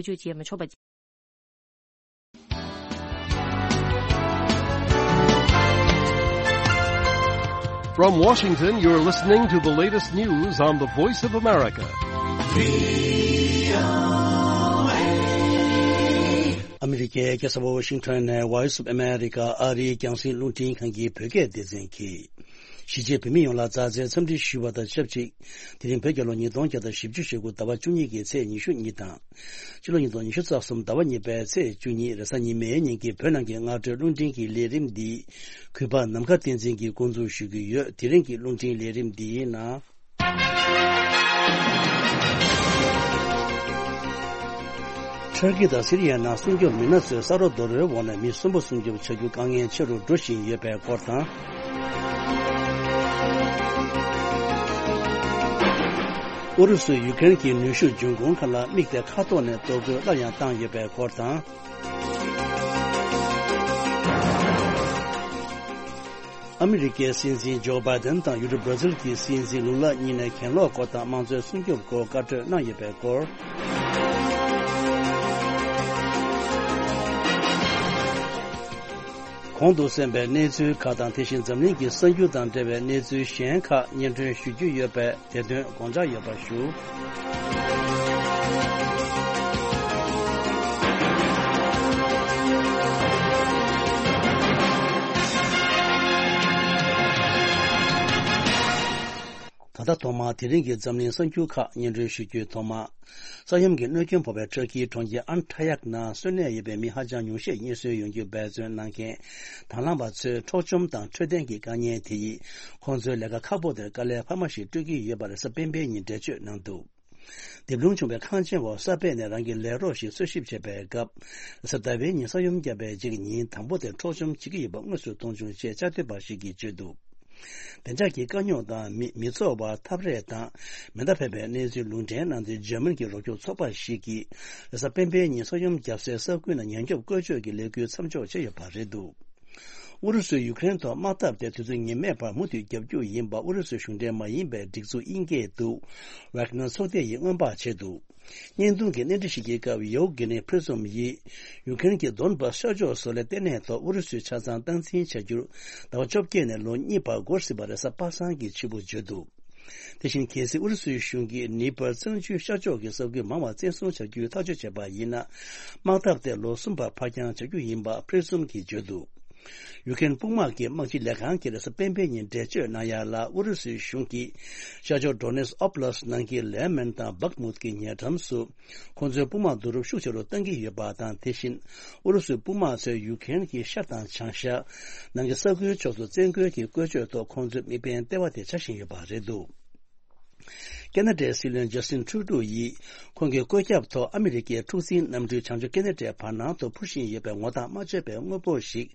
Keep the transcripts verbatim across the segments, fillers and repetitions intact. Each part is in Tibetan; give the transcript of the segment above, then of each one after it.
བཅོས་བྱེད་མི་ཆོག་པ། From Washington, you're listening to the latest news on the Voice of America. ཨ་མི་རི་ཀའི་རྒྱལ་ས་ཝ་ཤིང་ཊོན་ནས་Voice of America ཨ་རིའི་རྒྱང་སྲིང་རླུང་འཕྲིན་ཁང་གི་བོད་སྐད་སྡེ་ཚན་གྱིས། གཞིས་བྱེས་བོད་མི་ཡོངས་ལ་མཛའ་བརྩེའི་འཚམས་འདྲི་ཞུ་བ་དང་ཆབས་ཅིག་དེ་རིང་བོད་རྒྱལ་ལོ་ཉིས་སྟོང་བརྒྱ་དང་བཞི་བཅུ་ཞེ་དགུ་ཟླ་བ་བཅུ་གཉིས་ཀྱི་ཚེས་ཉི་ཤུ་གཉིས་དང་། ཕྱི་ལོ་ཉིས་སྟོང་ཉི་ཤུ་རྩ་གསུམ་ཟླ་བ་གཉིས་པའི་ཚེས་བཅུ་གཉིས་རེས་གཟའ་ཉི་མའི་ཉིན་གྱི་བོད་ནང་གི་སྔ་དྲོའི་རླུང་འཕྲིན་གྱི་ལས་རིམ་འདི་གུས་པ་ནམ་མཁའ་བསྟན་འཛིན་གྱིས་འགོ་འཛུགས་ཞུ་གི་ཡོད། དེ་རིང་གི་རླུང་འཕྲིན་ལས་རིམ་འདིའི་ནང་། ཊར་ཀི་དང་སི་རི་ཡའི་ནང་སྲུང་སྐྱོབ་མི་སྣ་ཚོས་ས་རོ་རྡོ་རོའི་འོག་ནས་མི་གསོན་པོ་སྲུང་སྐྱོབ་བྱ་རྒྱུ་དཀའ་ངལ་ཆེ་རུ་འགྲོ་བཞིན་ཡོད་པའི་སྐོར་དང་། ཨུ་རུ་སུས་ཡུ་ཀེ་རེན་གྱི་ནུས་ཤུགས་འབྱུང་ཁུངས་ཁག་ལ་དམིགས་ཏེ་མཁའ་ཐོག་ནས་གཏོར་རྒོལ་སླར་ཡང་བཏང་ཡོད་པའི་སྐོར་དང་། ཨ་མི་རི་ཀའི་སྲིད་འཛིན་ཇོ་བྷའི་ཏན་དང་ཡུ་རོབ་བྷར་ཛིལ་གྱི་སྲིད་འཛིན་ལུ་ལ་གཉིས་ནས་གྱེན་ལོག་སྐོར་དང་དམངས་གཙོའི་སྲུང་སྐྱོབ་སྐོར་བཀའ་གྲོས་གནང་ཡོད་པའི་སྐོར། གོང་དུ་གསན་པའི་གནས་ཚུལ་ཁག་དང་དེ་བཞིན་འཛམ་གླིང་གི་གསར་འགྱུར་དང་འབྲེལ་བའི་གནས་ཚུལ་གཞན་ཁག་སྙན་སྒྲོན་ཞུ་རྒྱུ་ཡོད་པས། དེ་དོན་དགོངས་འཇགས་ཡོད་པ་ཞུ། ད་ལྟ་ཐོག་མར་དེ་རིང་གི་འཛམ་གླིང་གསར་འགྱུར་ཁག་སྙན་སྒྲོན་ཞུ་རྒྱུའི་ཐོག་མ། ས་ཡོམ་གྱི་གནོད་སྐྱོན་ཕོག་པའི་ཊར་ཀིའི་གྲོང་ཁྱེར་ཨན་ཊ་ཡག་ནང་གསོན་གནས་ཡོད་པའི་མི་ཧ་ཅང་ཉུང་ཤས་རྙེད་སོན་ཡོང་རྒྱུ་འབད་བརྩོན་གནང་མཁན་དང་བླངས་པ་ཚོའི་འཕྲོག་བཅོམ་དང་འཕྲོད་བསྟེན་གྱི་དཀའ་ངལ་དེ་ཡིས་ཁོང་ཚོའི་ལས་ཀ་ཁག་པོ་དེར་དཀའ་ལས་འཕར་མ་ཞིག་སྤྲོད་ཀྱི་ཡོད་པ་རེས་གཟའ་སྤེན་པའི་ཉིན་འགྲེལ་བརྗོད་གནང་འདུག། རྡིབ་ལྷུང་བྱུང་བའི་ཁང་ཆེན་འོག་ས་སྦས་ནས་རང་གི་ལས་རོགས་ཤིག་འཚོལ་ཞིབ་བྱེད་པའི་སྐབས། རེས་གཟའ་ཟླ་བའི་ཉིན་ས་ཡོམ་བརྒྱབ་པའི་རྗེས་ཉིན་དང་པོ་དེར་འཕྲོག་བཅོམ་བྱེད་ཀྱི་ཡོད་པ་དངོས་སུ་མཐོང་བྱུང་ཞེས་བཅའ་སྡོད་པ་ཞིག་གིས་བརྗོད་འདུག། བདེ་འཇགས་ཀྱི་དཀའ་རྙོག་དང་མི་མི་འཚོ་བར་འཐབ་རེས་དང་མེ་མདའ་ཕབ་པའི་གནས་ཚུལ་ལུང་འདྲེན་གནང་སྟེ། འཇར་མན་གྱི་རོགས་སྐྱོར་ཚོགས་པ་ཞིག་གིས་རེས་གཟའ་སྤེན་པའི་ཉིན་ས་ཡོམ་བརྒྱབ་སའི་ས་ཁུལ་ནང་ཉེན་སྐྱོབ་བཀོལ་སྤྱོད་ཀྱི་ལས་འགུལ་མཚམས་འཇོག་བྱས་ཡོད་པ་རེད་འདུག། ཨུ་རུ་སུས་ཡུ་ཀེ་རེན་ཐོག་དམག་འཐབ་དེ་དུས་ཚོད་ངེས་མེད་པར་མུ་མཐུད་བརྒྱབ་རྒྱུ་ཡིན་པ་ཨུ་རུ་སུའི་གཞུང་འབྲེལ་མ་ཡིན་པའི་སྒྲིག་འཛུགས་དབྱིན་སྐད་དུ་Wagner་ཚོགས་སྡེ་ཡིས་སྔོན་དཔག་བྱས་འདུག། བརྙན་ཐུང་གི་གནས་འདྲི་ཞིག་གི་སྐབས། ཡའོ་གི་ནི་ཕྲི་ཛོམ་ཡིས་ཡུ་ཀེ་རེན་གྱི་དོན་བྷ་ཤར་ཕྱོགས་བཟོ་ལས་ལྟེ་གནས་ཐོག་ཨུ་རུ་སུས་ཆ་ཚང་སྟངས་འཛིན་བྱ་རྒྱུར་ཟླ་བ་བཅོ་བརྒྱད་ནས་ལོ་གཉིས་བར་འགོར་སྲིད་པ་རེས་གཟའ་པ་སངས་ཀྱི་ཕྱི་པོ་བརྗོད་འདུག། དེ་བཞིན་གལ་སྲིད་ཨུ་རུ་སུའི་གཞུང་གིས་ནི་པར་གཙང་ཆུའི་ཤར་ཕྱོགས་ཀྱི་ས་ཁུལ་མང་བ་བཙན་བཟུང་བྱ་རྒྱུའི་ཐག་གཅོད་བྱས་པ་ཡིན་ན། དམག་འཐབ་དེ་ལོ་གསུམ་བར་ཕར་འགྱངས་བྱ་རྒྱུ་ཡིན་པ་ཕྲི་ཛོམ་གྱིས་བརྗོད་འདུག། ཡུ་ཀེ་རེན་དཔུང་དམག་གི་དམག་སྤྱི་ལས་ཁང་གིས་རེས་གཟའ་སྤེན་པའི་ཉིན་འགྲེལ་བརྗོད་གནང་ཡ་ལ། ཨུ་རུ་སུའི་གཞུང་གིས་ཤར་ཕྱོགས་ཌོ་ནེ་སི་ཨོབ་ལ་སི་ནང་གི་ལེ་མན་དང་བག་མུད་ཀྱི་ཉེ་འགྲམ་སུ་ཁོང་ཚོའི་དཔུང་དམག་བསྡུ་རུབ་ཤུགས་ཆེ་རུ་གཏང་གི་ཡོད་པ་དང་། དེ་བཞིན་ཨུ་རུ་སུའི་དཔུང་དམག་ཚོས་ཡུ་ཀེ་རེན་གྱི་ཤར་དང་བྱང་ཤར་ནང་གི་ས་ཁུལ་ཕྱོགས་སུ་བཙན་རྒོལ་གྱི་བཀོལ་སྤྱོད་ཐོག་ཁོང་ཚོའི་དམིགས་འབེན་ལྟེ་བ་དེ་ཆགས་བཞིན་ཡོད་པ་རེད་འདུག། ཁེ་ན་ཌའི་སྲིད་བློན་ཇ་སི་ཊིན་ཊུ་རུ་ཌོ་ཡིས་ཁོང་གི་བཀོད་ཁྱབ་ཐོག་ཨ་མི་རི་ཀའི་འཁྲུག་འཛིང་གནམ་གྲུས་བྱང་ཕྱོགས་ཁེ་ན་ཌའི་བར་སྣང་དུ་འཕུར་བཞིན་ཡོད་པའི་ངོ་ཐག་མ་ཆོད་པའི་དངོས་པོ་ཞིག་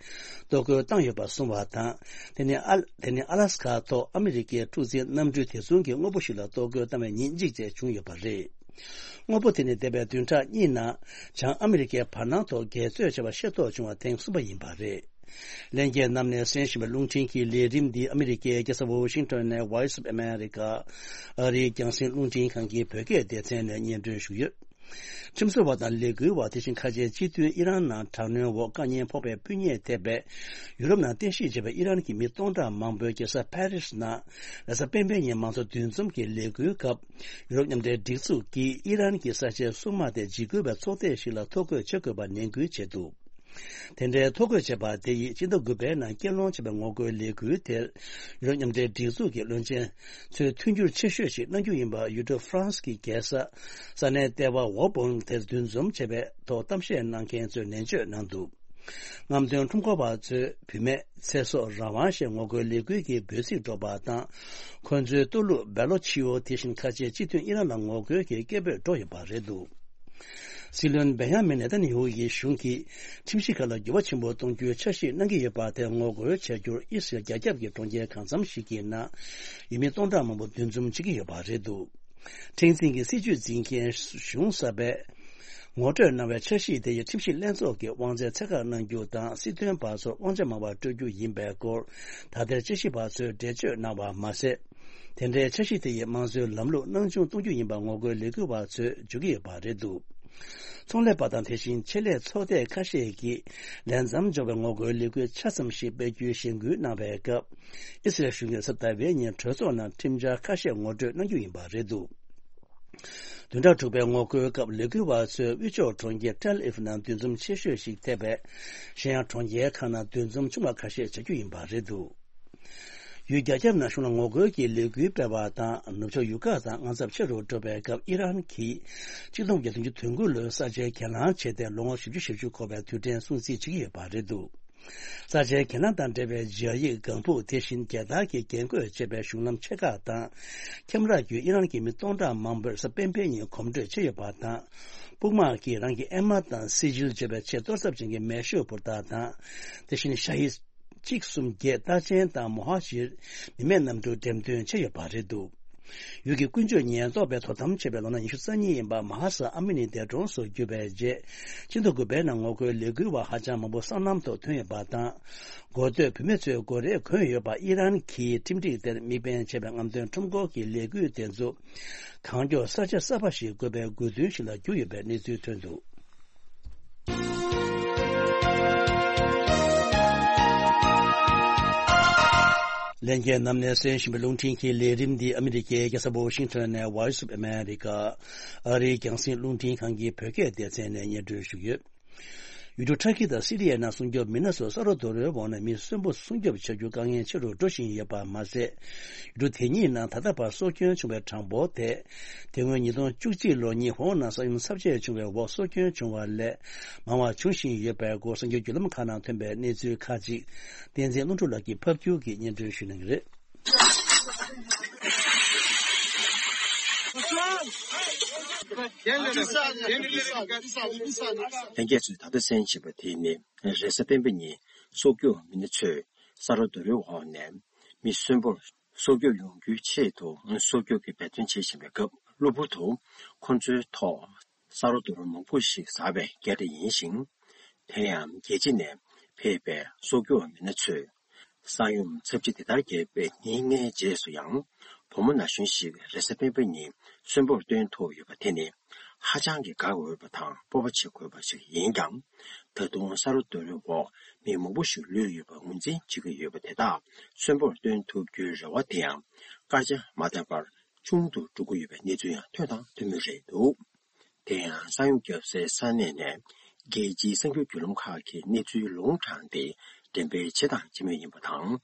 གཏོར་རྒོལ་བཏང་ཡོད་པ་གསུངས་པ་དང་། དེ་ནི་ཨ་དེ་ནི་ཨ་ལ་སི་ཁ་ཐོག་ཨ་མི་རི་ཀའི་འཁྲུག་འཛིང་གནམ་གྲུས་དེ་མཚུངས་ཀྱི་དངོས་པོ་ཞིག་ལ་གཏོར་རྒོལ་བཏང་བའི་ཉིན་གཅིག་བཅས་བྱུང་ཡོད་པ་རེད། དངོས་པོ་དེ་ནི་འདས་པའི་བདུན་ཕྲག་གཉིས་ནང་བྱང་ཨ་མི་རི་ཀའི་བར་སྣང་ཐོག་འགལ་རྩོད་བྱས་པ་ཤེས་རྟོགས་བྱུང་བ་ཐེངས་གསུམ་པ་ཡིན་པ་རེད། ལྷན་རྒྱས་རྣམས་ནས་གསན་བཞིན་པའི་རླུང་འཕྲིན་གྱི་ལས་རིམ་འདི་ཨ་མི་རི་ཀའི་རྒྱལ་ས་ཝོ་ཤིང་ཊོན་ནས་Voice of America ཨ་རིའི་རྒྱང་སྲིང་རླུང་འཕྲིན་ཁང་གི་བོད་སྐད་སྡེ་ཚན་ནས་སྙན་སྒྲོན་ཞུས་ཡོད། ཁྲིམས་བཟོ་བ་དང་ལས་འགུལ་བ། དེ་བཞིན་ཁ་ཆེའི་སྤྱི་མཐུན་ཨི་རན་ནང་དྲག་གནོན་འོག་དཀའ་ཉེན་ཕོག་པའི་སྤུན་ཉེ་ཐེ་བའི་ཡུ་རོབ་ནང་རྟེན་གཞི་བྱས་པའི་ཨི་རན་གྱི་མི་སྟོང་ཕྲག་མང་པོའི་རྒྱལ་ས་ཕ་རིས་ནང་རེས་གཟའ་སྤེན་པའི་ཉིན་མང་གཙོ་འདུ་འཛོམས་ཀྱི་ལས་འགུལ་སྐབས། ཡུ་རོབ་མཉམ་འབྲེལ་སྒྲིག་འཛུགས་ཀྱིས་ཨི་རན་གྱི་ས་ཆའི་སྲུང་དམག་དེ་འཇིགས་སྐུལ་བའི་ཚོགས་སྡེ་ཞིག་ལ་ཐོ་འགོད་བྱེད་དགོས་པར་ནན་སྐུལ་བྱས་འདུག། དེ་འདྲའི་ཐོ་འགོད་བྱས་པ་དེ་ཡིས་སྤྱི་ཟླ་དགུ་པའི་ནང་སྐུལ་སློང་བྱས་པའི་ངོ་རྒོལ་ལས་འགུལ་དེར། ཡུ་རོབ་མཉམ་འབྲེལ་སྒྲིག་འཛུགས་ཀྱི་བློན་ཆེན་ཚོས་མཐུན་འགྱུར་ཆེ་ཤོས་ཤིག་གནང་རྒྱུ་ཡིན་པ་ཡུལ་གྲུ་ཧྥ་རན་སི་གི་རྒྱལ་ས་ས་གནས་ལྟེ་བ་ཝོ་བོན་དེར་འདུ་འཛོམས་བྱས་པའི་ཐོག་གཏམ་བཤད་གནང་མཁན་ཚོས་ནན་བརྗོད་གནང་འདུག། རྔམ་སྟོན་ཁྲོམ་སྐོར་བ་ཚོས་བུད་མེད་ཚེ་སྲོག་རང་དབང་ཞེས་ངོ་རྒོལ་ལས་འགུལ་གྱི་འབོད་ཚིག་སྒྲོག་པ་དང་། ཁོ་ཚོའི་ལྟོ་ལུག་སྦེ་ལོ་ཆི་ཨོ་དེ་བཞིན་ཁ་ཆེའི་སྤྱི་མཐུན་ཨི་རན་ལ་ངོ་རྒོལ་གྱི་སྐད་འབོད་སྒྲོག་ཡོད་པ་རེད་འདུག། སྲིད་བློན་བེན་ཡ་མིན་ནེ་ཐན་ཡ་ཧུ་ཡི་གཞུང་གིས་ཁྲིམས་གཞི་ཁག་ལ་འགྱུར་བ་ཆེན་པོ་གཏོང་རྒྱུའི་འཆར་གཞི་གནང་གི་ཡོད་པ་དེར་ངོ་རྒོལ་བྱ་རྒྱུར་ཨི་སི་རལ་རྒྱ་ཁྱབ་ཀྱི་གྲོང་ཁྱེར་གང་འཚམ་ཞིག་གི་ནང་ཡུལ་མི་སྟོང་ཕྲག་མང་པོ་འདུ་འཛོམས་བྱེད་ཀྱི་ཡོད་པ་རེད་འདུག། མཁྲེགས་འཛིན་གྱི་སྲིད་བྱུས་འཛིན་མཁན་གཞུང་གསར་པས་ངོ་སྤྲོད་གནང་བའི་འཆར་གཞི་དེ་ཡིས་ཁྲིམས་ཞིབ་ལྷན་ཚོགས་ཀྱི་དབང་ཚད་ཚད་བཀག་གནང་རྒྱུ་དང་། སྲིད་དོན་པ་ཚོར་དབང་ཆ་མང་བ་སྤྲོད་རྒྱུ་ཡིན་པའི་སྐོར་ད་ལྟའི་དཔྱད་ཞིབ་པ་ཚོས་འགྲེལ་བརྗོད་གནང་བ་མ་ཟད། དེ་འདྲའི་འཆར་གཞི་དེ་ཡིས་དམངས་གཙོའི་ལམ་ལུགས་སྣང་ཆུང་གཏོང་རྒྱུ་ཡིན་པ་ངོ་རྒོལ་ལས་འགུལ་བ་ཚོས་བརྗོད་ཀྱི་ཡོད་པ་རེད་འདུག། ཚོང་ལས་པ་དང་དེ་བཞིན་ཆེད་ལས་ཚོགས་སྡེ་ཁ་ཤས་ཀྱིས་ལས་མཚམས་འཇོག་པའི་ངོ་རྒོལ་ལས་འགུལ་ཆ་ཙམ་ཞིག་སྤེལ་རྒྱུའི་གཞེན་སྐུལ་གནང་བའི་སྐབས། ཨི་སི་རལ་གཞུང་གིས་གཟའ་ཟླ་བའི་ཉིན་གྲོས་ཚོགས་ནང་ཁྲིམས་འཆར་ཁ་ཤས་ངོ་སྤྲོད་གནང་རྒྱུ་ཡིན་པ་རེད་འདུག་བདུན་ཕྲག་དྲུག་པའི་ངོ་རྒོལ་སྐབས་ལས་འགུལ་བ་ཚོས་དབུས་ཕྱོགས་གྲོང་ཁྱེར་ཏེལ་ཨིབ་ནང་འདུ་འཛོམས་ཆེ་ཤོས་ཤིག་ཐེབས་པས། གཞན་ཡང་གྲོང་ཁྱེར་ཁག་ནང་འདུ་འཛོམས་ཆུང་བ་ཁ་ཤས་བྱ་རྒྱུ་ཡིན་པ་རེད་འདུག་ཡུལ་རྒྱ་ཁྱབ་ནང་གཞུང་ལ་ངོ་རྒོལ་གྱི་ལས་འགུལ་སྤེལ་བ་དང་ནུབ་ཕྱོགས་ཡུལ་ཁག་དང་དངངས་འཚབ་ཆེ་རུ་འགྲོ་བའི་སྐབས། ཨི་རན་གྱིས་ཆིག་སྟོང་དགུ་བརྒྱ་བདུན་ཅུ་དོན་དགུ་ལོའི་ས་ཆའི་གྱེན་ལངས་བྱས་ཏེ། ལོ་ངོ་བཞི་བཅུ་ཞེ་བཅུ་འཁོར་བའི་དུས་དྲན་སྲུང་བརྩི་བྱེད་ཀྱི་ཡོད་པ་རེད་འདུག་ས་ཆའི་གྱེན་ལངས་དང་འབྲེལ་བའི་སྦྱར་ཡིག་ལྒང་ཕུག་དེ་བཞིན་རྒྱལ་དར་གྱི་རྒྱན་བཀོད་བྱས་པའི་གཞུང་ལམ་ཆེ་ཁག་དང་། ཁྱམས་ར་བརྒྱུད་ཨི་རན་གྱི་མི་སྟོང་ཕྲག་མང་པོས་གཟའ་སྤེན་པའི་ཉིན་གོམ་བགྲོད་བྱས་ཡོད་པ་དང་། དཔུང་དམག་གིས་རང་གི་ཨེ་མ་དང་སི་ཇིལ་བརྗོད་པའི་ཆེས་གཏོར་ཚབས་ཅན་གྱི་མེ་ཤོག་འཕུར་སྟངས་དང་། དེ་བཞིན་ཤ་ཧི་གཅིག་གསུམ་བརྒྱད་རྟགས་ཅན་དང་མོ་ཧ་ཇིར་མི་མེད་གནམ་གྲུ་འགྲེམས་སྟོན་བྱས་ཡོད་པ་རེད་འདུག་ཡུལ་གྱི་ཀུན་སྤྱོད་ཉེན་རྟོག་པས་དོ་དམ་བྱས་པའི་ལོ་ན་ཉི་ཤུ་རྩ་གཉིས་ཡིན་པ་མ་ཧ་ས་ཨ་མི་ནི་འདས་གྲོངས་སུ་གྱུར་པའི་རྗེས། ཆིག་སྟོང་དགུ་པའི་ནང་ངོ་རྒོལ་ལས་འགུལ་བ་ཧ་ཅང་མང་པོ་སོ་ནམ་ཐོག་ཐོན་ཡོད་པ་དང་། འགོ་སྟོད་བུད་མེད་ཚོའི་མགོ་རས་གོན་ཡོད་པ། ཨི་རན་གྱི་ཁྲིམས་སྒྲིག་དེར་དམིགས་འབེན་བྱས་པའི་རྔམ་སྟོན་ཁྲོམ་སྐོར་གྱི་ལས་འགུལ་དེ་ཚོ་གང་མགྱོགས་ས་ཆ་གསར་པ་ཞིག་བགོ་བའི་དགོས་འདུན་ཞིག་ལ་གྱུར་ཡོད་པའི་གནས་ཚུལ་ཐོན་འདུག་ལྷན་རྒྱས་རྣམས་ནས་གསན་བཞིན་པའི་རླུང་འཕྲིན་གྱི་ལས་རིམ་འདི་ཨ་མི་རི་ཀའི་རྒྱལ་ས་ཝ་ཤིང་ཊོན་ནས་Voice of America ཨ་རིའི་རྒྱང་སྲིང་རླུང་འཕྲིན་ཁང་གི་བོད་སྐད་སྡེ་ཚན་ནས་སྙན་སྒྲོན་ཞུ་གི་ཡོད། ཡུལ་གྲུ་ཊར་ཀི་དང་སི་རི་ཡའི་ནང་སྲུང་སྐྱོབ་མི་སྣ་ཚོ་ས་རོ་རྡོ་རོའི་འོག་ནས་མི་གསོན་པོ་སྲུང་སྐྱོབ་བྱ་རྒྱུ་དཀའ་ངལ་ཆེ་རུ་འགྲོ་བཞིན་ཡོད་པ་མ་ཟད། ཡུལ་གྲུ་དེ་གཉིས་ནང་ད་ལྟ་བར་སྲོག་སྐྱོན་བྱུང་བའི་གྲངས་འབོར་དེ། དེ་སྔོན་ཉིས་སྟོང་བཅུ་གཅིག་ལོར་ཉི་ཧོང་ནང་ས་ཡོམ་ཚབས་ཆེ་བྱུང་བའི་འོག་སྲོག་སྐྱོན་བྱུང་བ་ལས་མང་བ་འབྱུང་བཞིན་ཡོད་པའི་སྐོར་གསར་འགྱུར་བརྒྱུད་ལམ་ཁག་ནང་ཐོན་པའི་གནས་ཚུལ་ཁག་ཅིག་བསྟན་འཛིན་ཀླུ་སྒྲུབ་ལགས་ཀྱིས་ཕབ་སྒྱུར་གྱིས་སྙན་སྒྲོན་ཞུ་གནང་གི་རེད། ལྷན་རྒྱས་ཚོས་ད་ལྟ་གསན་བཞིན་པ་དེ་ནི་རེས་གཟའ་སྤེན་པ་ཉིན་སྲོག་སྐྱོབ་མི་སྣ་ཚོས་ས་རོ་རྡོ་རོའི་འོག་ནས་མི་གསོན་པོར་སྲོག་སྐྱོབ་ཡོང་རྒྱུའི་ཆེད་དུ་སྲོག་སྐྱོབ་ཀྱི་འབད་བརྩོན་བྱེད་བཞིན་པའི་སྐབས། གློ་བུར་དུ་ཁོ་ཚོའི་ཐོག་ས་རོ་རྡོ་རོ་མང་པོ་ཞིག་ཟགས་པའི་སྐད་སྒྲ་ཡིན་ཞིང་། དེ་ཡང་རྒྱལ་སྤྱི་ནས་ཕེབས་པའི་སྲོག་སྐྱོབ་མི་སྣ་ཚོས། ས་ཡོམ་ཚབས་ཆེ་དེ་ལྟར་བརྒྱབ་པའི་ཉིན་ལྔའི་རྗེས་སུ་ཡང་། བུ་མོ་ན་གཞོན་ཞིག་རེས་གཟའ་སྤེན་པ་ཉིན་གསོན་པོར་བཏོན་ཐུབ་ཡོད་པ་དེ་ནི་ཧ་ཅང་གི་དགའ་འོས་པ་དང་སྤོབས་པ་བྱེད་དགོས་པ་ཞིག་ཡིན་ཀྱང་། ད་དུང་ས་རོ་རྡོ་རོའི་འོག་མི་མང་པོ་ཞིག་ལུས་ཡོད་པ་ངོས་འཛིན་བྱེད་ཀྱི་ཡོད་པ་དེ་དག་གསོན་པོར་བཏོན་ཐུབ་རྒྱུའི་རེ་བ་དེ་ཡང་སྐར་ཆ་མ་འདས་པར་ཆུང་དུ་འགྲོ་གི་ཡོད་པའི་གནས་ཚུལ་ཡང་ཐོན་དང་ཐོན་མུས་རེད་འདུག་དེ་ཡང་ས་ཡོམ་བརྒྱབ་སའི་ས་གནས་ནས་རྒྱལ་སྤྱིའི་གསར་འགྱུར་བརྒྱུད་ལམ་ཁག་གིས་གནས་ཚུལ་ལུང་དྲངས་ཏེ་འགྲེམས་སྤེལ་བྱེད་དང་བྱེད་མུས་ཡིན་པ་དང་།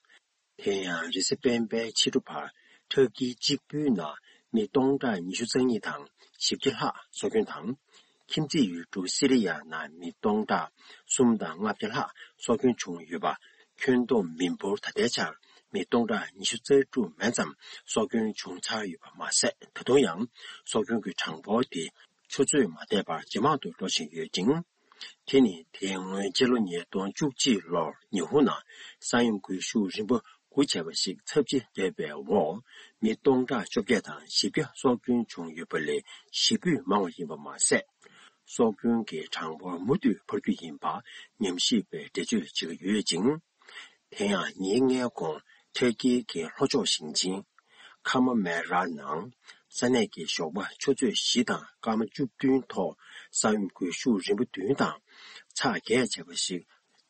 དེ་ཡང་རེས་གཟའ་སྤེན་པའི་ཕྱི་དྲོ་བར་ཊར་ཀིའི་གཅིག་པུའི་ནང་མི་སྟོང་ཕྲག་ཉི་ཤུ་རྩ་གཉིས་དང་བཞི་བརྒྱ་ལྷག་སྲོག་སྐྱོན་དང་། ཁྱིམ་མཚེས་ཡུལ་གྲུ་སི་རི་ཡ་ནང་མི་སྟོང་ཕྲག་གསུམ་དང་ལྔ་བརྒྱ་ལྷག་སྲོག་སྐྱོན་བྱུང་ཡོད་པ། ཁྱོན་བསྡོམས་མི་འབོར་ད་ལྟའི་ཆར་མི་སྟོང་ཕྲག་ཉི་ཤུ་རྩ་དྲུག་མན་ཙམ་སྲོག་སྐྱོན་བྱུང་ཚར་ཡོད་པ་མ་ཟད། ད་དུང་ཡང་སྲོག་སྐྱོན་གྱི་གྲངས་འབོར་དེ་ཆུ་ཚོད་མ་འདས་པར་ཇེ་མང་དུ་འགྲོ་བཞིན་ཡོད་ཅིང་། དེ་ནི་དེའི་སྔོན་སྤྱི་ལོ་ཉིས་སྟོང་བཅུ་གཅིག་ལོར་ཉི་ཧོང་ནང་ས་ཡོམ་འགུལ་ཤུགས་རིམ་པ་དགུ་བྱས་པ་ཞིག་ཚབས་ཆེ་བརྒྱབ་པའི་འོག་མི་སྟོང་ཕྲག་བཅོ་བརྒྱད་དང་བཞི་བརྒྱ་སྲོག་སྐྱོན་བྱུང་ཡོད་པ་ལས་བཞི་བཅུ་མང་བ་ཡིན་པ་མ་ཟད། སྲོག་སྐྱོན་གྱི་གྲངས་འབོར་མུ་མཐུད་འཕར་རྒྱུ་ཡིན་པ་ཉམས་ཞིབ་པས་འགྲེལ་བརྗོད་བྱེད་ཀྱི་ཡོད་ཅིང་། དེ་ཡང་ཉིན་ལྔའི་གོང་ཊར་ཀིའི་གི་ལྷོ་ཕྱོགས་ཞིང་ཆེན་ཁ་མ་མེ་ར་ནང་ས་གནས་ཀྱི་ཞོགས་པ་ཆུ་ཚོད་བཞི་དང་སྐར་མ་བཅུ་བདུན་ཐོག་ས་ཡོམ་འགུལ་ཤུགས་རིམ་པ་བདུན་དང་ཚ་གྱང་ཆེ་བ་ཞིག་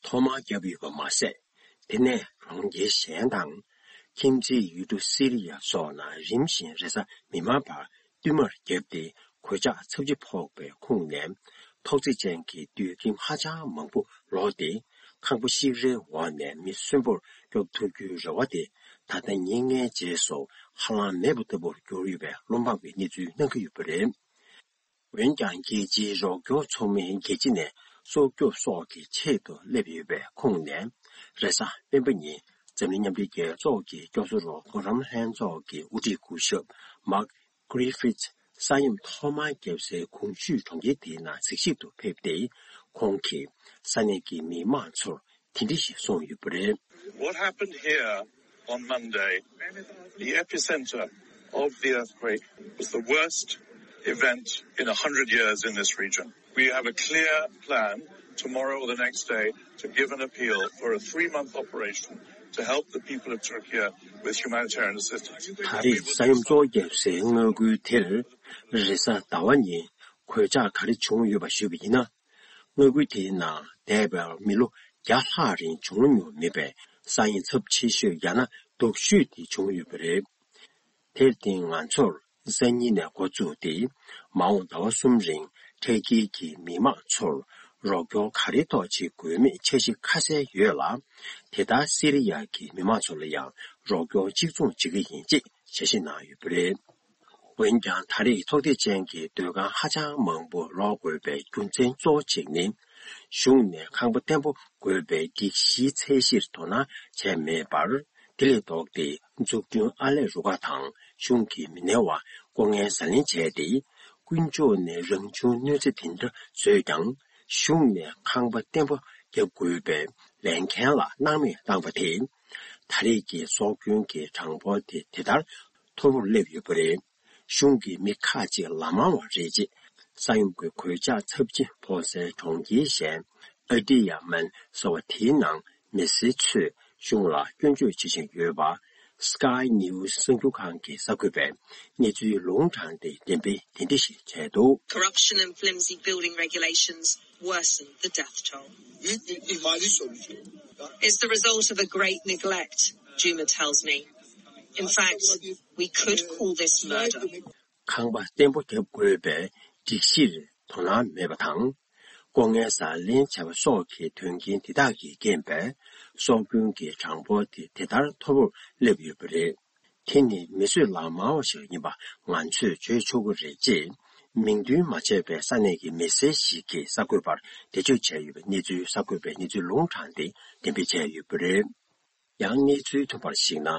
ཐོག་མར་བརྒྱབ་ཡོད་པ་མ་ཟད། དེ་ནས་གྲོང་ཁྱེར་གཞན་དང་། ཁྱིམ་མཚེས་ཡུལ་གྲུ་སི་རི་ཡ་སོགས་ནང་རིམ་བཞིན་རེས་གཟའ་མིག་དམར་བར་བསྟུད་མར་བརྒྱབ་སྟེ་གོད་ཆག་ཚབས་ཆེ་ཕོག་པའི་ཁོངས་ནས། ཐོག་བརྩེགས་ཅན་གྱི་དུད་ཁྱིམ་ཧ་ཅང་མང་པོ་ལོག་སྟེ། ཁང་པ་ཤིག་རེའི་འོག་ནས་མི་གསོན་པོར་སྐྱོབ་ཐུབ་རྒྱུའི་རེ་བ་དེ་ད་ལྟ་ཉིན་ལྔའི་རྗེས་སུ་ཧ་ལམ་མེད་པ་ལྟ་བུར་གྱུར་ཡོད་པའི་བློ་འབབ་ཀྱི་གནས་ཚུལ་གནང་གི་ཡོད་པ་རེད། འོན་ཀྱང་རྒྱལ་སྤྱིའི་རོགས་སྐྱོར་ཚོགས་མི་རྒྱལ་སྤྱི་ནས་སྲོག་སྐྱོབ་སོགས་ཀྱི་ཆེད་དུ་སླེབས་ཡོད་པའི་ཁོངས་ནས་རེས་གཟའ་སྤེན་པ་ཉིན་འཛམ་གླིང་མཉམ་འབྲེལ་རྒྱལ་ཚོགས་ཀྱི་སྐྱོབ་གསོ་རོགས་སྐྱོར་ལྷན་ཚོགས་ཀྱི་དབུ་ཁྲིད་སྐུ་ཞབས་Mark Griffiths་ས་ཡོམ་ཐོག་མར་བརྒྱབ་སའི་གོང་ཞུས་གྲོང་ཁྱེར་དེའི་ནང་གཟིགས་ཞིབ་ཏུ་ཕེབས་ཏེ། ཁོང་གིས་ས་གནས་ཀྱི་མི་མང་ཚོར་དེ་འདྲ་ཞིག་གསུངས་ཡོད་པ་རེད། What happened here on Monday, the epicenter of the earthquake, was the worst event in a hundred years in this region. We have a clear plan tomorrow or the next day to give an appeal for a three-month operation to help the people of Turkey with humanitarian assistance. ད་རེས་ས་ཡོམ་གཙོ་བོ་བརྒྱབ་སའི་མངའ་ཁུལ་དེར་རེས་གཟའ་ཟླ་བ་ཉིན་ གོད་ཆག་ག་རེ་བྱུང་ཡོད་པ་ཞུས་པ་ཡིན་ན། མངའ་ཁུལ་དེའི་ནང་འདས་པའི་མི་ལོ་བརྒྱ་ལྷག་རིང་བྱུང་མྱོང་མེད་པའི་ས་ཡོམ་ཚབས་ཆེ་ཤོས་ཡང་ན་སྡུག་ཤོས་དེ་བྱུང་ཡོད་པ་རེད། དེར་བརྟེན་ང་ཚོར་སང་ཉིན་ནས་འགོ་བཙུགས་ཏེ་མ་འོངས་ཟླ་བ་གསུམ་རིང་འཕྲལ་རྒྱལ་གྱི་མི་མང་ཚོར་རོགས་སྐྱོར་ག་རེ་ཐོག་བྱེད་དགོས་མེད་འཆར་གཞི་ཁ་གསལ་ཡོད་ལ། དེ་ལྟར་སི་རི་ཡ་གི་མི་མང་ཚོ་ལ་ཡང་རོགས་སྐྱོར་གཅིག་མཚུངས་བྱེད་ཀྱི་ཡིན་ཅེས་འཆར་གཞི་གནང་ཡོད་པ་རེད། འོན་ཀྱང་ད་རེས་ཚོགས་སྡེ་ཅན་གྱི་སྡོད་ཁང་ཧ་ཅང་མང་པོ་རོགས་དགོས་པའི་རྒྱུ་མཚན་གཙོ་བོ་གཅིག་ནི། གཞུང་ནས་ཁང་པ་བརྟན་པོ་དགོས་པའི་སྒྲིག་གཞིའི་ཚད་གཞིར་དོ་སྣང་བྱས་མེད་པར། དེ་ལས་ལྡོག་སྟེ་འཛུགས་སྐྲུན་ཨར་ལས་རུ་ཁག་དང་གཞུང་གི་མི་སྣའི་དབར་ལྐོག་རྔན་ཟ་ལེན་བྱས་ཏེ། དཀོན་མཆོག་ནས་རང་བྱུང་གནོད་འཚེ་དེ་འདྲ་བཟོས་ཀྱང་། གཞུང་ནས་ཁང་པ་བརྟན་པོ་བརྒྱབ་དགོས་པའི་ལས་འགན་ལ་སྣང་མེད་བཏང་བ་དེས། ད་རེས་ཀྱི་སྲོག་སྐྱོན་གྱི་གྲངས་འབོར་དེ་དེ་ལྟར་མཐོ་པོར་སླེབས་ཡོད་པ་རེད། གཞུང་གི་མི་ཁག་ཅིག་ལག་དམར་བ་རེད་ཅེས་ས་ཡོམ་གྱི་གོད་ཆག་ཚབས་ཆེ་ཕོག་སའི་གྲོང་ཁྱེར་གཞན་ཨ་ཏི་ཡ་མན་ཟེར་བ་དེའི་ནང་མི་སེར་ཚོས་གཞུང་ལ་སྐྱོན་བརྗོད་བྱེད་བཞིན་ཡོད་པ། Sky News གསར་འགྱུར་ཁང་གི་གསར་འགོད་པས་གནས་ཚུལ་ལུང་དྲངས་ཏེ་འགྲེམས་སྤེལ་དེ་འདྲ་ཞིག་བྱས་འདུག། Corruption and flimsy building regulations worsen the death toll. It's the result of a great neglect, Juma tells me. In fact, we could call this murder. ཁང་པ་བརྟན་པོ་བརྒྱབ་དགོས་པའི་སྒྲིག་གཞིར་དོ་སྣང་མེད་པ་དང་། ལྐོག་རྔན་ཟ་ལེན་བྱས་པ་སོགས་ཀྱི་དོན་རྐྱེན་དེ་དག་གིས་རྐྱེན་པས་སྲོག་སྐྱོན་གྱི་གྲངས་འབོར་དེ་དེ་ལྟར་མཐོ་པོར་སླེབས་ཡོད་པ་རེད། དེ་ནི་མི་གསོད་ལག་དམར་བ་ཞིག་ཡིན་པ་ང་ཚོས་བརྗོད་ཆོག་གི་རེད་ཅེས། མིང་འདོན་མ་བྱས་པའི་ས་གནས་ཀྱི་མི་སེར་ཞིག་གིས་གསར་འགོད་པར་འགྲེལ་བརྗོད་བྱས་ཡོད་པའི་གནས་ཚུལ་གསར་འགོད་པས་གནས་ཚུལ་ལུང་དྲངས་ཏེ་འགྲེམས་སྤེལ་བྱས་ཡོད་པ་རེད། ཡང་གནས་ཚུལ་ཐོན་པར་གཞིགས་ན།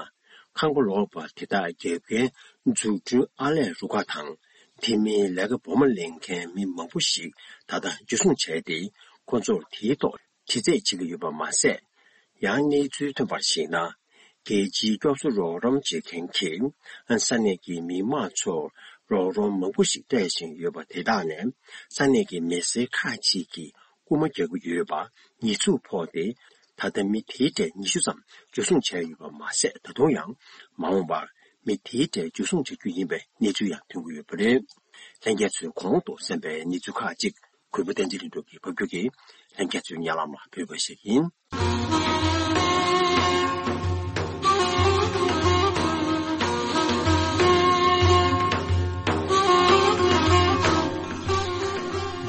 ཁང་པ་ལོག་པ་དེ་དག་བརྒྱབ་མཁན་འཛུགས་སྐྲུན་ཨར་ལས་རུ་ཁག་དང་། དེ་མིན་ལས་ཀ་འབོར་མ་ལེན་མཁན་མི་མང་པོ་ཞིག་ད་ལྟ་འཇུ་བཟུང་བྱས་ཏེ། ཁོ་ཚོར་དེའི་ཐོག་དྲི་རྩད་བྱེད་ཀྱི་ཡོད་པ་མ་ཟད། ཡང་གནས་ཚུལ་ཐོན་པར་གཞིགས་ན། རྒྱལ་སྤྱིའི་སྐྱོབ་གསོ་རོགས་རམ་བྱེད་མཁན་གྱིས། ས་གནས་ཀྱི་མི་མང་ཚོར་རོགས་རམ་མང་པོ་ཞིག་སྤྲད་བཞིན་ཡོད་པ་དེ་དག་ནས། ས་གནས་ཀྱི་མི་སེར་ཁག་ཅིག་གིས་རྐུ་མ་རྒྱག་གི་ཡོད་པ་ཉེས་འཛུགས་ཕོག་སྟེ། ད་ལྟ་མི་དེའི་གྲས་ཉི་ཤུ་ཙམ་འཇུ་བཟུང་བྱས་ཡོད་པ་མ་ཟད། ད་དུང་ཡང་མ་འོངས་པར་མི་དེའི་གྲས་འཇུ་བཟུང་བྱ་རྒྱུ་ཡིན་པའི་གནས་ཚུལ་ཡང་ཐོན་གྱི་ཡོད་པ་རེད། ལྷན་རྒྱས་ཚོས་གོང་དུ་གསན་པའི་གནས་ཚུལ་ཁག་ཅིག་གུས་པ་བསྟན་འཛིན་ལྷུན་གྲུབ་ཀྱིས་ཕབ་སྒྱུར་གྱིས་ལྷན་རྒྱས་ཚོའི་སྙན་ལམ་ལ་ཕུལ་བ་ཞིག་ཡིན།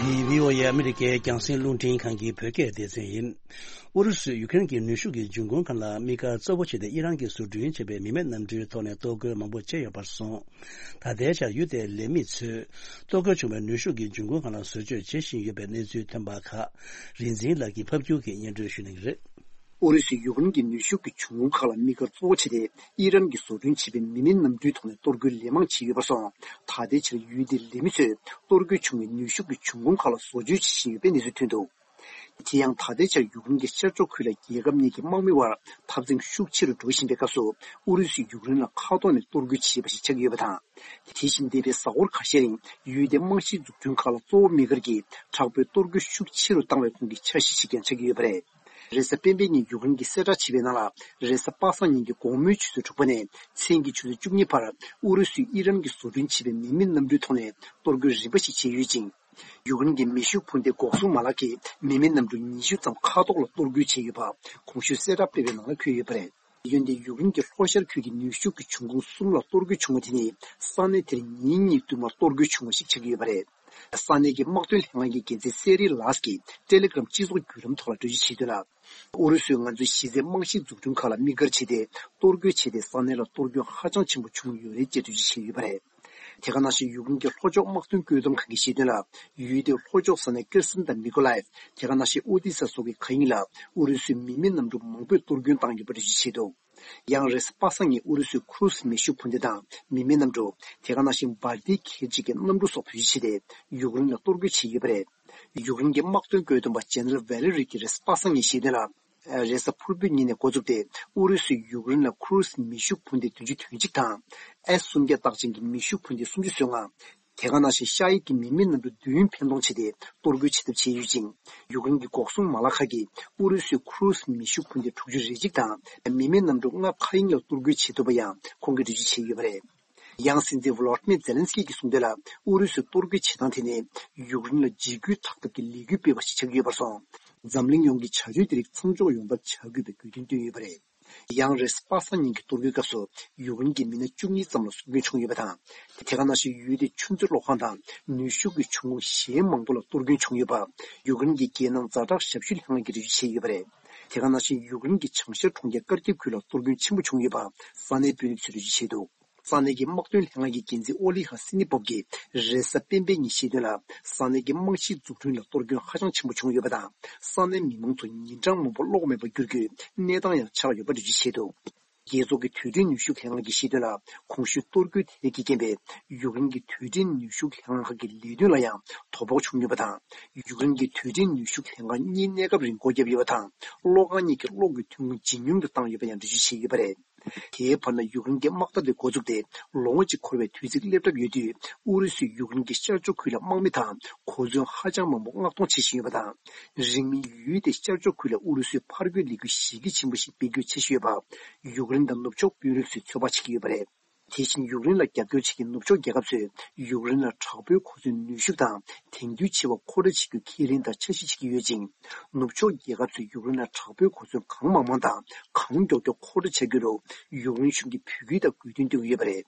འདི་བྷི་ཨོ་ཨེ་ཨ་མི་རི་ཀའི་རྒྱང་སྲིང་རླུང་འཕྲིན་ཁང་གི་བོད་སྐད་སྡེ་ཚན་ཡིན། ཨུ་རུ་སུས་ཡུ་ཀེ་རེན་གྱི་ནུས་ཤུགས་ཀྱི་འབྱུང་ཁུངས་ཁག་ལ་དམིགས་བཀར་གཙོ་བོ་བྱས་ཏེ་ཨི་རན་གྱིས་བཟོ་སྐྲུན་བྱས་པའི་མི་མེད་གནམ་གྲུའི་ཐོག་ནས་གཏོར་རྒོལ་མང་པོ་བྱས་ཡོད་པར་སོང་། ད་ལྟའི་ཆར་ཡུལ་དེའི་ལས་མི་ཚོས་གཏོར་རྒོལ་བྱུང་བའི་ནུས་ཤུགས་ཀྱི་འབྱུང་ཁུངས་ཁག་ལ་བཟོ་བཅོས་བྱེད་བཞིན་ཡོད་པའི་གནས་ཚུལ་ཐོན་པ་ཁག་རིག་འཛིན་ལགས་ཀྱིས་ཕབ་སྒྱུར་གྱིས་སྙན་སྒྲོན་ཞུ་གནང་གི་རེད། ཨུ་རུ་སུས་ཡུཀ་རེན་གྱི་ནུས་ཤུགས་ཀྱི་འབྱུང་ཁུངས་ཁག་ལ་དམིགས་བཀར་གཙོ་བོ་བྱས་ཏེ་ཨི་རན་གྱིས་བཟོ་སྐྲུན་བྱས་པའི་མི་མེད་གནམ་གྲུའི་ཐོག་ནས་གཏོར་རྒོལ་ལན་མང་བྱས་ཡོད་པར་སོང་། ད་ལྟའི་ཆར་ཡུལ་དེའི་ལས་མི་ཚོས་གཏོར་རྒོལ་བྱུང་བའི་ནུས་ཤུགས་ཀྱི་འབྱུང་ཁུངས་ཁག་ལ་བཟོ་བཅོས་བྱེད་བཞིན་ཡོད་པའི་གནས་ཚུལ་ཐོན་འདུག། དེ་ཡང་ད་ལྟའི་ཆར་ཡུཀ་རེན་གྱི་ཤར་ཕྱོགས་ཁུལ་ལ་རྒྱལ་ཁབ་གཉིས་ཀྱི་དམག་མི་བར་འཐབ་འཛིང་ཤུགས་ཆེ་རུ་འགྲོ་བཞིན་པའི་སྐབས་སུ། ཨུ་རུ་སུས་ཡུཀ་རེན་ལ་མཁའ་ཐོག་ནས་གཏོར་རྒོལ་བྱས་པ་ཞིག་ཆགས་ཀྱི་ཡོད་པ་དང་། དེ་བཞིན་འདས་པའི་གཟའ་འཁོར་ཁ་ཤས་རིང་ཡུལ་དེའི་རྨང་གཞིའི་འཛུགས་སྐྲུན་ཁག་ལ་གཙོ་བོ་དམིགས་བཀར་གྱིས་དྲག་པོའི་གཏོར་རྒོལ་ཤུགས་ཆེ་རུ་བཏང་བའི་ཁོངས་ཀྱི་འཆར་གཞི་ཞིག་ཀྱང་ཆགས་ཀྱི་ཡོད་པ་རེད། རེས་གཟའ་སྤེན་པའི་ཉིན་ཡུཀ་རེན་གྱིས་གསལ་བསྒྲགས་བྱས་པའི་ནང་ལ། རེས་གཟའ་པ་སངས་ཉིན་གྱི་དགོང་མོའི་ཆུ་ཚོད་དྲུག་པ་ནས་མཚན་གྱི་ཆུ་ཚོད་བཅུ་གཉིས་བར་ཨུ་རུ་སུས་ཨི་རན་གྱིས་བཟོ་སྐྲུན་བྱས་པའི་མི་མེད་གནམ་གྲུའི་ཐོག་ནས་གཏོར་རྒོལ་རིམ་པ་ཞིག་བྱས་ཡོད་ཅིང་། ཡུཀ་རེན་གྱི་མེ་ཤུགས་འཕུར་མདེལ་འགོག་སྲུང་མ་ལག་གིས་མི་མེད་གནམ་གྲུ་ཉི་ཤུ་ཙམ་མཁའ་ཐོག་ལ་གཏོར་རྒོལ་བྱས་ཡོད་པ་གོང་ཞུས་གསལ་བསྒྲགས་སྤེལ་བའི་ནང་ལ་འཁོད་ཡོད་པ་རེད། འོན་ཏེ་ཡུཀ་རེན་གྱི་ལྷོ་ཤར་ཁུལ་གྱི་ནུས་ཤུགས་ཀྱི་འབྱུང་ཁུངས་གསུམ་ལ་གཏོར་རྒོལ་བྱུང་བ་དེ་ནི་ས་གནས་དེར་ཉིན་གཉིས་བསྟུད་མར་གཏོར་རྒོལ་བྱུང་བ་ཞིག་ཆགས་ཀྱི་ཡོད་པ་རེད། ས་གནས་ཀྱི་དམག་དོན་ལྷན་ཁང་གི་འགན་འཛིན་སེ་རི་ལཱས་ཀྱིས་ཏེ་ལེ་གྷ་རམ་སྤྱི་ཚོགས་བརྒྱུད་ལམ་ཐོག་ལ་འགྲེལ་བརྗོད་བྱས་དོན་ལ། ཨུ་རུ་སུས་ང་ཚོའི་གཞི་རྩའི་རྨང་གཞིའི་འཛུགས་སྐྲུན་ཁག་ལ་དམིགས་བཀར་བྱས་ཏེ་གཏོར་རྒོལ་བྱས་ཏེ་ས་གནས་ལ་གཏོར་སྐྱོན་ཧ་ཅང་ཆེན་པོ་བྱུང་ཡོད་རེད་ཅེས་འགྲེལ་བརྗོད་བྱས་ཡོད་པ་རེད། དེ་ག་ནང་བཞིན་ཡུཀ་རེན་གྱི་ལྷོ་ཕྱོགས་དམག་དོན་བཀོད་འདོམས་ཁང་གིས་བཤད་དོན་ལ། ཡུལ་དེའི་ལྷོ་ཕྱོགས་ས་གནས་ཀེར་སན་དང་མི་ཀོ་ལའེབ། དེ་ག་ནང་བཞིན་ཨོ་དི་ས་སོགས་ཀྱི་མཁའ་དབྱིངས་ལ་ཨུ་རུ་སུས་མི་མེད་གནམ་གྲུ་མང་པོས་གཏོར་སྐྱོན་བཏང་ཡོད་པ་འགྲེལ་བརྗོད་བྱས་འདུག། ཡང་རེས་གཟའ་པ་སངས་ཉིན་ཨུ་རུ་སུའི་ཁུ་རུ་སི་མེ་ཤུགས་འཕུར་མདེལ་དང་མི་མེད་གནམ་གྲུ། དེ་ག་ནང་བཞིན་སྦལ་ཏིག་ཁྱི་གཅིག་གི་གནམ་གྲུ་སོགས་བེད་སྤྱོད་བྱས་ཏེ། ཡུཀ་རེན་ལ་གཏོར་རྒོལ་བྱས་ཡོད་པ་རེད། ཡུཀ་རེན་གྱི་དམག་དོན་བཀོད་འདོམས་པ་ཇེ་ནེ་རལ་ཝེ་ལེ་རི་གྱིས་རེས་གཟའ་པ་སངས་ཉིན་བཤད་དོན་ལ། རེས་གཟའ་ཕུར་བུའི་ཉིན་ནས་འགོ་བཙུགས་ཏེ་ཨུ་རུ་སུས་ཡུཀ་རེན་ལ་ཁུ་རུ་སི་མེ་ཤུགས་འཕུར་མདེལ་བདུན་ཅུ་དོན་གཅིག་དང་། ཨེས་སུམ་བརྒྱ་རྟགས་ཅན་གྱི་མེ་ཤུགས་འཕུར་མདེལ་སུམ་ཅུ་སོ་ལྔ། དེ་ག་ནང་བཞིན་ཤ་ཡིག་གི་མི་མེད་གནམ་གྲུ་བདུན་འཕེན་གཏོང་བྱས་ཏེ་གཏོར་རྒོལ་བྱེད་ཐབས་བྱས་ཡོད་ཅིང་། ཡུཀ་རེན་གྱི་འགོག་སྲུང་མ་ལག་ཁག་གིས་ཨུ་རུ་སུའི་ཁུ་རུ་སི་མེ་ཤུགས་འཕུར་མདེལ་དྲུག་ཅུ་རེ་གཅིག་དང་མི་མེད་གནམ་གྲུ་ལྔ་མཁའ་དབྱིངས་ལ་གཏོར་རྒོལ་བྱེད་ཐུབ་པ་ཡང་ཁོང་གིས་འགྲེལ་བརྗོད་བྱས་ཡོད་པ་རེད། ཡང་སྲིད་འཛིན་ཝོ་ལོ་ཏི་མེར་ཛེ་ལན་སི་ཀི་གིས་གསུངས་དོན་ལ། ཨུ་རུ་སུས་གཏོར་རྒོལ་བྱེད་སྟངས་དེ་ནི་ཡུཀ་རེན་ལ་འཇིགས་སྐུལ་དག་ཐབས་ཀྱི་ལས་འགུལ་སྤེལ་བ་ཞིག་ཆགས་ཀྱི་ཡོད་པར་སོང་། འཛམ་གླིང་ཡོངས་ཀྱི་བྱ་སྤྱོད་དེ་རིགས་མཚམས་འཇོག་ཡོང་ཐབས་བྱ་དགོས་པའི་དགོས་འདུན་བཏོན་ཡོད་པ་རེད། ཡང་རེས་པ་སངས་ཉིན་གྱི་གཏོར་རྒོལ་སྐབས་སུ་ཡུཀ་རེན་གྱི་མི་སྣ་བཅུ་གཉིས་ཙམ་ལ་སྲོག་སྐྱོན་བྱུང་ཡོད་པ་དང་། དེ་ག་ནང་བཞིན་ཡུལ་དེའི་ཆུ་མཛོད་གློག་ཁང་དང་ནུས་ཤུགས་ཀྱི་ཆུ་ཁུངས་གཞན་མང་པོ་ལ་གཏོར་སྐྱོན་བྱུང་ཡོད་པ། ཡུཀ་རེན་གྱི་རྒྱལ་ནང་ཛ་དྲག་ཞབས་ཞུའི་ལྷན་ཁང་གིས་འགྲེལ་བརྗོད་བྱས་ཡོད་པ་རེད། དེ་ག་ནང་བཞིན་ཡུཀ་རེན་གྱི་བྱང་ཤར་གྲོང་ཁྱེར་ཀར་ཀིབ་ཁུལ་ལ་གཏོར་སྐྱོན་ཆེན་པོ་བྱུང་ཡོད་པ་ས་གནས་དཔོན་རིགས་ཚོས་འགྲེལ་བརྗོད་བྱས་འདུག། ས་གནས་ཀྱི་དམག་དོན་ལྷན་ཁང་གི་འགན་འཛིན་ཨོ་ལི་ཧ་སི་ནི་པོབ་ཀྱིས་རེས་གཟའ་སྤེན་པའི་ཉིན་བཤད་དོན་ལ། ས་གནས་ཀྱི་རྨང་གཞིའི་འཛུགས་སྐྲུན་ལ་གཏོར་སྐྱོན་ཧ་ཅང་ཆེན་པོ་བྱུང་ཡོད་པ་དང་། ས་གནས་མི་མང་ཚོ་ཉིན་གྲངས་མང་པོ་གློག་མེད་པར་གྱུར་རྒྱུའི་གནས་སྟངས་ཡང་ཆགས་ཡོད་པ་འགྲེལ་བརྗོད་བྱས་འདུག། རྒྱལ་ཚོགས་ཀྱི་དུས་དྲན་ནུས་ཤུགས་ལྷན་ཁང་གིས་བཤད་དོན་ལ། གོང་ཞུས་གཏོར་རྒོལ་དེ་རིགས་ཀྱི་རྐྱེན་པས་ཡུཀ་རེན་གྱི་དུས་དྲན་ནུས་ཤུགས་ལྷན་ཁང་ཁག་གི་ལས་དོན་ལ་ཡང་དོ་ཕོག་བྱུང་ཡོད་པ་དང་། ཡུཀ་རེན་གྱི་དུས་དྲན་ནུས་ཤུགས་ལྷན་ཁང་གཉིས་གནས་སྐབས་རིང་སྒོ་བརྒྱབ་ཡོད་པ་དང་། གློག་ཁང་གཉིས་ཀྱི་གློག་གི་ཐོན་ཁུངས་ཇེ་ཉུང་དུ་བཏང་ཡོད་པ་ཡང་འགྲེལ་བརྗོད་བྱས་ཡོད་པ་རེད། དེའི་བར་ན་ཡུཀ་རེན་གྱི་དམག་འཐབ་དེ་འགོ་བཙུགས་ཏེ་ལོ་ངོ་གཅིག་འཁོར་བའི་དུས་ཚིགས་སླེབས་གྲབས་ཡོད་དུས། ཨུ་རུ་སུས་ཡུཀ་རེན་གྱི་ཤར་ཕྱོགས་ཁུལ་ལ་དམག་མི་དང་གོ་མཚོན་ཧ་ཅང་མང་པོ་མངགས་གཏོང་བྱེད་བཞིན་ཡོད་པ་དང་། རིང་མིན་ཡུལ་དེའི་ཤར་ཕྱོགས་ཁུལ་ལ་ཨུ་རུ་སུས་ཕར་རྒོལ་ལས་འགུལ་གཞི་རྒྱ་ཆེན་པོ་ཞིག་སྤེལ་རྒྱུའི་འཆར་གཞི་ཡོད་པ། ཡུཀ་རེན་དང་ནུབ་ཕྱོགས་དཔོན་རིགས་ཚོས་ཚོད་དཔག་བྱེད་ཀྱི་ཡོད་པ་རེད། དེ་བཞིན་ཡུཀ་རེན་ལ་རྒྱབ་སྐྱོར་བྱེད་མཁན་ནུབ་ཕྱོགས་རྒྱལ་ཁབ་ཚོས་ཡུཀ་རེན་ལ་དྲག་པོའི་གོ་མཚོན་ནུས་ཤུགས་དང་དེང་དུས་ཆེ་བ་མཁོ་སྤྲོད་བྱེད་རྒྱུ་ཁས་ལེན་དང་འཆར་གཞི་བྱེད་ཀྱི་ཡོད་ཅིང་། ནུབ་ཕྱོགས་རྒྱལ་ཁབ་ཚོས་ཡུཀ་རེན་ལ་དྲག་པོའི་གོ་མཚོན་གང་མང་མང་དང་གང་མགྱོགས་མགྱོགས་མཁོ་སྤྲོད་བྱ་རྒྱུར་ཡུཀ་རེན་གཞུང་གིས་འབོད་སྐུལ་དང་དགོས་འདུན་བཏོན་གྱི་ཡོད་པ་རེད།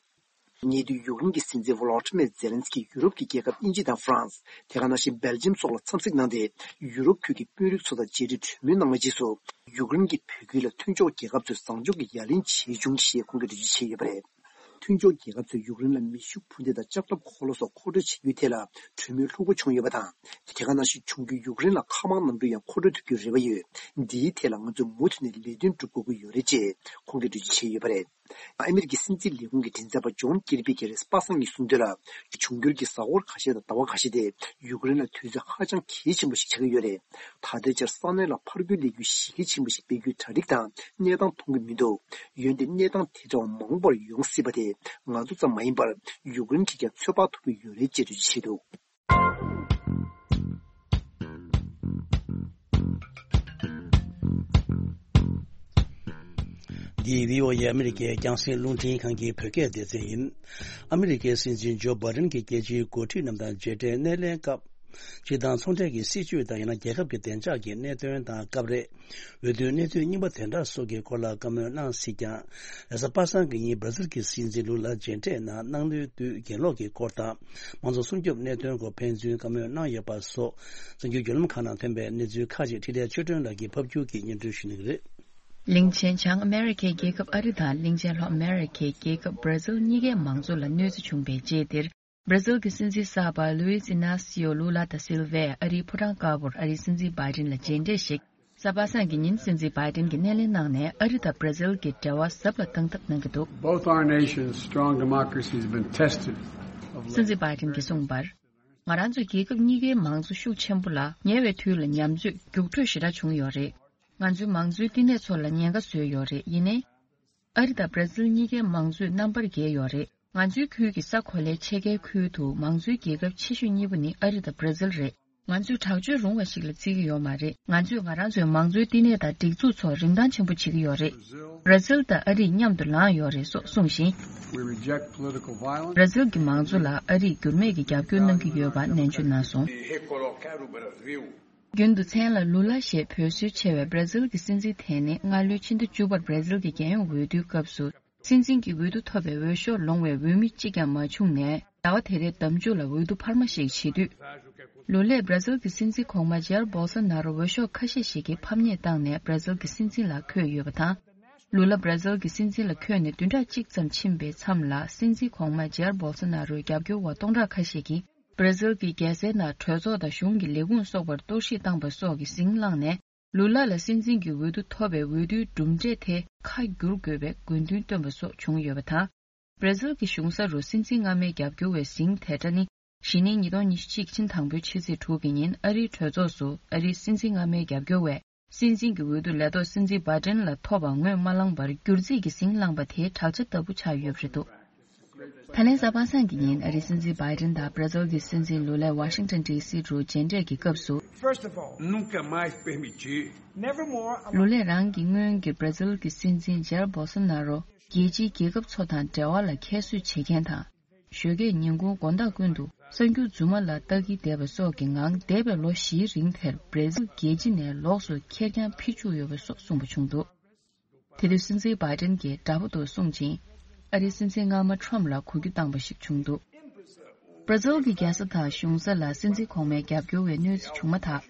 ཉེ་དུས་ཡུཀ་རེན་གྱི་སྲིད་འཛིན་ཝོ་ལོ་ཏི་མེར་ཛེ་ལན་སི་ཀིས་ཡུ་རོབ་ཀྱི་རྒྱལ་ཁབ་དབྱིན་ཇི་དང་ཧྥ་རན་སི། དེ་ག་ནང་བཞིན་སྦེལ་ཇམ་སོགས་ལ་འཚམས་གཟིགས་གནང་སྟེ། ཡུ་རོབ་ཁུལ་གྱི་དཔོན་རིགས་ཚོ་དང་མཇལ་འཕྲད་གྲོས་མོལ་གནང་བའི་རྗེས་སུ། ཡུཀ་རེན་གྱི་བོད་ཁུལ་ལ་མཐུན་ཕྱོགས་རྒྱལ་ཁབ་ཚོས་བཟང་ཕྱོགས་ཀྱི་ཡ་ལན་བྱེད་བྱུང་ཞེས་ཁོང་གིས་འགྲེལ་བརྗོད་བྱས་ཡོད་པ་རེད། མཐུན་ཕྱོགས་རྒྱལ་ཁབ་ཚོས་ཡུཀ་རེན་ལ་མེ་ཤུགས་འཕུར་མདེལ་དང་ལྕགས་ཁྲབ་འཁོར་ལོ་སོགས་མཁོ་སྤྲོད་བྱེད་རྒྱུའི་ཐད་ལ་གྲོས་མོལ་ལྷུག་པོ་བྱུང་ཡོད་པ་དང་། དེ་ག་ནང་བཞིན་འབྱུང་འགྱུར་ཡུཀ་རེན་ལ་མཁའ་དམག་གནམ་གྲུ་ཡང་མཁོ་སྤྲོད་ཐུབ་རྒྱུའི་རེ་བ་ཡོད། འདིའི་ཐད་ལ་ང་ཚོས་མུ་མཐུད་ནས་ལས་དོན་སྒྲུབ་དགོས་ཀྱི་ཡོད་རེད་ཅེས་ཁོང་གིས་འགྲེལ་བརྗོད་བྱས་ཡོད་པ་རེད། ཨ་མི་རི་ཀའི་སྲིད་འཛིན་ལས་ཁུངས་ཀྱི་མགྲིན་ཚབ་པ་ཇོན་ཀིར་པི་གིས་རེས་པ་སངས་ཉིན་གསུངས་དོན་ལ། འབྱུང་འགྱུར་གྱི་གཟའ་འཁོར་ཁ་ཤས་དང་ཟླ་བ་ཁ་ཤས་དེ་ཡུཀ་རེན་ལ་དུས་ཚོད་ཧ་ཅང་གལ་ཆེན་པོ་ཞིག་ཆགས་ཀྱི་ཡོད་རེད། ད་ལྟའི་ཆར་ས་གནས་ལ་ཕར་རྒོལ་ལས་འགུལ་གཞི་རྒྱ་ཆེན་པོ་ཞིག་སྤེལ་རྒྱུའི་གྲ་སྒྲིག་དང་གནས་སྟངས་མཐོང་གི་མི་འདུག། འོན་ཏེ་གནས་སྟངས་དེ་འདྲ་བ་མང་པོར་ཡོང་སྲིད་པ་དེ་ང་ཚོ་ཙམ་མ་ཡིན་པར་ཡུཀ་རེན་གྱིས་ཀྱང་ཚོད་དཔག་ཐུབ་ཀྱི་ཡོད་རེད་ཅེས་འགྲེལ་བརྗོད་བྱས་འདུག། འདི་བྷི་ཨོ་ཨེ་ཨ་མི་རི་ཀའི་རྒྱང་སྲིང་རླུང་འཕྲིན་ཁང་གི་བོད་སྐད་སྡེ་ཚན་ཡིན། ཨ་མི་རི་ཀའི་སྲིད་འཛིན་ཇོ་བྷ་ཌེན་གྱིས་རྒྱལ་སྤྱིའི་འགོ་ཁྲིད་རྣམས་དང་མཇལ་འཕྲད་སྣེ་ལེན་སྐབས། སྤྱིར་བཏང་ཚོང་འབྲེལ་གྱི་སྲིད་བྱུས་དང་ཡང་ན་རྒྱལ་ཁབ་ཀྱི་བདེ་འཇགས་ཀྱི་གནད་དོན་དང་སྐབས་རེ། འོས་བསྡུའི་གནས་ཚུལ་རྙིང་པ་དེ་འདྲ་སོགས་ཀྱི་སྐོར་ལ་བཀའ་མོལ་གནང་སྲིད་ཀྱང་། རེས་གཟའ་པ་སངས་ཀྱི་ཉིན་སྦྲ་ཟིལ་གྱི་སྲིད་འཛིན་ལུ་ལ་མཇལ་འཕྲད་གནང་གནང་ལུས་དུས་གྱེན་ལོག་གི་སྐོར་དང་། མང་གཙོ་སྲུང་སྐྱོབ་གནད་དོན་སྐོར་ཕན་ཚུན་བཀའ་མོལ་གནང་ཡོད་པ་སོགས་གསར་འགྱུར་བརྒྱུད་ལམ་ཁག་ནང་ཐོན་པའི་གནས་ཚུལ་ཁག་ཅིག་འཕྲིན་ལས་ཆོས་སྒྲོན་ལགས་ཀྱིས་ཕབ་སྒྱུར་གྱིས་སྙན་སྒྲོན་ཞུ་གནང་གི་རེད། གླིང་ཆེན་བྱང་ཨ་མེ་རི་ཁའི་རྒྱལ་ཁབ་ཨ་རི་དང་གླིང་ཆེན་ལྷོ་ཨ་མེ་རི་ཁའི་རྒྱལ་ཁབ་སྦྲ་ཟིལ་གཉིས་ཀའི་མང་གཙོ་ལ་གནོད་འཚེ་བྱུང་བའི་རྗེས་འདིར། སྦྲ་ཟིལ་གྱི་སྲིད་འཛིན་གསར་པ་ལུའི་ཨི་ན་སི་ཡོ་ལུ་ལ་ད་སིལ་ཝས་ཨ་རིའི་ཕོ་བྲང་དཀར་པོར་ཨ་རིའི་སྲིད་འཛིན་བྷའི་ཌེན་ལ་མཇལ་འཕྲད་ཞིག་གཟའ་པ་སངས་ཀྱི་ཉིན་སྲིད་འཛིན་བྷའི་ཌེན་གྱིས་སྣེ་ལེན་གནང་ནས་ཨ་རི་དང་སྦྲ་ཟིལ་གྱི་འབྲེལ་བ་ཟབ་ལ་གཏང་ཐབས་གནང་གི་འདུག། Both our nations' strong democracy has been tested of late. སྲིད་འཛིན་བྷའི་ཌེན་གྱིས་གསུངས་པར། ང་རང་ཚོའི་རྒྱལ་ཁབ་གཉིས་ཀའི་མང་གཙོ་ཤུགས་ཆེན་པོ་ལ་ཉེ་བའི་དུས་ལ་ཉམས་ཚོད་རྒྱུགས་སྤྲོད་ཞེ་དྲག་བྱུང་ཡོད་རེད། ང་ཚོའི་མང་གཙོའི་བསྟི་གནས་ཚོ་ལ་ཉེན་ཁ་བཟོས་ཡོད་རེད། ཡིན་ནའི། ཨ་རི་དང་སྦྲ་ཟིལ་གཉིས་ཀའི་མང་གཙོས་རྣམ་པར་རྒྱལ་ཡོད་རེད། ང་ཚོའི་ཁུལ་གྱི་ས་གོ་ལའི་ཕྱེད་ཀའི་ཁུལ་དུ་མང་གཙོའི་རྒྱལ་ཁབ་ཆེ་ཤོས་གཉིས་པོ་ནི་ཨ་རི་དང་སྦྲ་ཟིལ་རེད། ང་ཚོས་དྲག་སྤྱོད་རུང་བ་ཞིག་ལ་བརྩི་གི་ཡོད་མ་རེད། ང་ཚོས་ང་རང་ཚོའི་མང་གཙོའི་བསྟི་གནས་དང་སྒྲིག་འཛུགས་ཚོ་རིན་ཐང་ཆེན་པོ་བྱེད་ཀྱི་ཡོད་རེད། སྦྲ་ཟིལ་དང་ཨ་རི་མཉམ་དུ་ལངས་ཡོད་རེད་སོགས་གསུངས་ཤིང་། We reject political violence. སྦྲ་ཟིལ་གྱི་མང་གཙོ་ལ་ཨ་རིས་འགྱུར་མེད་ཀྱི་རྒྱབ་སྐྱོར་གནང་གི་ཡོད་པ་ནན་བརྗོད་གནང་སོང་། རྒྱུན་དུ་མཚན་ལ་ལུ་ལ་ཞེས་འབོད་སྲོལ་ཆེ་བའི་སྦྲ་ཟིལ་གྱི་སྲིད་འཛིན་དེ་ནི་སྔ་ལོའི་ཕྱི་ཟླ་བཅུ་པར་སྦྲ་ཟིལ་གྱི་རྒྱལ་ཡོངས་འོས་བསྡུའི་སྐབས་སུ། སྲིད་འཛིན་གྱི་འོས་བསྡུ་ཐོབ་པའི་འོས་ཤོག་ལོངས་པའི་འོས་མི་གཅིག་ཀྱང་མ་བྱུང་ནས། ཟླ་བ་དེ་རེའི་ཟླ་མཇུག་ལ་འོས་བསྡུ་འཕར་མ་ཞིག་བྱེད་དུས། ལུ་ལས་སྦྲ་ཟིལ་གྱི་སྲིད་འཛིན་གོང་མ་ཇེར་བོལ་སོ་ན་རོ་འོས་ཤོག་ཁ་ཤས་ཤིག་གིས་ཕམ་ཉེས་བཏང་ནས་སྦྲ་ཟིལ་གྱི་སྲིད་འཛིན་ལ་འཁོད་ཡོད་པ་དང་། ལུ་ལ་སྦྲ་ཟིལ་གྱི་སྲིད་འཛིན་ལ་འཁོད་ནས་བདུན་ཕྲག་གཅིག་ཙམ་ཕྱིན་པའི་མཚམས་ལ། སྲིད་འཛིན་གོང་མ་ཇེར་བོལ་སོ་ན་རོའི་རྒྱབ་སྐྱོར་བ་སྟོང་ཕྲག་ཁ་ཤས་ཀྱིས། སྦྲ་ཟིལ་གྱི་རྒྱལ་སའི་ནང་གྲོས་ཚོགས་དང་གཞུང་གི་ལས་ཁུངས་སོགས་པར་གཏོར་བཤིག་བཏང་པ་སོགས་ཀྱི་ཟིང་བསླངས་ནས། ལུ་ལ་ལ་སྲིད་འཛིན་གྱི་འོས་བསྡུ་ཐོབ་པའི་འོས་བསྡུའི་གྲུབ་འབྲས་དེ་ཁ་བསྒྱུར་དགོས་པའི་དགོས་འདུན་བཏོན་པ་སོགས་བྱུང་ཡོད་པ་དང་། སྦྲ་ཟིལ་གྱི་གཞུང་ས་རུ་སྲིད་འཛིན་སྔ་མའི་རྒྱབ་སྐྱོར་བའི་ཟིང་དེ་འདྲ་ནི། གཞེས་ནིང་ཉིས་སྟོང་ཉི་ཤུ་གཅིག་ཕྱི་ཟླ་དང་པོའི་ཕྱི་ཚེས་དྲུག་གི་ཉིན་ཨ་རིའི་གྲོས་ཚོགས་སུ་ཨ་རིའི་སྲིད་འཛིན་སྔ་མའི་རྒྱབ་སྐྱོར་བས། སྲིད་འཛིན་གྱི་འོས་བསྡུ་ལས་ཐོག་སྲིད་འཛིན་བྷའི་ཌེན་ལ་ཐོབ་པ་ངོས་མ་བླངས་པར་བསྒྱུར་རྩིས་ཀྱི་ཟིང་བསླངས་པ་དེའི་བྲག་ཆ་ལྟ་བུ་ཆགས་ཡོད་པ་རེད་འདུག། ད་ལན་གཟའ་པ་སངས་ཀྱི་ཉིན་ཨ་རིའི་སྲིད་འཛིན་བྷའི་ཌེན་དང་སྦྲ་ཟིལ་གྱི་སྲིད་འཛིན་ལུ་ལས་ཝ་ཤིང་ཊོན་ཌི་སི་རུ་མཇལ་འཕྲད་ཀྱི་སྐབས་སུ། First of all, nunca mais permitir. Never more. ལུ་ལས་རང་གི་སྔོན་གྱི་སྦྲ་ཟིལ་གྱི་སྲིད་འཛིན་ཇེར་བོལ་སོ་ན་རོ། རྒྱལ་སྤྱིའི་རྒྱལ་ཁབ་ཚོ་དང་འབྲེལ་བ་ལ་ཁྱད་གསོད་བྱེད་མཁན་དང་། ཞོགས་ཀས་ཉིན་གུང་དགོང་དག་ཀུན་ཏུ་གསར་འགྱུར་རྫུན་མ་ལ་ལྟ་གིན་བསྡད་པ་སོགས་ཀྱི་ངང་། འདས་པའི་ལོ་བཞིའི་རིང་དེར་བྷར་ཛིལ་རྒྱལ་སྤྱི་ནས་ལོགས་སུ་ཁེར་རྐྱང་ཕྱིར་བཅུག་ཡོད་པ་སོགས་གསུངས་པ་བྱུང་འདུག་དེ་དུས་སྲིད་འཛིན་བྷའི་ཌེན་གྱིས་དགྲ་བོ་དུ་བཟུང་ཞིང་། ཨ་རིའི་སྲིད་འཛིན་སྔ་མ་ཁྲོམ་ལ་གུ་གུ་བཏང་བ་ཞིག་བྱུང་འདུག་བྷར་ཛིལ་གྱི་རྒྱལ་ས་དང་གཞུང་ས་ལ་སྲིད་འཛིན་གོང་མའི་རྒྱབ་སྐྱོར་བའི་གནོད་འཚེ་བྱུང་མ་ཐག་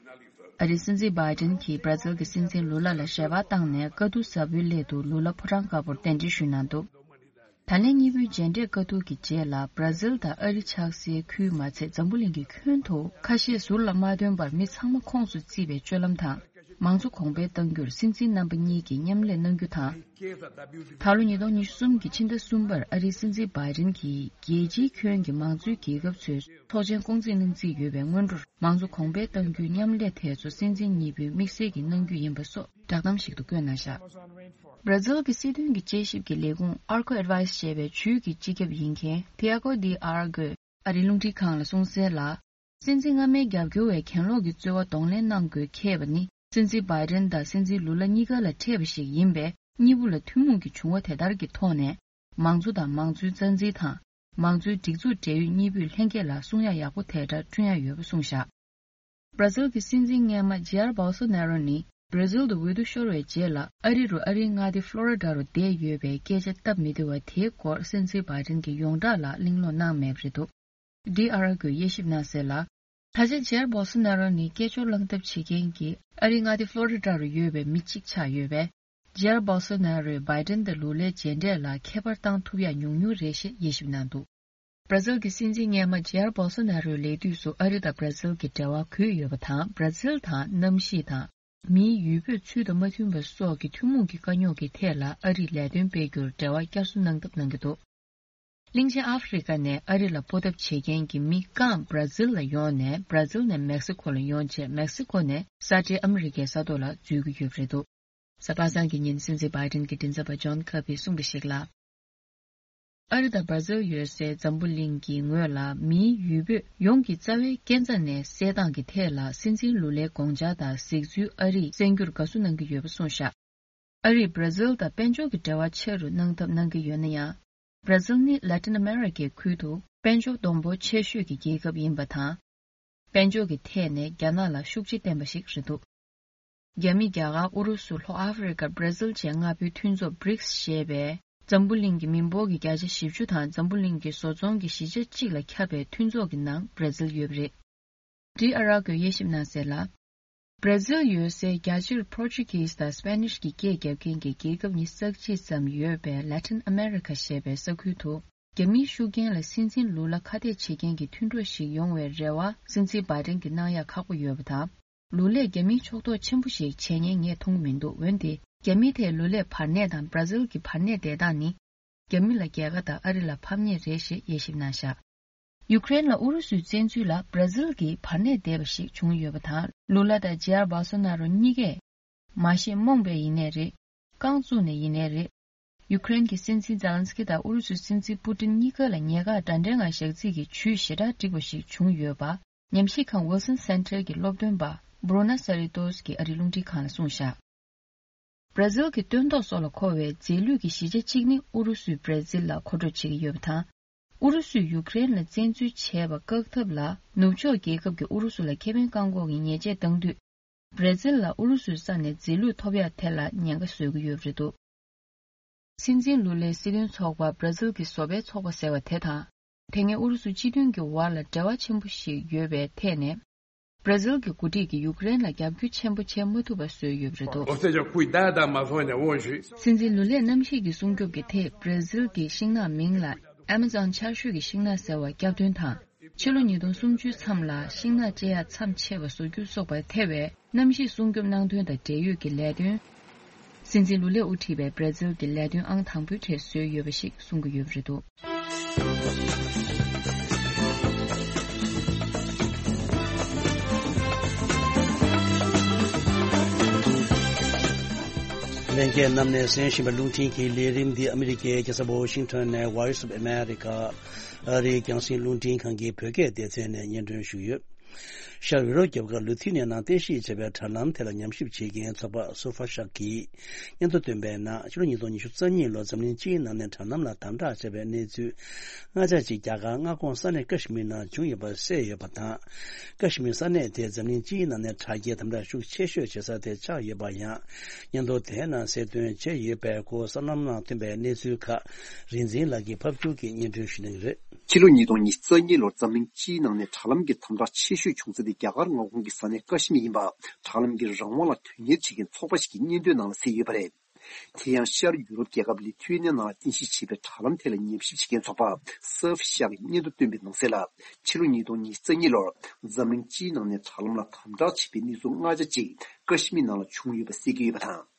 ཨ་རིའི་སྲིད་འཛིན་བྷའི་ཌེན་གྱིས་བྷར་ཛིལ་གྱི་སྲིད་འཛིན་ལུ་ལ་ལ་ཞལ་པར་བཏང་ནས། དཀའ་སྡུག་ཟབ་པོའི་སླད་དུ་ལུ་ལ་ཕོ་བྲང་དཀར་པོར་གདན་འདྲེན་ཞུས་གནང་འདུག་ད་ལན་གཉིས་པོའི་མཇལ་འཕྲད་བཀའ་བསྡུར་གྱི་རྗེས་ལ། བྷར་ཛིལ་དང་ཨ་རི་ཆགས་སའི་ཁུལ་མ་ཚད་འཛམ་བུ་གླིང་གི་ཁྱོན་དུ་ཁ་ཤས་ཟུར་ལ་མ་ཐོན་པར་མི་ཚང་མ་ཁོངས་སུ་བརྩིས་པའི་སྤྱོད་ལམ་དང་། མང་གཙོ་གོང་འཕེལ་གཏང་རྒྱུར་སྲིད་འཛིན་རྣམ་པ་གཉིས་ཀྱིས་མཉམ་ལས་གནང་རྒྱུ་དང་། ད་ལོ་ཉིས་སྟོང་ཉི་ཤུ་གསུམ་གྱི་ཕྱི་ཟླ་གསུམ་པར་ཨ་རིའི་སྲིད་འཛིན་བྷའི་ཌེན་གྱིས་རྒྱལ་སྤྱིའི་ཁྱོན་གྱི་མང་གཙོའི་རྒྱལ་ཁབ་ཚོའི་ཚོགས་ཆེན་སྐོང་འཛིན་གནང་རྩིས་ཡོད་པའི་སྔོན་འགྲོར། མང་གཙོ་གོང་འཕེལ་གཏང་རྒྱུའི་མཉམ་ལས་དེ་ཚོ་སྲིད་འཛིན་གཉིས་པོས་དམིགས་བསལ་གྱིས་གནང་རྒྱུ་ཡིན་པ་སོགས་བསྒྲགས་གཏམ་ཞིག་ཏུ་བཀོད་གནང་བཞག་བྷར་ཛིལ་གྱི་སྲིད་དོན་གྱི་དཔྱད་ཞིབ་ཀྱི་ལས་ཁུངས་Arco Advice ཞེས་པའི་ཇུས་ཀྱི་སྤྱི་ཁྱབ་ཡིན་མཁན་Tiago de Argo ཨ་རིའི་རླུང་འཕྲིན་ཁང་ལ་གསུངས་གསལ་ལ། སྲིད་འཛིན་སྔ་མའི་རྒྱབ་སྐྱོར་བས་གྱེན་ལོག་གི་རྩོལ་བ་གདོང་ལེན་གནང་དགོས་ཁེལ་བ་ནི། སྲིད་འཛིན་བྷའི་ཌེན་དང་སྲིད་འཛིན་ལུ་ལ་གཉིས་ཀ་ལ་འཕྲད་པ་ཞིག་ཡིན་པས། གཉིས་པོ་ལ་ཐུན་མོང་གི་བྱུང་བ་དེ་ལྟར་གྱི་ཐོག་ནས། མང་གཙོ་དང་མང་གཙོའི་རྩ་འཛིན་དང་། མང་གཙོའི་སྒྲིག་འཛུགས་འབྲེལ་ཡོད་གཉིས་པོས་ལྷན་རྒྱས་ལ་གསུང་ཡག་ཡག་པོ་དེ་འདྲ་བསྐྲུན་ཡག་ཡོད་པ་གསུངས་བཞག་བྷར་ཛིལ་གྱི་སྲིད་འཛིན་སྔོན་མ་ཇེ་ཡར་བྷོལ་སོ་ནེ་རོ་ནི། བྷར་ཛིལ་དུ་འོས་བསྡུ་ཤོར་བའི་རྗེས་ལ། ཨ་རི་རུ་ཨ་རིའི་མངའ་སྡེ་ཕློ་རི་ཌ་རུ་བསྡད་ཡོད་པའི་སྐད་ཆ་སྟབས་མི་བདེ་བ་དེའི་སྐོར། སྲིད་འཛིན་བྷའི་ཌེན་གྱིས་ཡོངས་གྲགས་ལ་གླེང་སློང་གནང་མེད་པ་རེད་འདུག་ཌི་ཨར་ཨར་གྱིས་དབྱེ་ཞིབ་གནང་གསལ་ལ། ད་ཆ་ཇེ་ཡར་བྷོལ་སོ་ནེ་རོ་ནི་སྐད་ཅོར་བསླང་ཐབས་བྱེད་མཁན་གྱི་ཨ་རིའི་མངའ་སྡེ་ཕློ་རི་ཌ་རུ་ཡོད་པའི་མི་གཅིག་ཆགས་ཡོད་པས། ཇེ་ཡར་བྷོལ་སོ་ནེ་རོས་བྷའི་ཌེན་དང་ལུ་ལའི་མཇལ་འཕྲད་ལ་ཁྱད་པར་བཏང་ཐུབ་ཡག་ཉུང་ཉུང་རེད་ཞེས་དབྱེ་ཞིབ་གནང་འདུག་བྷར་ཛིལ་གྱི་སྲིད་འཛིན་སྔོན་མ་ཇེ་ཡར་བྷོལ་སོ་ནེ་རོའི་ལས་དུས་སུ་ཨ་རི་དང་བྷར་ཛིལ་གྱི་འབྲེལ་བ་གོས་ཡོད་པ་དང་། བྷར་ཛིལ་དང་གནམ་གཤིས་དང་། མིའི་ཡུལ་སྤོས་ཚུལ་དང་མ་མཐུན་པ་སོགས་ཀྱི་ཐུན་མོང་གི་དཀའ་རྙོག་གི་ཐད་ལ་ཨ་རིས་ལས་དོན་སྤེལ་རྒྱུར་འབྲེལ་བ་བསྐྱར་གསོ་གནང་ཐབས་གནང་གི་འདུག་གླིང་ཆེན་ཨ་ཧྥེ་རི་ཀ་ནས་ཨ་རི་ལ་སྤོ་ཐབས་བྱེད་མཁན་གྱི་མི་རྐང་བྷར་ཛིལ་ལ་ཡོང་ནས། བྷར་ཛིལ་ནས་མེག་སི་ཁོ་ལ་ཡོང་རྗེས། མེག་སི་ཁོ་ནས་ས་འབྲེལ་ཨ་མི་རི་ཀའི་ས་ཐོག་ལ་འཛུལ་གྱི་ཡོད་པ་རེད་འདུག་གཟའ་པ་སངས་ཀྱི་ཉིན་སྲིད་འཛིན་བྷའི་ཌེན་གྱི་མགྲིན་ཚབ་པ་ཇོན་ཁར་པིས་གསུངས་པ་ཞིག་ལ། ཨ་རི་དང་བྷར་ཛིལ་ཡོད་སའི་འཛམ་བུ་གླིང་གི་ངོས་ལ་མིའི་ཡུལ་སྤོས་ཡོངས་ཀྱི་རྩ་བའི་སྐས་འཛེག་ནས་བསལ་སྟངས་ཀྱི་ཐད་ལ། སྲིད་འཛིན་ལུ་ལའི་དགོངས་འཆར་དང་གཟིགས་ཚུལ་ཨ་རིས་གསན་རྒྱུར་དགའ་བསུ་གནང་གི་ཡོད་པ་གསུངས་བཞག་ཨ་རིས་བྷར་ཛིལ་དང་དཔལ་འབྱོར་གྱི་འབྲེལ་བ་ཆེ་རུ་གནང་ཐབས་གནང་གི་ཡོད་ན་ཡང་། བྷར་ཛིལ་ནི་ལ་ཏིན་ཨ་མེ་རི་ཀའི་ཁུལ་དུ་དཔལ་འབྱོར་སྡོང་པོ་ཆེ་ཤོས་ཀྱི་རྒྱལ་ཁབ་ཡིན་པ་དང་། དཔལ་འབྱོར་གྱི་ཐད་ནས་རྒྱ་ནག་ལ་ཤུགས་རྐྱེན་བསྟན་པ་ཞིག་རེད་འདུག་རྒྱ་མི། རྒྱ་གར། ཨུ་རུ་སུ། ལྷོ་ཨ་ཧྥེ་རི་ཀ། བྷར་ཛིལ་བཅས་ལྔ་པོའི་མཐུན་ཚོགས་བྷི་རིགས་ཞེས་པས། འཛམ་བུ་གླིང་གི་མི་འབོར་གྱི་བརྒྱ་ཆ་བཞི་བཅུ་དང་། འཛམ་བུ་གླིང་གི་བཟོ་ཚོང་གི་བཞི་ཆ་གཅིག་ལ་ཁྱབ་པའི་མཐུན་ཚོགས་ཀྱི་ནང་བྷར་ཛིལ་ཡོད་པ་རེད། ཌི་ཨར་ཨར་གྱིས་དབྱེ་ཞིབ་གནང་གསལ་ལ། བྷར་ཛིལ་ཡོད་སའི་རྒྱ་ཆེར་པོར་ཅུ་གིས་དང་སྤེ་ནིཤ་གི་སྐད་རྒྱབ་མཁན་གྱི་རྒྱལ་ཁབ་ཉི་ཤུ་རྩ་གཅིག་ཙམ་ཡོད་པའི་ལ་ཏིན་ཨ་མེ་རི་ཁ་ཞེས་པའི་ས་ཁུལ་དུ། རྒྱ་མིའི་ཤུགས་རྐྱེན་ལ་སྲིད་འཛིན་ལུ་ལ་ཁ་གཏད་བྱེད་མཁན་གྱི་མཐུན་གྲོགས་ཤིག་ཡོང་བའི་རེ་བ་སྲིད་འཛིན་བྷའི་ཌེན་གྱིས་གནང་ཡག་ཁག་པོ་ཡོད་པ་དང་། ལུ་ལས་རྒྱ་མིའི་ཕྱོགས་གཏོགས་ཆེན་པོ་ཞིག་བྱེད་ཉེན་ངས་མཐོང་གི་མི་འདུག་འོན་ཏེ། རྒྱ་མིའི་ཐད་ལུ་ལས་བར་གནས་དང་བྷར་ཛིལ་གྱི་བར་གནས་བསྡད་སྟངས་ནི། རྒྱ་མི་ལ་རྒྱལ་ཁ་དང་ཨ་རི་ལ་ཕམ་ཉེས་རེད་ཞེས་དབྱེ་ཞིབ་གནང་བཞག་ཡུཀ་རེན་ལ་ཨུ་རུ་སུའི་བཙན་འཛུལ་ལ་བྷར་ཛིལ་གྱིས་བར་གནས་བསྡད་པ་ཞིག་བྱུང་ཡོད་པ་དང་། ལུ་ལ་དང་ཇེ་ཡར་བྷོལ་སོ་ནཱ་རོ་གཉིས་ཀས། མ་ཤེས་རྨོངས་པས་ཡིན་ནའི་རེད། རྐང་བཙུགས་ནས་ཡིན་ནའི་རེད། ཡུ་ཀེ་རེན་གྱི་སྲིད་འཛིན་ཛེ་ལན་སི་ཀི་དང་ཨུ་རུ་སུའི་སྲིད་འཛིན་པུ་ཏིན་གཉིས་ཀ་ལ་ཉེ་གར་འདྲ་འདྲའི་ངང་ཞག་རྩིས་ཀྱི་ཇུས་ཞེ་དྲག་བསྒྲིགས་པ་ཞིག་བྱུང་ཡོད་པ། ཉམས་ཞིབ་ཁང་Wilson Center གྱི་སློབ་སྟོན་པ་Bruna Sarritos གྱིས་ཨ་རིའི་རླུང་འཕྲིན་ཁང་ལ་གསུངས་བཞག་བྷར་ཛིལ་གྱི་སྟོན་ཐོག་སོགས་ལ་མཁོ་བའི་རྫས་ལུད་ཀྱི་བཞི་ཆ་གཅིག་ནི་ཨུ་རུ་སུས་བྷར་ཛིལ་ལ་མཁོ་སྤྲོད་བྱེད་ཀྱི་ཡོད་པ་དང་། ཨུ་རུ་སུས་ཡུཀ་རེན་ལ་བཙན་འཛུལ་བྱས་པ་བཀག་ཐབས་ལ། ནུབ་ཕྱོགས་རྒྱལ་ཁབ་ཀྱིས་ཨུ་རུ་སུ་ལ་ཁེ་ཕན་བཀག་འགོག་གི་ཉེས་ཆད་བཏང་དུས། བྷར་ཛིལ་ལ་ཨུ་རུ་སུའི་ས་ནས་རྫས་ལུད་ཐོབ་ཡག་ཐད་ལ་ཉེན་ཁ་བཟོ་གི་ཡོད་པ་རེད་འདུག་སྲིད་འཛིན་ལུ་ལའི་སྲིད་དོན་ཚོགས་པ་བྷར་ཛིལ་གྱི་བཟོ་པའི་ཚོགས་པ་ཟེར་བ་དེ་དང་། དེ་སྔའི་ཨུ་རུ་སུ་སྤྱི་མཐུན་གྱི་བར་ལ་འབྲེལ་བ་ཆེན་པོ་ཞིག་ཡོད་པའི་ཐད་ནས། བྷར་ཛིལ་གྱི་འགོ་ཁྲིད་ཀྱིས་ཡུཀ་རེན་ལ་རྒྱབ་སྐྱོར་ཆེན་པོ་བྱེད་མ་ཐུབ་པ་བཟོས་ཡོད་པ་རེད་འདུག Ou seja, cuidar da Amazônia hoje. སྲིད་འཛིན་ལུ་ལས་གནམ་གཤིས་ཀྱི་སྲུང་སྐྱོབ་ཀྱི་ཐད་བྷར་ཛིལ་གྱི་ཤིང་ནགས་མིང་ལ་Amazon ཆར་ཞོད་ཀྱི་ཤིང་ནགས་ཟེར་བ་སྐྱབས་དོན་དང་། ཕྱི་ལོ་ཉིས་སྟོང་སུམ་ཅུ་མཚམས་ལ་ཤིང་ནགས་བཅད་ཡག་མཚམས་ཆད་པ་བཟོ་རྒྱུ་སོགས་པར་ཐེ་བའི་གནམ་གཤིས་སྲུང་སྐྱོབ་གནང་དོན་དང་འབྲེལ་ཡོད་ཀྱི་ལས་དོན། སྲིད་འཛིན་ལུ་ལས་དབུ་ཁྲིད་པའི་བྷར་ཛིལ་གྱི་ལས་དོན་ཨང་དང་པོའི་གྲས་བཟོས་ཡོད་པ་ཞིག་གསུང་གི་ཡོད་པ་རེད་འདུག་ལྷན་རྒྱས་རྣམས་ནས་གསན་བཞིན་པའི་རླུང་འཕྲིན་གྱི་ལས་རིམ་འདི་ཨ་མི་རི་ཀའི་རྒྱལ་ས་ཝ་ཤིང་ཊོན་ནས་Voice of America ཨ་རིའི་རྒྱང་སྲིང་རླུང་འཕྲིན་ཁང་གི་བོད་སྐད་སྡེ་ཚན་ནས་སྙན་སྒྲོན་ཞུས་ཡོད། ཤར་ཡུ་རོབ་རྒྱལ་ཁབ་ལུ་ཐི་ནའི་ནང་རྟེན་གཞི་བྱས་པའི་དྲ་ལམ་དེ་ལ་ཉམས་ཞིབ་བྱེད་མཁན་ཚོགས་པ་སུར་ཧྥ་ཤག་གིས་སྙན་ཐོ་བཏོན་པའི་ནང་ཕྱི་ལོ་ཉིས་སྟོང་ཉི་ཤུ་རྩ་གཉིས་ལོར་འཛམ་གླིང་སྤྱིའི་ནང་ནས་དྲ་ལམ་ལ་དམ་དྲག་བྱས་པའི་གནས་ཚུལ་ལྔ་ཆ་གཅིག་རྒྱ་གར་མངའ་ཁོངས་ས་གནས་ཀ་ཤི་མིར་ནང་བྱུང་ཡོད་པ་གསལ་ཡོད་པ་དང་། ཀ་ཤི་མིར་ས་གནས་དེ་འཛམ་གླིང་སྤྱིའི་ནང་ནས་དྲ་རྒྱའི་དམ་དྲག་ཤུགས་ཆེ་ཤོས་བྱེད་ས་དེ་ཆགས་ཡོད་པ་ཡང་སྙན་ཐོ་དེའི་ནང་གསལ་སྟོན་བྱས་ཡོད་པའི་སྐོར་གསར་ལམ་ནང་ཐོན་པའི་གནས་ཚུལ་ཁག་རིག་འཛིན་ལགས་ཀྱིས་ཕབ་སྒྱུར་གྱིས་སྙན་སྒྲོན་ཞུ་གནང་གི་རེད། ཕྱི་ལོ་ཉིས་སྟོང་ཉི་ཤུ་རྩ་གཉིས་ལོར་འཛམ་གླིང་སྤྱིའི་ནང་ནས་དྲ་ལམ་གྱི་དམ་དྲག་ཆེ་ཤོས་བྱུང་ས་དེ་རྒྱ་གར་མངའ་ཁོངས་ཀྱི་ས་གནས་ཀ་ཤི་མིར་ཡིན་པ། དྲ་ལམ་གྱི་རང་དབང་ལ་དོན་གཉེར་བྱེད་མཁན་ཚོགས་པ་ཞིག་གི་སྙན་ཐོའི་ནང་ལ་གསལ་ཡོད་པ་རེད། དེ་ཡང་ཤར་ཡུ་རོབ་རྒྱལ་ཁབ་ལི་ཐུ་ཨེ་ནི་ཡ་ནང་ལ་རྟེན་གཞི་བྱས་པའི་དྲ་ལམ་དེ་ལ་ཉམས་ཞིབ་བྱེད་མཁན་ཚོགས་པ་སུར་ཧྥ་ཤག་གིས་སྙན་ཐོ་བཏོན་པའི་ནང་གསལ་ལ། ཕྱི་ལོ་ཉིས་སྟོང་ཉི་ཤུ་རྩ་གཉིས་ལོར་འཛམ་གླིང་སྤྱིའི་ནང་ནས་དྲ་ལམ་ལ་དམ་དྲག་བྱས་པའི་གནས་ཚུལ་ལྔ་ཆ་གཅིག་ཀ་ཤི་མིར་ནང་ལ་བྱུང་ཡོད་པ་གསལ་གྱི་ཡོད་པ་དང་།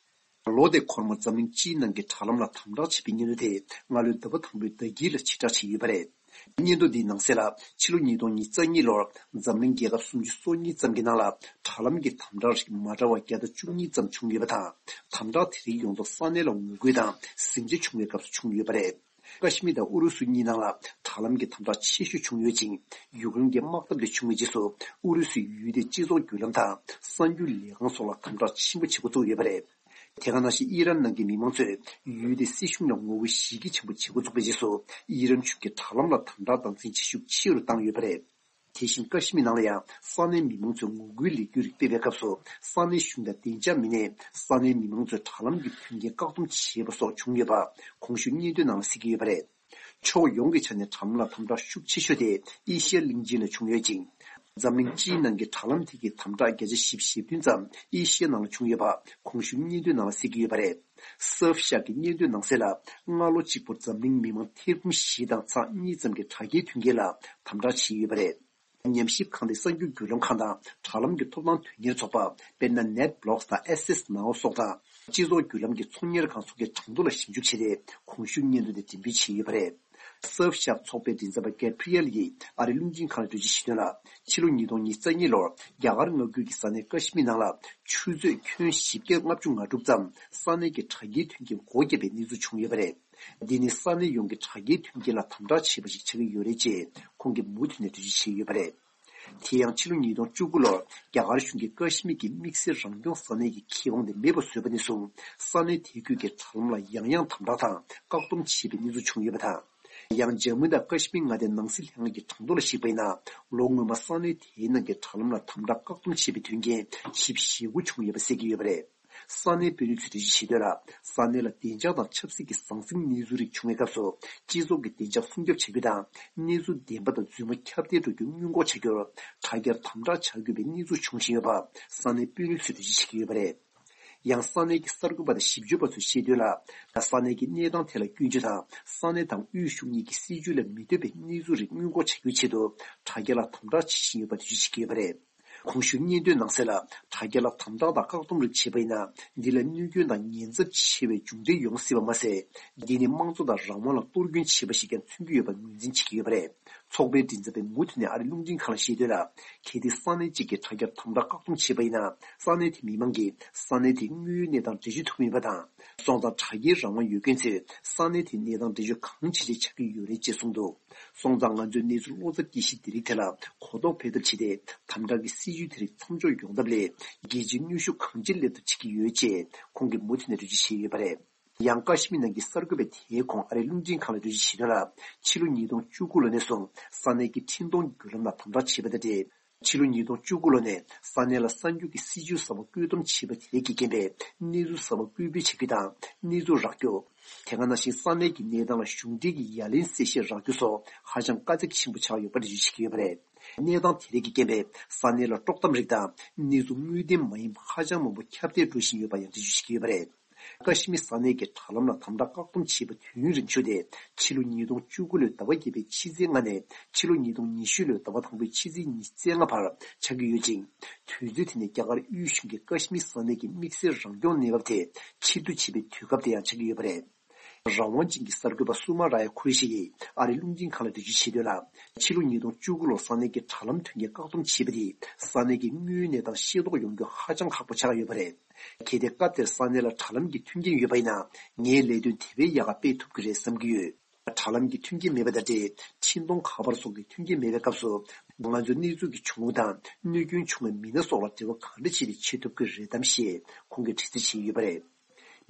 ལོ་དེའི་འཁོར་མོར་འཛམ་གླིང་སྤྱིའི་ནང་གི་དྲ་ལམ་ལ་དམ་དྲག་བྱས་པའི་སྙན་ཐོ་དེ་སྔ་ལོའི་ཟླ་བ་དང་པོའི་ཟླ་དཀྱིལ་ལ་ཕྱིར་བསྒྲགས་བྱས་ཡོད་པ་རེད། སྙན་ཐོ་འདིའི་ནང་གསལ་ལ། ཕྱི་ལོ་ཉིས་སྟོང་ཉི་ཤུ་རྩ་གཉིས་ལོར་འཛམ་གླིང་རྒྱལ་ཁབ་སུམ་ཅུ་སོ་གཉིས་ཙམ་གྱི་ནང་ལ་དྲ་ལམ་གྱི་དམ་དྲག་རིགས་མ་འདྲ་བ་བརྒྱ་དང་བཅུ་གཉིས་ཙམ་བྱུང་ཡོད་པ་དང་། དམ་དྲག་དེ་རིགས་ཡོངས་རྫོགས་ས་གནས་ལ་ངོ་རྒོལ་དང་ཟིང་ཆ་བྱུང་བའི་སྐབས་སུ་བྱུང་ཡོད་པ་རེད། ཀ་ཤི་མིར་དང་ཨུ་རུ་སུ་གཉིས་ནང་ལ་དྲ་ལམ་གྱི་དམ་དྲག་ཆེ་ཤོས་བྱུང་ཡོད་ཅིང་། ཡུཀ་རེན་གྱི་དམག་འཐབ་དེ་བྱུང་བའི་རྗེས་སུ་ཨུ་རུ་སུའི་ཡུལ་དེའི་སྤྱི་ཚོགས་བརྒྱུད་ལམ་དང་གསར་འགྱུར་ལས་ཁང་སོགས་ལ་དམ་དྲག་ཆེན་པོ་བྱེད་འགོ་བཙུགས་ཡོད་པ་རེད། དེ་ག་ནང་བཞིན་ཨི་རན་ནང་གི་མི་མང་ཚོས་ཡུལ་དེའི་སྲིད་གཞུང་ལ་ངོ་རྒོལ་གཞི་རྒྱ་ཆེན་པོ་བྱེད་འགོ་བཙུགས་པའི་རྗེས་སུ། ཨི་རན་གཞུང་གིས་དྲ་ལམ་ལ་དམ་དྲག་སྟངས་འཛིན་བྱེད་ཤུགས་ཆེ་རུ་བཏང་ཡོད་པ་རེད། དེ་བཞིན་ཀ་ཤི་མིར་ནང་ལ་ཡང་ས་གནས་མི་མང་ཚོས་ངོ་རྒོལ་ལས་འགུལ་རིགས་སྤེལ་བའི་སྐབས་སུ། ས་གནས་གཞུང་དང་བདེ་འཇགས་མི་སྣས་ས་གནས་མི་མང་ཚོའི་དྲ་ལམ་གྱི་མཐུན་རྐྱེན་བཀག་སྡོམ་བྱས་པ་སོགས་བྱུང་ཡོད་པ་གོང་ཞུས་སྙན་ཐོའི་ནང་ལ་གསལ་གྱི་ཡོད་པ་རེད། ཕྱོགས་ཡོངས་ཀྱི་ཆ་ནས་དྲ་ལམ་ལ་དམ་དྲག་ཤུགས་ཆེ་ཤོས་དེ་ཨེ་ཤི་ཡ་གླིང་ཆེན་ལ་བྱུང་ཡོད་ཅིང་། འཛམ་གླིང་སྤྱིའི་ནང་གི་དྲ་ལམ་དེ་གའི་དམ་དྲག་བརྒྱ་ཆ་བཞི་བཅུ་ཞེ་བདུན་ཙམ་ཨེ་ཤི་ཡའི་ནང་ལ་བྱུང་ཡོད་པ་གོང་ཞུས་སྙན་ཐོའི་ནང་ལ་གསལ་གྱི་ཡོད་པ་རེད། སུར་ཧྥ་ཤག་གི་སྙན་ཐོའི་ནང་གསལ་ལ། སྔ་ལོ་གཅིག་པུར་འཛམ་གླིང་མི་མང་ཐེར་འབུམ་བཞི་དང་ཚེག་གཉིས་ཙམ་གྱི་དྲ་རྒྱའི་མཐུན་རྐྱེན་ལ་དམ་དྲག་བྱས་ཡོད་པ་རེད། ཉམས་ཞིབ་ཁང་དེ་གསར་འགྱུར་བརྒྱུད་ལམ་ཁང་དང་དྲ་ལམ་གྱི་ཐོབ་ཐང་དོན་གཉེར་ཚོགས་པ། དཔེར་ན། ནེཊ་བྷི་ལོག་སི་དང་ཨེ་སེ་སི་ནའོ་སོགས་དང་། སྤྱི་ཚོགས་བརྒྱུད་ལམ་གྱི་ཚོང་གཉེར་ཁང་སོགས་ཀྱི་གྲངས་ཐོ་ལ་ཞིབ་འཇུག་བྱས་ཏེ། གོང་ཞུས་སྙན་ཐོ་དེ་འགྲེམས་སྤེལ་བྱས་ཡོད་པ་རེད། སུར་ཧྥ་ཤག་ཚོགས་པའི་མགྲིན་ཚབ་པ་གེབ་རི་ཨེལ་གྱིས་ཨ་རིའི་རླུང་འཕྲིན་ཁང་ལ་འགྲེལ་བརྗོད་བྱས་དོན་ལ། ཕྱི་ལོ་ཉིས་སྟོང་ཉི་ཤུ་རྩ་གཉིས་ལོར་རྒྱ་གར་མངའ་ཁུལ་གྱི་ས་གནས་ཀ་ཤི་མིར་ནང་ལ་ཆུ་ཚོད་ཁྱོན་བཞི་བརྒྱ་ལྔ་བཅུ་ང་དྲུག་ཙམ་ས་གནས་ཀྱི་དྲ་རྒྱའི་མཐུན་རྐྱེན་སྒོ་བརྒྱབ་པའི་གནས་ཚུལ་བྱུང་ཡོད་པ་རེད། འདི་ནི་ས་གནས་ཡོངས་ཀྱི་དྲ་རྒྱའི་མཐུན་རྐྱེན་ལ་དམ་དྲག་བྱས་པ་ཞིག་ཆགས་ཀྱི་ཡོད་རེད་ཅེས་ཁོང་གིས་མུ་མཐུད་ནས་འགྲེལ་བརྗོད་བྱས་ཡོད་པ་རེད། དེ་ཡང་ཕྱི་ལོ་ཉིས་སྟོང་བཅུ་དགུ་ལོར་རྒྱ་གར་གཞུང་གིས་ཀ་ཤི་མིར་གྱི་དམིགས་བསལ་རང་སྐྱོང་ས་གནས་ཀྱི་ཁེ་དབང་དེ་མེད་པར་བཟོས་པ་ནས་བཟུང་། ས་གནས་དེ་ཁུལ་གྱི་དྲ་ལམ་ལ་ཡང་ཡང་དམ་དྲག་དང་བཀག་སྡོམ་བྱས་པའི་གནས་ཚུལ་བྱུང་ཡོད་པ་དང་། ཡང་ཇམ་མུ་དང་ཀ་ཤི་མིར་མངའ་སྡེའི་ནང་སྲིད་ལྷན་ཁང་གི་གྲངས་ཐོ་ལ་གཞིགས་པ་ཡིན་ན། ལོ་སྔོན་མ་ས་གནས་དེའི་ནང་གི་དྲ་ལམ་ལ་དམ་དྲག་བཀག་སྡོམ་བྱས་པའི་དོན་རྐྱེན་བཞི་བཅུ་ཞེ་དགུ་བྱུང་ཡོད་པ་གསལ་གྱི་ཡོད་པ་རེད། ས་གནས་དཔོན་རིགས་ཚོས་འགྲེལ་བརྗོད་བྱས་དོན་ལ། ས་གནས་ལ་བདེ་འཇགས་དང་ཆབ་སྲིད་ཀྱི་ཟང་ཟིང་གནས་ཚུལ་རིགས་བྱུང་བའི་སྐབས་སུ། སྤྱི་ཚོགས་ཀྱི་བདེ་འཇགས་སྲུང་སྐྱོབ་བྱ་རྒྱུ་དང་། གནས་ཚུལ་བདེན་པ་དང་རྫུན་མ་ཁྱབ་གདལ་འགྲོ་རྒྱུ་སྔོན་འགོག་བྱ་རྒྱུར། དྲ་རྒྱར་དམ་དྲག་བྱ་དགོས་པའི་གནས་ཚུལ་བྱུང་བཞིན་ཡོད་པ་ས་གནས་དཔོན་རིགས་ཚོས་འགྲེལ་བརྗོད་བྱེད་ཀྱི་ཡོད་པ་རེད། ཡང་ས་གནས་ཀྱི་གསར་འགོད་པ་དང་ཞིབ་དཔྱོད་པ་ཚོས་བཤད་དོན་ལ། ས་གནས་ཀྱི་གནས་སྟངས་ཐད་ལ་སྐྱོན་བརྗོད་དང་། ས་གནས་དང་དབུས་གཞུང་གཉིས་ཀྱི་སྲིད་ཇུས་ལ་མི་ལྟོས་པའི་གནས་ཚུལ་རིགས་སྔོན་འགོག་བྱ་རྒྱུའི་ཆེད་དུ། དྲ་རྒྱ་ལ་དམ་དྲག་བྱེད་བཞིན་ཡོད་པ་འགྲེལ་བརྗོད་བྱེད་ཀྱི་ཡོད་པ་རེད། གོང་ཞུས་སྙན་ཐོའི་ནང་གསལ་ལ། དྲ་རྒྱ་ལ་དམ་དྲག་དང་བཀག་སྡོམ་རིགས་བྱས་པ་ཡིན་ན། འདི་ལ་གནོད་སྐྱོན་དང་ཉེན་ཚབས་ཆེ་བའི་མཇུག་འབྲས་ཡོང་སྲིད་པ་མ་ཟད། འདི་ནི་དམངས་གཙོ་དང་རང་དབང་ལ་གཏོར་སྐྱོན་བྱས་པ་ཞིག་ཀྱང་མཚོན་གྱི་ཡོད་པར་ངོས་འཛིན་བྱེད་ཀྱི་ཡོད་པ་རེད། ཚོགས་པའི་མགྲིན་ཚབ་པས་མུ་མཐུད་ནས་ཨ་རིའི་རླུང་འཕྲིན་ཁང་ལ་བཤད་དོན་ལ། གལ་ཏེ་ས་གནས་གཅིག་གིས་དྲ་རྒྱར་དམ་དྲག་བཀག་སྡོམ་བྱས་པ་ཡིན་ན། ས་གནས་དེའི་མི་མང་གིས་ས་གནས་དེའི་དངོས་ཡོད་གནས་སྟངས་འགྲེལ་བརྗོད་ཐུབ་ཀྱི་མེད་པ་དང་། སོང་ཙང་དྲ་རྒྱའི་རང་དབང་ཡོད་མཁན་ཚོས་ས་གནས་དེའི་གནས་སྟངས་འགྲེལ་བརྗོད་གང་བྱེད་བྱེད་ཆགས་ཀྱི་ཡོད་རེད་ཅེས་གསུངས་འདུག་སོང་ཙང་ང་ཚོས་གནས་ཚུལ་བློ་འཚབ་སྐྱེ་གཞི་འདི་རིགས་ཐད་ལ་གོ་རྟོགས་འཕེལ་ཐབས་བྱས་ཏེ། དམ་དྲག་གི་སྲིད་ཇུས་དེ་རིགས་མཚམས་འཇོག་ཡོང་ཐབས་སླད། རྒྱལ་སྤྱིའི་གནོན་ཤུགས་གང་ཅི་སླེབས་ཐབས་བྱེད་ཀྱི་ཡོད་ཅེས་ཁོང་གིས་མུ་མཐུད་ནས་འགྲེལ་བརྗོད་བྱས་ཡོད་པ་རེད། ཡང་ཀ་ཤི་མིར་ནང་གི་གསར་འགོད་པས་དེའི་གོང་ཨ་རིའི་རླུང་འཕྲིན་ཁང་ལ་འགྲེལ་བརྗོད་བྱས་དོན་ལ། ཕྱི་ལོ་ཉིས་སྟོང་བཅུ་དགུ་ལོ་ནས་བཟུང་ས་གནས་ཀྱི་འཕྲིན་གཏོང་བརྒྱུད་ལམ་ལ་དམ་དྲག་བྱས་པ་དང་འབྲེལ། ཕྱི་ལོ་ཉིས་སྟོང་བཅུ་དགུ་ལོ་ནས་ས་གནས་ལ་གསར་འགྱུར་གྱི་སྲིད་ཇུས་གསར་པ་བཀོད་འདོམས་བྱས་པ་དེ་རིགས་ཀྱི་རྐྱེན་པས། གནས་ཚུལ་གསར་པ་བཀོད་སྤེལ་བྱ་རྒྱུ་དང་གནས་ཚུལ་རག་རྒྱུ། དེ་ག་ནང་བཞིན་ས་གནས་ཀྱི་གནས་སྟངས་ལ་གཞུང་འབྲེལ་གྱི་ཡ་ལན་གསལ་བཤད་རག་རྒྱུ་སོགས་ཧ་ཅང་དཀའ་ཚེགས་ཆེན་པོ་ཆགས་ཡོད་པ་འགྲེལ་བརྗོད་བྱེད་ཀྱི་ཡོད་པ་རེད། གནས་སྟངས་དེ་རིགས་ཀྱི་རྐྱེན་པས་ས་གནས་ལ་དཀྲོག་གཏམ་རིགས་དང་གནས་ཚུལ་དངོས་བདེན་མ་ཡིན་པ་ཧ་ཅང་མང་པོ་ཁྱབ་གདལ་འགྲོ་བཞིན་ཡོད་པ་ཡང་འགྲེལ་བརྗོད་བྱེད་ཀྱི་ཡོད་པ་རེད། ཀ་ཤི་མིར་ས་གནས་ཀྱི་དྲ་ལམ་ལ་དམ་དྲག་བཀག་སྡོམ་བྱས་པ་དུས་ཡུན་རིང་ཤོས་དེ་ཕྱི་ལོ་ཉིས་སྟོང་བཅུ་དགུ་ལོའི་ཟླ་བ་བརྒྱད་པའི་ཕྱི་ཚེས་ལྔ་ནས་ཕྱི་ལོ་ཉིས་སྟོང་ཉི་ཤུ་ལོའི་ཟླ་བ་དང་པོའི་ཕྱི་ཚེས་ཉི་ཤུ་རྩ་ལྔ་བར་ཆགས་ཀྱི་ཡོད་ཅིང་། དུས་ཚོད་དེ་ནི་རྒྱ་གར་དབུས་གཞུང་གིས་ཀ་ཤི་མིར་ས་གནས་ཀྱི་དམིགས་བསལ་རང་སྐྱོང་གནས་བབ་དེ་ཕྱིར་བསྡུ་བྱེད་པའི་དུས་སྐབས་དེ་ཡང་ཆགས་ཀྱི་ཡོད་པ་རེད། རང་དབང་ཅན་གྱི་གསར་འགོད་པ་སུ་མ་ར་ཡ་ཁུ་རེ་ཤི་ཡིས་ཨ་རིའི་རླུང་འཕྲིན་ཁང་ལ་འགྲེལ་བརྗོད་བྱས་དོན་ལ། ཕྱི་ལོ་ཉིས་སྟོང་བཅུ་དགུ་ལོར་ས་གནས་ཀྱི་དྲ་ལམ་མཐུན་རྐྱེན་བཀག་སྡོམ་བྱས་པ་དེས་ས་གནས་ཀྱི་དངོས་ཡོད་གནས་སྟངས་ཤེས་རྟོགས་ཡོང་རྒྱུ་ཧ་ཅང་ཁག་པོ་ཆགས་ཡོད་པ་རེད། གལ་ཏེ་སྐབས་དེར་ས་གནས་ལ་དྲ་ལམ་གྱི་མཐུན་རྐྱེན་ཡོད་པ་ཡིན་ན། ངའི་ལས་དོན་དེ་བས་ཡག་ག་སྤེལ་ཐུབ་ཀྱི་རེད་བསམ་གྱི་ཡོད། དྲ་ལམ་གྱི་མཐུན་རྐྱེན་མེད་པ་དང་འབྲེལ། འཕྲིན་གཏོང་ཁ་པར་སོགས་ཀྱི་མཐུན་རྐྱེན་མེད་པའི་སྐབས་སུ། ང་ཚོས་གནས་ཚུལ་གྱི་བྱུང་རབས་དང་གནོད་སྐྱོན་བྱུང་བའི་མི་སྣ་སོགས་ལ་འབྲེལ་བ་གང་འདྲ་བྱས་ཏེ་བྱེད་ཐུབ་ཀྱི་རེད་དམ་ཞེས་ཁོང་གིས་དྲི་རྩད་བྱས་ཡོད་པ་རེད།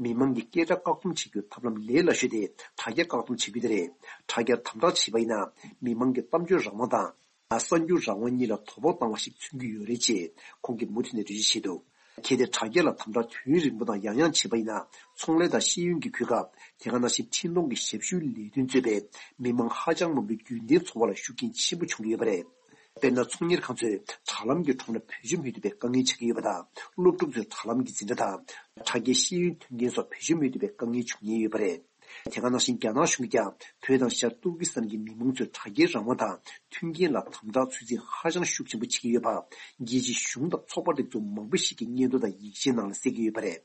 མི་མང་གི་སྐད་སྒྲ་བཀག་སྡོམ་བྱེད་རྒྱུའི་ཐབས་ལམ་ལས་སླ་ཤོས་དེ་དྲ་རྒྱ་བཀག་སྡོམ་བྱེད་རྒྱུ་དེ་རེད། དྲ་རྒྱར་དམ་དྲག་བྱས་པ་ཡིན་ན་མི་མང་གི་གཏམ་བརྗོད་རང་དབང་དང་། གསར་འགྱུར་རང་དབང་གཉིས་ལ་དོ་ཕོག་བཏང་བ་ཞིག་མཚོན་གྱི་ཡོད་རེད་ཅེས་ཁོང་གིས་མུ་མཐུད་ནས་འགྲེལ་བརྗོད་བྱས་འདུག་གལ་ཏེ་དྲ་རྒྱ་ལ་དམ་དྲག་དུས་རིང་པོ་དང་ཡང་ཡང་བྱས་པ་ཡིན་ན། ཚོང་ལས་དང་ཤེས་ཡོན་གྱི་གོ་སྐབས། དེ་ག་ནང་བཞིན་འཕྲིན་གཏོང་གི་ཞབས་ཞུའི་ལས་དོན་གཙོས་པའི་མི་མང་ཧ་ཅང་མང་པོའི་རྒྱུན་ལྡན་འཚོ་བ་ལ་ཤུགས་རྐྱེན་ཆེན་པོ་བྱུང་གི་ཡོད་པ་རེད། དཔེར་ན། ཚོང་གཉེར་ཁང་ཚོས་དྲ་ལམ་གྱི་ཁྲོམ་ལ་བེད་སྤྱོད་མི་ཐུབ་པའི་དཀའ་ངལ་ཆགས་ཀྱི་ཡོད་པ་དང་། སློབ་ཕྲུག་ཚོས་དྲ་ལམ་གྱི་འཛིན་གྲྭ་དང་། དྲ་རྒྱའི་ཤེས་ཡོན་ཐོན་མཁན་སོགས་བེད་སྤྱོད་མི་ཐུབ་པའི་དཀའ་ངལ་འབྱུང་ཉེན་ཡོད་པ་རེད། དེ་ག་ནང་བཞིན་རྒྱ་ནག་གཞུང་གིས་ཀྱང་བོད་དང་ཤར་ཏུར་ཀི་སི་ཐན་གྱི་མི་མང་ཚོའི་དྲ་རྒྱའི་རང་དབང་དང་མཐུན་རྐྱེན་ལ་དམ་དྲག་ཚོད་འཛིན་ཧ་ཅང་ཤུགས་ཆེན་པོ་བྱེད་ཀྱི་ཡོད་པ། རྒྱལ་སྤྱིའི་གཞུང་དང་ཚོགས་པ་སྒྲིག་འཛུགས་མང་པོ་ཞིག་གིས་སྙན་ཐོ་དང་ཡིག་ཆའི་ནང་ལ་གསལ་གྱི་ཡོད་པ་རེད།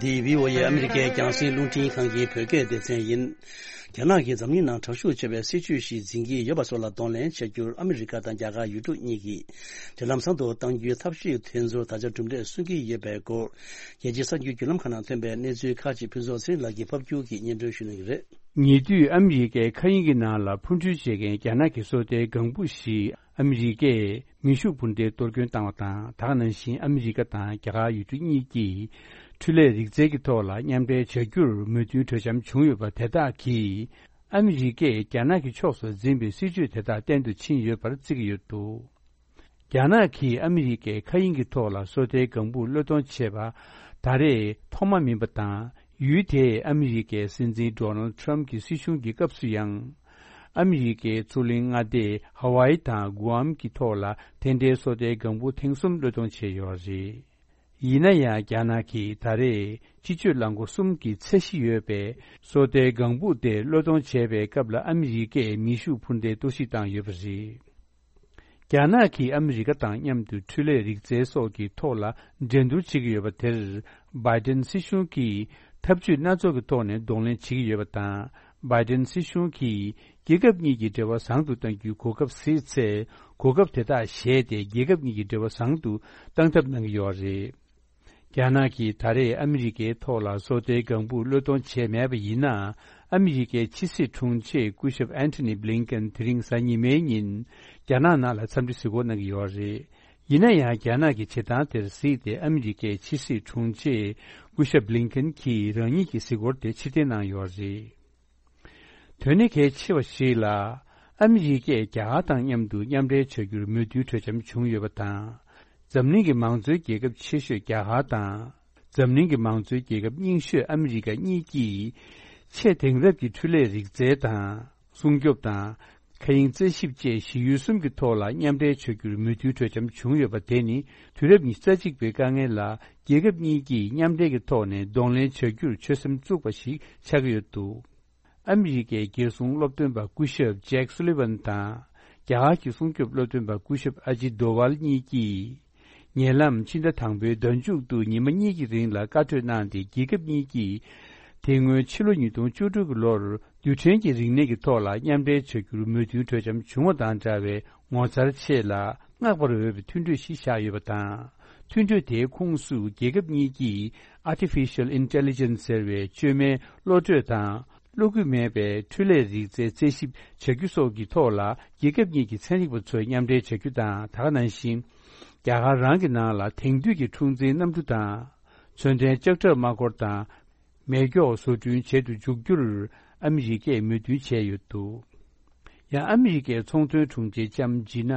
འདི་བྷི་ཨོ་ཨེ་ཨ་མི་རི་ཀའི་རྒྱང་སྲིང་རླུང་འཕྲིན་ཁང་གི་བོད་སྐད་སྡེ་ཚན་ཡིན། རྒྱ་ནག་གིས་འཛམ་གླིང་ནང་དྲག་ཤུགས་ཆེ་བའི་སྲིད་ཇུས་ཤིག་འཛིན་གྱི་ཡོད་པ་སོགས་ལ་གདོང་ལེན་བྱ་རྒྱུར་ཨ་མི་རི་ཀ་དང་རྒྱ་གར་ཡུལ་གྲུ་གཉིས་ཀྱིས་དུས་ལམ་བཟང་དུ་གཏང་རྒྱུའི་ཐབས་ཤེས་དེ་ཚོར་ད་ཆ་གྲུབ་འབྲས་སོན་གྱི་ཡོད་པའི་སྐོར། རྒྱལ་སྤྱིའི་གསར་འགྱུར་བརྒྱུད་ལམ་ཁག་ནང་ཐོན་པའི་གནས་ཚུལ་ཁག་ཅིག་ཕུན་ཚོགས་ཚེ་རིང་ལགས་ཀྱིས་ཕབ་སྒྱུར་གྱིས་སྙན་སྒྲོན་ཞུ་གནང་གི་རེད། ཉེ་དུས་ཨ་མི་རི་ཀའི་མཁའ་དབྱིངས་ཀྱི་ནང་ལ་འཕུར་འགྲུལ་བྱེད་མཁན་རྒྱ་ནག་གི་སོ་ལྟའི་ལྒང་བུ་ཞིག་ཨ་མི་རི་ཀས་མེ་ཤུགས་འཕུར་མདེལ་གཏོར་སྐྱོན་བཏང་བ་དང་། ད་ག་ནང་བཞིན་ཨ་མི་རི་ཀ་དང་རྒྱ་གར་ཡུལ་གྲུ་གཉིས་ཀྱིས་འཕྲུལ་ལས་རིག་རྩལ་གྱི་ཐོག་ལ་མཉམ་འབྲེལ་བྱ་རྒྱུར་མོས་མཐུན་གྲོས་འཆམ་བྱུང་ཡོད་པ་དེ་དག་གིས། ཨ་མི་རི་ཀས་རྒྱ་ནག་གི་ཕྱོགས་སུ་འཛིན་པའི་སྲིད་ཇུས་དེ་དག་བརྟན་དུ་ཕྱིན་ཡོད་པར་བརྩི་གི་ཡོད་འདུག་རྒྱ་ནག་གིས་ཨ་མི་རི་ཀའི་མཁའ་དབྱིངས་ཀྱི་ཐོག་ལ་སོ་ལྟའི་ལྒང་བུ་གློད་གཏོང་བྱས་པ་ད་རེས་ཐོག་མ་མིན་པ་དང་། ཡུལ་དེས་ཨ་མི་རི་ཀའི་སྲིད་འཛིན་ཌོ་ནལ་ཊམ་གྱི་སྲིད་གཞུང་གི་སྐབས་སུ་ཡང་། ཨ་མི་རི་ཀའི་མཚོ་གླིང་མངའ་སྡེ་ཧ་ཝའི་དང་གུ་ཨམ་གྱི་ཐོག་ལ་དེ་འདྲའི་སོ་ལྟའི་ལྒང་བུ་ཐེངས་གསུམ་གློད་གཏོང་བྱས་ཡོད་རེད། ཡིན་ན་ཡང་རྒྱ་ནག་གིས་ད་རེས་སྤྱི་སྤྱོད་རླངས་འཁོར་གསུམ་གྱི་ཚད་གཞི་ཡོད་པའི་སོ་ལྟའི་ལྒང་བུ་དེ་གློད་གཏོང་བྱས་པའི་སྐབས་ལ་ཨ་མི་རི་ཀས་མེ་ཤུགས་འཕུར་མདེལ་གཏོར་བཤིག་བཏང་ཡོད་པ་རེད། རྒྱ་ནག་གིས་ཨ་མི་རི་ཀ་དང་མཉམ་དུ་འཕྲུལ་ལས་རིག་རྩལ་སོགས་ཀྱི་ཐོག་ལ་འགྲན་བསྡུར་བྱེད་ཀྱི་ཡོད་པ་དེར། བྷའི་ཏན་སྲིད་གཞུང་གིས་འཐབ་ཇུས་སྣ་ཚོགས་ཀྱི་ཐོག་ནས་གདོང་ལེན་བྱེད་ཀྱི་ཡོད་པ་དང་། བྷའི་ཏན་སྲིད་གཞུང་གིས་རྒྱལ་ཁབ་གཉིས་ཀྱི་འབྲེལ་བ་བཟང་དུ་གཏང་རྒྱུའི་གོ་སྐབས་གཟིགས་ཚེ། གོ་སྐབས་དེ་དག་བཞེས་ཏེ་རྒྱལ་ཁབ་གཉིས་ཀྱི་འབྲེལ་བ་བཟང་དུ་གཏང་ཐབས་གནང་གི་ཡོད་རེད། རྒྱ་ནག་གིས་ད་རེས་ཨ་མི་རི་ཀའི་ཐོག་ལ་སོ་ལྟའི་ལྒང་བུ་གློད་གཏོང་བྱས་མེད་པ་ཡིན་ན། ཨ་མི་རི་ཀའི་ཕྱི་སྲིད་དྲུང་ཆེ་སྐུ་ཞབས་ཨན་ཐོ་ནི་བྷི་ལིན་ཀན་དེ་རིང་གཟའ་ཉི་མའི་ཉིན་རྒྱ་ནག་ནང་ལ་འཚམས་འདྲི་གཟིགས་སྐོར་གནང་གི་ཡོད་རེད། ཡིན་ན་ཡང་རྒྱ་ནག་གི་བྱེད་སྟངས་དེར་གཟིགས་ཏེ་ཨ་མི་རི་ཀའི་ཕྱི་སྲིད་དྲུང་ཆེ་སྐུ་ཞབས་བྷི་ལིན་ཀན་གྱིས་རང་ཉིད་ཀྱི་གཟིགས་སྐོར་དེ་ཕྱིར་འཐེན་གནང་ཡོད་རེད། དོན་ནི་གལ་ཆེ་བ་ཞིག་ལ། ཨ་མི་རི་ཀས་རྒྱ་གར་དང་མཉམ་དུ་མཉམ་འབྲེལ་བྱ་རྒྱུར་མོས་མཐུན་གྲོས་འཆམ་བྱུང་ཡོད་པ་དང་། འཛམ་གླིང་གི་མང་གཙོའི་རྒྱལ་ཁབ་ཆེ་ཤོས་རྒྱ་གར་དང་། འཛམ་གླིང་གི་མང་གཙོའི་རྒྱལ་ཁབ་རྙིང་ཤོས་ཨ་མི་རི་ཀ་གཉིས་ཀྱིས། ཆེས་དེང་རབས་ཀྱི་འཕྲུལ་ལས་རིག་རྩལ་དང་། སྲུང་སྐྱོབ་དང་། མཁའ་དབྱིངས་རྩད་ཞིབ་བཅས་གཞི་ཡུལ་གསུམ་གྱི་ཐོག་ལ་མཉམ་འབྲེལ་བྱ་རྒྱུར་མོས་མཐུན་གྲོས་འཆམ་བྱུང་ཡོད་པ་དེ་ནི། དུས་རབས་ཉི་ཤུ་རྩ་གཅིག་པའི་དཀའ་ངལ་ལ། རྒྱལ་ཁབ་གཉིས་ཀྱིས་མཉམ་འབྲེལ་གྱི་ཐོག་ནས་གདོང་ལེན་བྱ་རྒྱུར་ཆོད་སེམས་བཙུགས་པ་ཞིག་ཆགས་ཀྱི་ཡོད་འདུག་ཨ་མི་རི་ཀའི་རྒྱལ་སྲུང་སློབ་སྟོན་པ་སྐུ་ཞབས་ཇེག་སུ་ལི་ཝན་དང་། རྒྱ་གར་གྱི་སྲུང་སྐྱོབ་སློབ་སྟོན་པ་སྐུ་ཞབས་ཨ་ཇི་དོ་ཝལ་གཉིས་ཀྱིས། ཉེ་ལམ་ཕྱི་ཟླ་དང་པོའི་ཟླ་མཇུག་ཏུ་ཉི་མ་གཉིས་ཀྱི་རིང་ལ་བཀའ་གྲོས་གནང་སྟེ། རྒྱལ་ཁབ་གཉིས་ཀྱིས། དེ་སྔོན་ཕྱི་ལོ་ཉིས་སྟོང་བཅུ་དྲུག་གི་ལོར། རྡུལ་ཕྲན་གྱི་རིག་གནས་ཀྱི་ཐོག་ལ་མཉམ་འབྲེལ་བྱ་རྒྱུར་མོས་མཐུན་གྲོས་འཆམ་བྱུང་བ་དང་འདྲ་བའི་ངོ་མཚར་ཆེ་ལ་བསྔགས་པར་འོས་པའི་མཐུན་གྲོས་ཤིག་བཞག་ཡོད་པ་དང་། མཐུན་གྲོས་དེའི་ཁོངས་སུ་རྒྱལ་ཁབ་གཉིས་ཀྱིས་Artificial Intelligence ཟེར་བའི་བཅོས་མའི་བློ་གྲོས་དང་། བློ་འགྱོད་མེད་པའི་འཕྲུལ་ལས་རིག་རྩལ་རྩད་ཞིབ་བྱ་རྒྱུ་སོགས་ཀྱི་ཐོག་ལ་རྒྱལ་ཁབ་གཉིས་ཀྱི་ཚན་རིག་པ་ཚོས་མཉམ་འབྲེལ་བྱ་རྒྱུ་དང་། ད་ག་ནང་བཞིན། རྒྱ་གར་རང་གི་ནང་ལ་དེང་དུས་ཀྱི་འཁྲུག་འཛིང་གནམ་གྲུ་དང་། མཚོན་ལྡན་ལྕགས་ཁྲབ་དམག་འཁོར་དང་། མེ་སྒྱོགས་བཟོ་སྐྲུན་བྱེད་དུ་འཇུག་རྒྱུར་ཨ་མི་རི་ཀས་མོས་མཐུན་བྱས་ཡོད་འདུག་ཡང་ཨ་མི་རི་ཀའི་ཚོང་དོན་དྲུང་ཆེ་ལྕམ་ཇི་ན་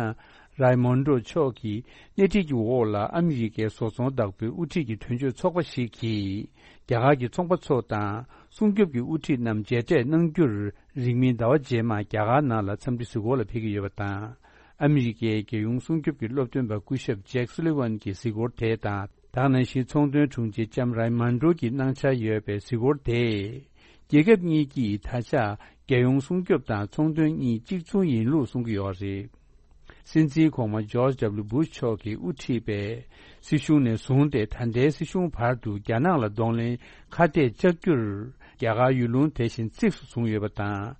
རའི་མོན་རོ་མཆོག་གི་སྣེ་ཁྲིད་ཀྱི་འོག་ལ་ཨ་མི་རི་ཀའི་བཟོ་ཚོང་བདག་པོའི་དབུ་ཁྲིད་ཀྱི་དོན་གཅོད་ཚོགས་པ་ཞིག་གིས། རྒྱ་གར་གྱི་ཚོང་པ་ཚོ་དང་སྲུང་སྐྱོབ་ཀྱི་དབུ་ཁྲིད་རྣམས་མཇལ་འཕྲད་གནང་རྒྱུར། རིང་མིན་ཟླ་བ་རྗེས་མར་རྒྱ་གར་ནང་ལ་འཚམས་འདྲི་གཟིགས་སྐོར་ལ་ཕེབས་ཀྱི་ཡོད་པ་དང་། ཨ་མི་རི་ཀའི་རྒྱལ་ཡོངས་སྲུང་སྐྱོབ་ཀྱི་སློབ་སྟོན་པ་སྐུ་ཞབས་ཇེག་སུ་ལི་ཝན་གྱི་གཟིགས་སྐོར་དེ་དང་། ད་ག་ནང་བཞིན་ཚོང་དོན་དྲུང་ཆེ་ལྕམ་རའི་མན་ཌོ་གི་གནང་འཆར་ཡོད་པའི་གཟིགས་སྐོར་དེས། རྒྱལ་ཁབ་གཉིས་ཀྱིས་ད་ཆ་རྒྱལ་ཡོངས་སྲུང་སྐྱོབ་དང་ཚོང་དོན་གཉིས་གཅིག་མཚུངས་ཡིན་ལུགས་གསུང་གི་ཡོད་རེད། སྲིད་འཛིན་གོང་མ་ཇོརྗ་ཌབ་ལིའུ་བུ་ཤ་མཆོག་གིས་དབུ་ཁྲིད་པའི་སྲིད་གཞུང་ནས་བཟུང་སྟེ་ད་ལྟའི་སྲིད་གཞུང་བར་དུ་རྒྱ་ནག་ལ་གདོང་ལེན་ཁ་གཏད་བཅག་རྒྱུར་རྒྱ་གར་ཡུལ་ལུང་དེ་བཞིན་གཙིགས་སུ་བཟུང་ཡོད་པ་དང་།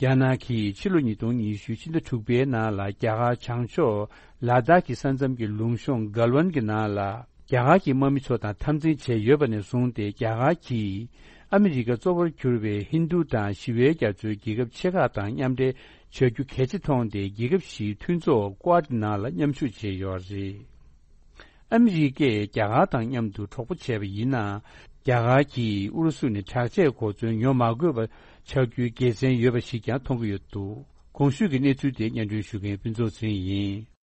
རྒྱ་ནག་གིས་ཕྱི་ལོ་ཉིས་སྟོང་ཉི་ཤུ་ཕྱི་ཟླ་དྲུག་པའི་ནང་ལ་རྒྱ་གར་བྱང་ཕྱོགས་ལ་དྭགས་ཀྱི་ས་མཚམས་ཀྱི་ལུང་གཤོང་གལ་ཝན་གྱི་ནང་ལ་རྒྱ་གར་གྱི་དམག་མི་ཚོ་དང་འཐབ་འཛིང་བྱས་ཡོད་པ་ནས་བཟུང་སྟེ། རྒྱ་གར་གྱིས་ཨ་མི་རི་ཀ་གཙོ་བོར་གྱུར་པའི་ཧིན་རྡུ་དང་ཞི་བའི་རྒྱ་མཚོའི་རྒྱལ་ཁབ་ཆེ་ཁག་དང་མཉམ་འབྲེལ་བྱ་རྒྱུ་གལ་ཆེ་མཐོང་སྟེ། རྒྱལ་ཁབ་བཞིའི་མཐུན་ཚོགས་ཀོ་ཌ་ནང་ལ་མཉམ་ཞུགས་བྱས་ཡོད་རེད། ཨ་མི་རི་ཀས་རྒྱ་གར་དང་མཉམ་དུ་གྲོགས་པོ་བྱས་པ་ཡིན་ན། རྒྱ་གར་གྱིས་ཨུ་རུ་སུ་ནས་དྲག་ཆས་གོ་མཚོན་ཉོ་མ་དགོས་པ་ཆགས་རྒྱུའི་དགེ་མཚན་ཡོད་པ་ཞིག་ཀྱང་མཐོང་གི་ཡོད་འདུག། གོང་ཞུས་ཀྱི་གནས་ཚུལ་དེ་སྙན་སྒྲོན་ཞུ་མཁན་ཕུན་ཚོགས་ཚེ་རིང་ཡིན།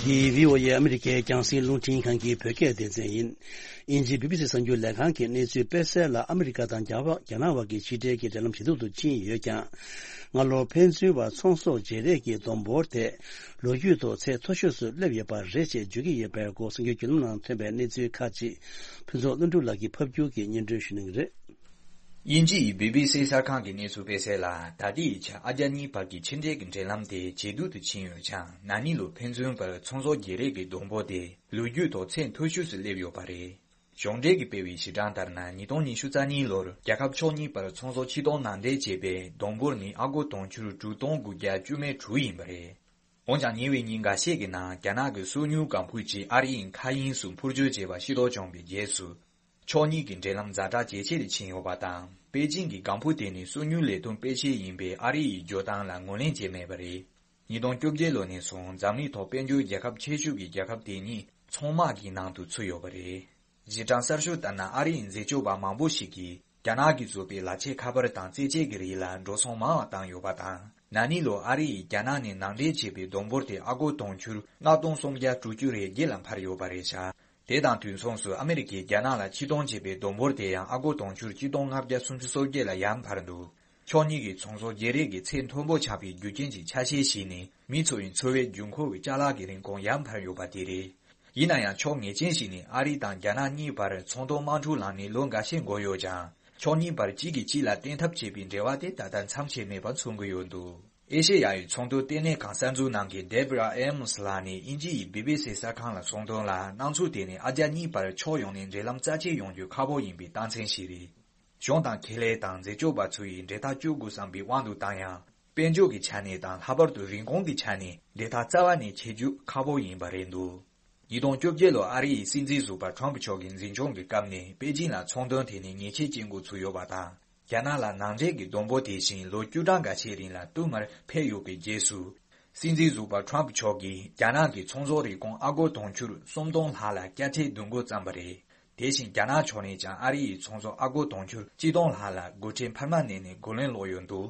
འདི་བྷི་ཨོ་ཨེ་ཨ་མི་རི་ཀའི་རྒྱང་སྲིང་རླུང་འཕྲིན་ཁང་གི་བོད་སྐད་སྡེ་ཚན་ཡིན། དབྱིན་ཇི་བྷི་བྷི་སི་གསར་འགྱུར་ལས་ཁང་གི་གནས་ཚུལ་སྤེལ་གསལ་ལ། ཨ་མི་རི་ཀ་དང་རྒྱ་བ་རྒྱ་ནག་བར་གྱི་ཕྱི་འབྲེལ་གྱི་འབྲེལ་ལམ་ཇེ་སྡུག་ཏུ་ཕྱིན་ཡོད་ཀྱང་། སྔ་ལོར་ཕན་ཚུན་བར་ཚོང་ཟོག་བརྗེ་རེས་ཀྱི་སྡོང་འབོར་དེ་ལོ་རྒྱུས་ཐོག་ཚད་མཐོ་ཤོས་སུ་སླེབས་ཡོད་པ་རེད་ཅེས་བརྗོད་ཀྱི་ཡོད་པའི་སྐོར། གསར་འགྱུར་བརྒྱུད་ལམ་ནང་ཐོན་པའི་གནས་ཚུལ་ཁག་ཅིག་ཕུན་ཚོགས་ལྷུན་གྲུབ་ལགས་ཀྱིས་ཕབ་སྒྱུར་གྱིས་སྙན་སྒྲོན་ཞུ་གནང་གི་རེད། དབྱིན་ཇི་ཡི་བྷི་བྷི་སི་གསར་ཁང་གི་གནས་ཚུལ་སྤེལ་གསལ་ལ། ད་ལྟའི་ཆར་ཨ་རྒྱ་གཉིས་བར་གྱི་ཕྱི་འབྲེལ་གྱི་འབྲེལ་ལམ་དེ་ཇེ་སྡུག་ཏུ་ཕྱིན་ཡོད་ཀྱང་། ན་ནིང་ལོ་ཕན་ཚུན་བར་ཚོང་ཟོག་བརྗེ་རེས་ཀྱི་སྡོང་པོ་དེ་ལོ་རྒྱུས་ཐོག་ཚད་མཐོ་ཤོས་སུ་སླེབས་ཡོད་པ་རེད། གཞུང་འབྲེལ་གྱིས་སྤེལ་བའི་གཞི་གྲངས་ལྟར་ན། ཉིས་སྟོང་ཉི་ཤུ་རྩ་གཉིས་ལོར་རྒྱལ་ཁབ་ཕྱོགས་གཉིས་བར་ཚོང་ཟོག་ཕྱིར་གཏོང་ནང་འདྲེན་བྱས་པའི་སྡོང་པོར་ནི་ཨ་སྒོར་དུང་ཕྱུར་དྲུག་སྟོང་དགུ་བརྒྱ་བཅུ་མེད་དྲུག་ཡིན་པ་རེད། འོན་ཀྱང་ཉེ་བའི་ཉིན་འགའ་ཤས་ཀྱི་ནང་རྒྱ་ནག་གི་སོ་ཉུལ་ལྒང་ཕུ་ཅིག་ཨ་རི་ཡི་མཁའ་དབྱིངས་སུ་འཕུར་སྐྱོད་བྱས་པ་ཤེས་རྟོགས་བྱུང་བའི་རྗེས་སུ། ཕྱོགས་གཉིས་ཀྱི་འབྲེལ་ལམ་ཛ་དྲག་ཇེ་ཆེར་ཕྱིན་ཡོད་པ་དང་། པེ་ཅིང་གི་ལྒང་ཕུ་དེ་ནི་སོ་ཉུལ་ལས་དོན་སྤེལ་ཆེད་ཡིན་པའི་ཨ་རི་ཡི་བརྗོད་སྟངས་ལ་ངོས་ལེན་བྱས་མེད་པ་རེད། ཉིས་སྟོང་བཅོ་བརྒྱད་ལོ་ནས་བཟུང་འཛམ་གླིང་ཐོག་དཔལ་འབྱོར་རྒྱལ་ཁབ་ཆེ་ཤོས་ཀྱི་རྒྱལ་ཁབ་དེ་ཉིད་ཚོང་དམག་གི་ནང་དུ་ཚུད་ཡོད་པ་རེད། གཞི་གྲངས་གསར་ཤོས་ལྟར་ན། ཨ་རི་ཡི་འཛད་སྤྱོད་པ་མང་པོ་ཞིག་གིས་རྒྱ་ནག་གིས་བཟོས་པའི་ལག་ཆས་ཁ་པར་དང་རྩེད་ཆས་ཀྱི་རིགས་ལ་འགྲོ་སོང་མང་བ་བཏང་ཡོད་པ་དང་། ན་ནིང་ལོར་ཨ་རི་ཡིས་རྒྱ་ནག་ནས་ནང་འདྲེན་བྱས་པའི་སྡོང་པོར་དེ་ཨ་སྒོར་དུང་ཕྱུར་ལྔ་སྟོང་སུམ་བརྒྱ་དྲུག་ཅུ་རེ་བརྒྱད་ལ་འཕར་ཡོད་པ་རེད་ཤག། དེ་དང་དུས་མཚུངས་སུ་ཨ་མི་རི་ཀས་རྒྱ་ནག་ལ་ཕྱིར་གཏོང་བྱས་པའི་སྡོང་པོར་དེ་ཡང་ཨ་སྒོར་དུང་ཕྱུར་གཅིག་སྟོང་ལྔ་བརྒྱ་སུམ་ཅུ་སོ་བརྒྱད་ལ་ཡར་འཕར་འདུག། ཕྱོགས་གཉིས་ཀྱི་ཚོང་ཟོག་བརྗེ་རེས་ཀྱི་ཚད་མཐོན་པོ་ཆགས་པའི་རྒྱུ་རྐྱེན་གྱི་ཆ་ཤས་ཤིག་ནི། མི་ཚོ་ཡི་འཚོ་བའི་རྒྱུན་འཁོར་བའི་ཅ་ལག་གི་རིན་གོང་ཡར་འཕར་ཡོད་པ་དེ་རེད། ཡིན་ན་ཡང་། ཕྱོགས་ངེས་ཅན་ཞིག་ནི་ཨ་རི་དང་རྒྱ་ནག་གཉིས་བར་ཚོང་དོན་དམག་འཁྲུག་ལངས་ནས་ལོ་འགའ་ཤས་འགོར་ཡོད་ཀྱང་། ཕྱོགས་གཉིས་བར་གཅིག་གིས་གཅིག་ལ་བརྟེན་ཐབས་བྱེད་པའི་འབྲེལ་བ་དེ་ད་ལྟ་མཚམས་ཆད་མེད་པར་མཚོན་གྱི་ཡོད་འདུག། ཨེ་ཤེ་ཡ་ཡི་ཚོང་དོན་ལྟེ་གནས་ཁང་གསར་འཛུགས་གནང་མཁན་Deborah Amos ལགས་ནས་དབྱིན་ཇི་ཡི་བྷི་བྷི་སི་གསར་ཁང་ལ་གསུངས་དོན་ལ། སྣང་ཚུལ་དེ་ནི་ཨ་རྒྱ་གཉིས་བར་ཕྱོགས་ཡོངས་ནས་འབྲེལ་ལམ་རྩ་ཆེ་ཡོང་རྒྱུ་ཁག་པོ་ཡིན་པའི་རྟགས་མཚན་ཞིག་རེད། གཞུང་དང་ཁེ་ལས་དང་འཛད་སྤྱོད་པ་ཚོ་ཡིས་འབྲེལ་ཐག་གཅོད་དགོས་བསམ་པའི་དབང་དུ་བཏང་ཡང་། དཔལ་འབྱོར་གྱི་ཆ་ནས་དང་། ལྷག་པར་དུ་རིན་གོང་གི་ཆ་ནས་འབྲེལ་ཐག་རྩ་བ་ནས་ཆད་རྒྱུ་ཁག་པོ་ཡིན་པ་རེད་འདུག། ཉིས་སྟོང་བཅོ་བརྒྱད་ལོར་ཨ་རི་ཡི་སྲིད་འཛིན་ཟུར་པ་ཁྲོམ་ཕུ་མཆོག་གི་འཛིན་སྐྱོང་གི་སྐབས་ནས་པེ་ཅིང་ལ་ཚོང་དོན་ཐད་ནས་ཉེས་ཆད་གཅོད་འགོ་ཚུགས་ཡོད་པ་དང་། རྒྱ་ནག་ལ་ནང་འདྲེན་གྱི་སྡོང་པོ་དེ་བཞིན་ལོ་བཅུ་གྲངས་འགའ་ཤས་རིང་ལ་བསྟུད་མར་འཕེལ་ཡོད་པའི་རྗེས་སུ། སྲིད་འཛིན་ཟུར་པ་ཁྲོམ་ཕུ་མཆོག་གིས་རྒྱ་ནག་གི་ཚོང་ཟོག་རིན་གོང་ཨ་སྒོར་དུང་ཕྱུར་སུམ་སྟོང་ལྷག་ལ་བསྐྱར་ཁྲལ་བསྡུ་འགོ་བརྩམས་པ་རེད། དེ་བཞིན་རྒྱ་ནག་ཕྱོགས་ནས་ཀྱང་ཨ་རི་ཡི་ཚོང་ཟོག་ཨ་སྒོར་དུང་ཕྱུར་གཅིག་སྟོང་ལྷག་ལ་སྒོ་ཁྲལ་འཕར་མ་བསྣན་ནས་རྒོལ་ལན་སློག་ཡོད་འདུག།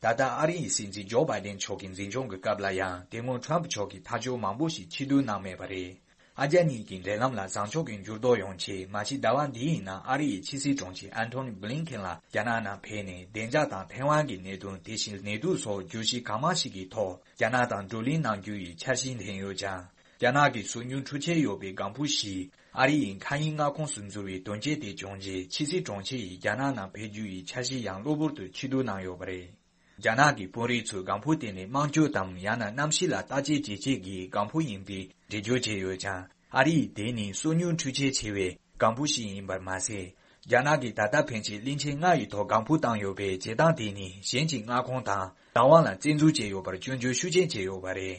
ད་ལྟ་ཨ་རི་ཡི་སྲིད་འཛིན་ཇོ་བྷའི་ཌེན་མཆོག་གི་འཛིན་སྐྱོང་གི་སྐབས་ལ་ཡང་དེ་སྔོན་ཁྲོམ་ཕུ་མཆོག་གིས་ཐག་གཅོད་མང་པོ་ཞིག་ཕྱིར་བསྡུ་གནང་མེད་པ་རེད། ཨ་རྒྱ་གཉིས་ཀྱི་འབྲེལ་ལམ་ལ་བཟང་ཕྱོགས་ཀྱི་འགྱུར་ལྡོག་ཡོང་ཆེད། མ་གཞི་ཟླ་བ་འདིའི་ནང་ཨ་རི་ཡི་ཕྱི་སྲིད་དྲུང་ཆེ་ཨན་ཐོ་ནི་བྷི་ལིན་ཁེན་ལགས་རྒྱ་ནག་ནང་ཕེབས་ནས། བདེ་འཇགས་དང་ཐའེ་ཝན་གྱི་གནད་དོན། དེ་བཞིན་ནད་དུག་སོགས་བརྗོད་གཞི་གང་མང་ཞིག་གི་ཐོག་རྒྱ་ནག་དང་བགྲོ་གླེང་གནང་རྒྱུ་ཡི་འཆར་གཞི་འཐེན་ཡོད་ཀྱང་། རྒྱ་ནག་གི་སོ་ཉུལ་འཕྲུལ་ཆས་ཡོད་པའི་ལྒང་ཕུ་བཞི་ཨ་རི་ཡི་མཁའ་དབྱིངས་མངའ་ཁོངས་སུ་འཛུལ་བའི་དོན་རྐྱེན་དེ་བྱུང་རྗེས། ཕྱི་སྲིད་དྲུང་ཆེ་ཡིས་རྒྱ་ནག་ནང་ཕེབས་རྒྱུ་ཡི་འཆར་གཞི་ཡང་གློ་བུར་དུ་ཕྱིར་བསྡུ་གནང་ཡོད་པ་རེད། རྒྱ་ནག་གི་དཔོན་རིགས་ཚོས་ལྒང་ཕུ་དེ་ནི་དམངས་སྤྱོད་དམ་ཡང་ན་གནམ་གཤིས་ལ་བརྟག་དཔྱད་བྱེད་ཆེད་ཀྱི་ལྒང་ཕུ་ཡིན་པའི་འགྲེལ་བརྗོད་བྱས་ཡོད་ཀྱང་། ཨ་རི་ཡིས་དེ་ནི་སོ་ཉུལ་འཕྲུལ་ཆས་ཆེ་བའི་ལྒང་ཕུ་ཞིག་ཡིན་པར་མ་ཟད། རྒྱ་ནག་གིས་ད་ལྟ་ཕན་ཆད་གླིང་ཆེན་ལྔ་ཡི་ཐོག་ལྒང་ཕུ་བཏང་ཡོད་པའི་བྱེད་སྟངས་དེ་ནི་གཞན་གྱི་མངའ་ཁོངས་དང་བདག་དབང་ལ་བཙན་འཛུལ་བྱས་ཡོད་པར་སྐྱོན་བརྗོད་ཤུགས་ཆེན་བྱས་ཡོད་པ་རེད།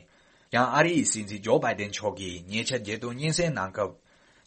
ཡང་ཨ་རི་ཡི་སྲིད་འཛིན་ཇོ་བྷའི་ཌེན་མཆོག་གིས་ཉེ་ཆར་རྒྱལ་དོན་སྙན་སེང་གནང་སྐབས།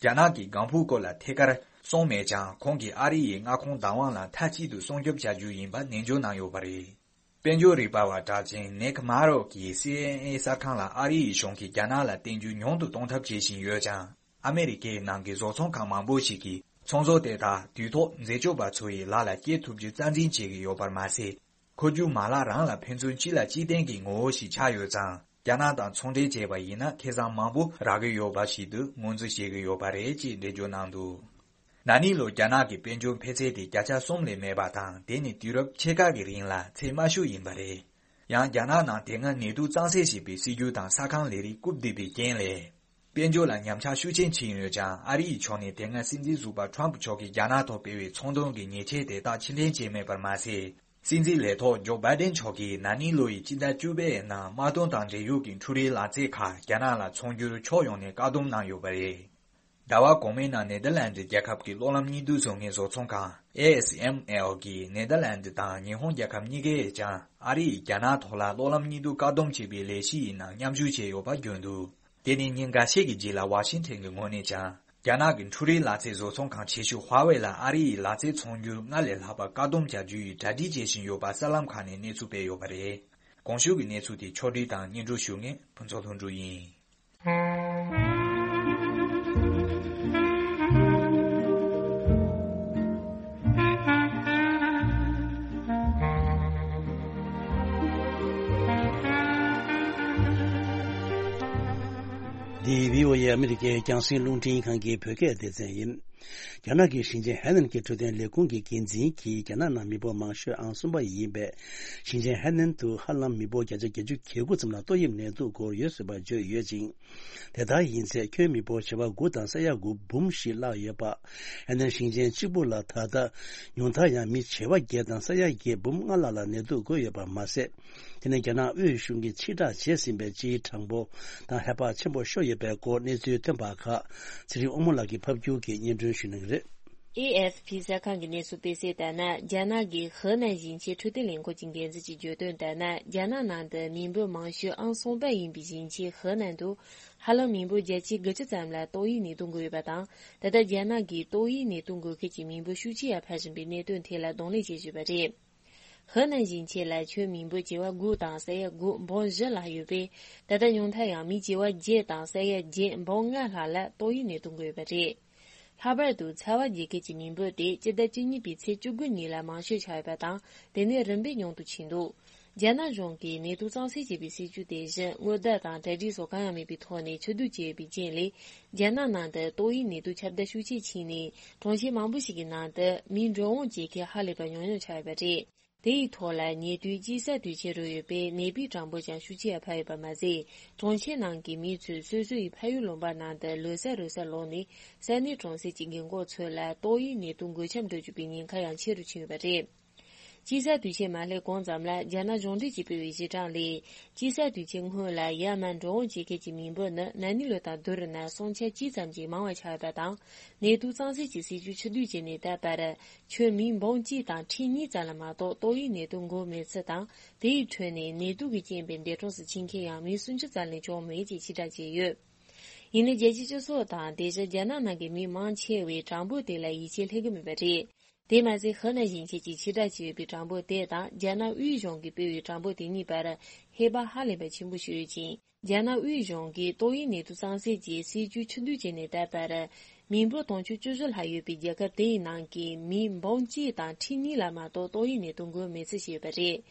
རྒྱ་ནག་གི་ལྒང་ཕུའི་སྐོར་ལ་ཐད་ཀར་གསུངས་མེད་ཀྱང་། ཁོང་གིས་ཨ་རི་ཡི་མངའ་ཁོངས་བདག་དབང་ལ་མཐའ་གཅིག་ཏུ་སྲུང་སྐྱོབ་བྱ་རྒྱུ་ཡིན་པ་ནན་བརྗོད་གནང་ཡོད་པ་རེད། དཔལ་འབྱོར་རིག་པ་བ་གྲགས་ཅན་ནེག་མ་རོ་གིས་སི་ཨེན་ཨེ་གསར་ཁང་ལ། ཨ་རི་ཡི་གཞུང་གིས་རྒྱ་ནག་ལ་བརྟེན་རྒྱུ་ཉུང་དུ་གཏོང་ཐབས་བྱེད་བཞིན་ཡོད་ཀྱང་། ཨ་མེ་རི་ཀའི་ནང་གི་བཟོ་ཚོང་ཁང་མང་པོ་ཞིག་གིས་ཚོང་ཟོག་དེ་དག་དུས་ཐོག་འཛད་སྤྱོད་པ་ཚོ་ཡི་ལག་ལ་སྐྱེལ་ཐུབ་རྒྱུ་རྩ་འཛིན་བྱེད་ཀྱི་ཡོད་པར་མ་ཟད། འཁོར་རྒྱུག་མ་ལག་རང་ལ་ཕན་ཚུན་སྤྱི་ལ་གཅིག་བརྟེན་གྱི་ངོ་བོ་ཞིག་ཆགས་ཡོད་ཙང་། རྒྱ་ནག་དང་ཚོང་འབྲེལ་བྱས་པ་ཡིན་ན། ཁེ་བཟང་མང་པོ་རག་གི་ཡོད་པ་ཞིག་ཏུ་ངོས་འཛིན་བྱེད་ཀྱི་ཡོད་པ་རེད་ཅེས་འགྲེལ་བརྗོད་གནང་འདུག། ན་ནིང་ལོར་རྒྱ་ནག་གི་དཔལ་འབྱོར་འཕེལ་ཚད་དེ་བརྒྱ་ཆ་གསུམ་ལས་མེད་པ་དང་། དེ་ནི་དུས་རབས་ཕྱེད་ཀ་གི་རིང་ལ་ཚད་དམའ་ཤོས་ཡིན་པ་རེད། ཡང་རྒྱ་ནག་ནང་དེ་སྔ་ནད་དུག་གཙང་སེལ་བྱེད་པའི་སྲིད་ཇུས་དང་ས་ཁང་ལས་རིགས་བཀུག་བསྡད་པའི་རྐྱེན་ལས། དཔལ་འབྱོར་ལ་ཉམས་ཆག་ཤུགས་ཆེན་ཕྱིན་ཡོད་ཀྱང་། ཨ་རི་ཡི་ཕྱོགས་ནས་དེ་སྔ་སྲིད་འཛིན་ཟུར་པ་ཁྲོམ་ཕུ་མཆོག་གིས་རྒྱ་ནག་ཐོག་སྤེལ་བའི་ཚོང་དོན་གྱི་ཉེས་ཆད་དེ་དག་ཕྱིར་འཐེན་བྱས་མེད་པར་མ་ཟད། སྲིད་འཛིན་ལས་ཐོག་ཇོ་བྷའི་ཌེན་མཆོག་གིས་ན་ནིང་ལོ་ཡི་སྤྱི་ཟླ་བཅུ་པའི་ནང་དམག་དོན་དང་འབྲེལ་ཡོད་ཀྱི་འཕྲུལ་རིག་ལག་རྩལ་ཁག་རྒྱ་ནག་ལ་ཚོང་སྒྱུར་ཕྱོགས་ཡོངས་ནས་བཀག་སྡོམ་གནང་ཡོད་པ་རེད། ཟླ་བ་གོང་མའི་ནང་ནེ་དར་ལན་ཌི་རྒྱལ་ཁབ་ཀྱི་གློག་ལམ་གཉིས་བསྡུ་བཟོ་མཁན་བཟོ་ཚོང་ཁང་ཨེ་ཨེས་ཨེམ་ཨེལ་གྱིས་ནེ་དར་ལན་ཌི་དང་ཉི་ཧོང་རྒྱལ་ཁབ་གཉིས་ཀས་ཀྱང་ཨ་རི་ཡིས་རྒྱ་ནག་ཐོག་ལ་གློག་ལམ་གཉིས་བསྡུ་བཀག་སྡོམ་བྱེད་པའི་ལས་གཞི་ཡི་ནང་མཉམ་ཞུགས་བྱས་ཡོད་པ་བརྗོད་འདུག་དེ་ནི་ཉིན་འགའ་ཤས་ཀྱི་རྗེས་ལ་ཝ་ཤིང་ཊོན་གྱི་ངོས་ནས་ཀྱང་རྒྱ་ནག་གི་འཕྲུལ་རིག་ལག་རྩལ་བཟོ་ཚོང་ཁང་ཆེ་ཤོས་ཧྭ་ཝེ་ལ་ཨ་རི་ཡིས་ལག་རྩལ་ཚོང་སྒྱུར་སྔར་ལས་ལྷག་པ་བཀག་སྡོམ་བྱ་རྒྱུ་ཡི་གྲ་སྒྲིག་བྱེད་བཞིན་ཡོད་པ་གསར་ལམ་ཁག་ནས་གནས་ཚུལ་སྤེལ་ཡོད་པ་རེད། གོང་ཞུས་ཀྱི་གནས་ཚུལ་དེ་ཕྱོགས་སྒྲིག་དང་སྙན་སྒྲོན་ཞུ་མཁན་ཕུན་ཚོགས་ལྷུན་གྲུབ་ཡིན། འདི་བྷི་ཨོ་ཨེ་ཨ་མི་རི་ཀའི་རྒྱང་སྲིང་རླུང་འཕྲིན་ཁང་གི་བོད་སྐད་སྡེ་ཚན་ཡིན། རྒྱ་ནག་གི་ཞིང་ཆེན་ཧའེ་ནན་གྱི་འཕྲོད་བསྟེན་ལས་ཁུངས་ཀྱི་འགན་འཛིན་གྱིས་རྒྱ་ནག་ནང་མི་འབོར་མང་ཤོས་ཨང་གསུམ་པ་ཡིན་པའི་ཞིང་ཆེན་ཧའེ་ནན་དུ་ཧ་ལམ་མི་འབོར་བརྒྱ་ཆ་བརྒྱད་ཅུ་གྱ་དགུ་ཙམ་ལ་ཏོག་དབྱིབས་ནད་དུག་འགོས་ཡོད་ཟེར་བ་བརྗོད་ཡོད་ཅིང་། དེ་ལྟར་ཡིན་ཚེ་ཁྱོན་མི་འབོར་བྱེ་བ་དགུ་དང་ས་ཡ་དགུ་འབུམ་ཞིག་བརླག་ཡོད་པ། ཧའེ་ནན་ཞིང་ཆེན་གཅིག་པུ་ལ་ད་ལྟ་ཉུང་མཐར་ཡང་མི་བྱེ་བ་བརྒྱད་དང་ས་ཡ་བརྒྱད་འབུམ་ལྔ་ལྷག་ལ་ནད་དུག་འགོས་ཡོད་པ་མ་ཟད། དེ་ནས་རྒྱ་ནག་དབུས་གཞུང་གིས་ཕྱིར་བསྒྲགས་བྱས་ཟིན་པའི་སྤྱིའི་གྲངས་འབོར་དང་ཧེ་བག་ཆེན་པོ་ཤོར་ཡོད་པའི་སྐོར་གནས་ཚུལ་ཐོན་པ་ཁག་ཚེ་རིང་དབང་མོ་ལགས་ཀྱིས་ཕབ་སྒྱུར་གྱིས་སྙན་སྒྲོན་ཞུ་གནང་གི་རེད། ཨེ་ཨེཕ་པི་གསར་ཁང་གི་གནས་ཚུལ་སྤེལ་གསལ་ལྟར་ན། རྒྱ་ནག་གི་ཧེ་ནན་ཞིང་ཆེན་འཕྲོད་བསྟེན་ལས་ཁུངས་ཀྱི་འགན་འཛིན་གྱིས་བརྗོད་དོན་ལྟར་ན། རྒྱ་ནག་ནང་དུ་མི་འབོར་མང་ཤོས་ཨང་གསུམ་པ་ཡིན་པའི་ཞིང་ཆེན་ཧེ་ནན་དུ་ཧ་ལམ་མི་འབོར་བརྒྱད་ཅུ་གྱ་དགུ་ཙམ་ལ་ཏོག་དབྱིབས་ནད་དུག་འགོས་ཡོད་པ་དང་། ད་ལྟ་རྒྱ་ནག་གིས་ཏོག་དབྱིབས་ནད་དུག་འགོས་མཁན་གྱི་མི་འབོར་ཤུགས་ཆེ་ཡར་འཕར་བཞིན་པའི་གནད་དོན་ཐད་ལ་གདོང་ལེན་བྱེད་བཞིན་པ་རེད། ཧེ་ནན་ཞིང་ཆེན་ལ་ཁྱོན་མི་འབོར་བྱེ་བ་དགུ་དང་ས་ཡ་དགུ་འབུམ་བཞི་ལྷག་ཡོད་པས། ད་ལྟ་ཉུང་མཐར་ཡང་མི་བྱེ་བ་བརྒྱད་དང་ས་ཡ་བརྒྱད་འབུམ་ལྔ་ལྷག་ལ་ཏོག་དབྱིབས་ནད་དུག་འགོས་ཡོད་པ་རེད། ལྷག་པར་དུ་ཚ་བ་རྒྱས་མཁན་གྱི་མི་འབོར་དེ་སྤྱི་ཟླ་བཅུ་གཉིས་པའི་ཚེས་བཅུ་དགུ་ཉིན་ལ་མང་ཤོས་ཆགས་ཡོད་པ་དང་། དེ་ནས་རིམ་པས་ཉུང་དུ་ཕྱིན་འདུག་རྒྱ་ནག་གཞུང་གིས་ནད་དུག་གཙང་སེལ་བྱེད་པའི་སྲིད་ཇུས་དེ་བཞིན་སྔོན་བརྡ་དང་གྲ་སྒྲིག་སོགས་གང་ཡང་མེད་པའི་ཐོག་ནས་ཕྱིར་བསྡུ་བྱས་ཡོད་པའི་རྐྱེན་ལས། རྒྱ་ནག་ནང་དུ་ཏོག་དབྱིབས་ནད་དུག་ཁྱབ་གདལ་ཤུགས་ཆེ་ཕྱིན་ནས། གྲོང་ཁྱེར་མང་པོ་ཞིག་གི་ནང་དུ་མིའི་འགྲོ་འོང་བྱེད་མཁན་ཧ་ལས་པ་ཉུང་ཉུང་ཆགས་ཡོད་པ་རེད། དེ་ཡི་ཐོག་ལ་ཉེ་དུས་དཔྱིད་གསར་དུས་ཆེན་རོལ་ཡོད་པས། ནད་པའི་གྲངས་འབོར་ཀྱང་ཤུགས་ཆེ་བ་འཕར་ཡོད་པ་མ་ཟད། གྲོང་ཁྱེར་ནང་གི་མི་ཚོས་སོ་སོ་ཡི་ཕ་ཡུལ་ལུང་པ་ནང་དུ་ལོ་གསར་རོལ་སར་ལོག་ནས། ས་གནས་གྲོང་གསེབ་ཀྱི་རྒན་འཁོགས་ཚོ་ལ་ཏོག་དབྱིབས་ནད་དུག་འགོས་ཁྱབ་འགྲོ་བཅུག་པའི་ཉེན་ཁ་ཡང་ཆེ་རུ་ཕྱིན་ཡོད་པ་རེད། དཔྱིད་གསར་དུས་ཆེན་མ་སླེབས་གོང་ཙམ་ལ། རྒྱ་ནག་གཞུང་འབྲེལ་གྱིས་སྤེལ་བའི་གཞི་གྲངས་ལས། དཔྱིད་གསར་དུས་ཆེན་སྔོན་ལ་ཡར་མར་འགྲོ་འོང་བྱེད་མཁན་གྱི་མི་འབོར་ནི། ན་ནིང་ལོ་དང་བསྡུར་ན་སུམ་ཆ་གཅིག་ཙམ་གྱིས་མང་བ་ཆགས་ཡོད་པ་དང་། ནད་དུག་གཙང་སེལ་གྱི་སྲིད་ཇུས་ཕྱིར་བསྡུ་བྱས་ནས་ད་བར། ཁྱོན་མི་འབུམ་གཅིག་དང་ཁྲི་གཉིས་ཙམ་ལ་མ་གཏོགས་ཏོག་དབྱིབས་ནད་དུག་འགོས་མེད་ཚུལ་དང་། དེའི་ཁྲོད་ནས་ནད་དུག་གི་རྐྱེན་པས་འདས་གྲོངས་སུ་ཕྱིན་མཁན་ཡང་མི་སུམ་ཅུ་ཙམ་ལས་བྱུང་མེད་ཅེས་ཕྱིར་བསྒྲགས་བྱས་ཡོད། ཡིན་ནའི་རྒྱལ་སྤྱིའི་སྤྱི་ཚོགས་དང་དེ་བཞིན་རྒྱ་ནག་ནང་གི་མི་མང་ཆེ་བས་གྲངས་འབོར་དེ་ལ་ཡིད་ཆེས་སླེབས་ཀྱི་མེད་པ་རེད། དེ་མ་ཟད་ཧེ་ནན་ཞིང་ཆེན་གྱིས་ཕྱིར་བསྒྲགས་བྱས་ཡོད་པའི་གྲངས་འབོར་དེ་དང་རྒྱ་ནག་དབུས་གཞུང་གིས་སྤེལ་བའི་གྲངས་འབོར་དེ་གཉིས་བར་ཧེ་བག་ཧ་ལས་པ་ཆེན་པོ་ཞིག་ཡོད་ཅིང་། རྒྱ་ནག་དབུས་གཞུང་གིས་ཏོག་དབྱིབས་ནད་དུག་གཙང་སེལ་གྱི་སྲིད་ཇུས་ཕྱིར་བསྡུ་བྱས་ནས་ད་བར། མི་འབོར་དུང་ཕྱུར་བཅུ་བཞི་ལྷག་ཡོད་པའི་རྒྱལ་ཁབ་དེ་ཡི་ནང་གི་མི་འབུམ་གཅིག་དང་ཁྲི་གཉིས་ལ་མ་གཏོགས་ཏོག་དབྱིབས་ནད་དུག་འགོས་མེད་ཚུལ་བཤད་ཡོད་པ་རེད།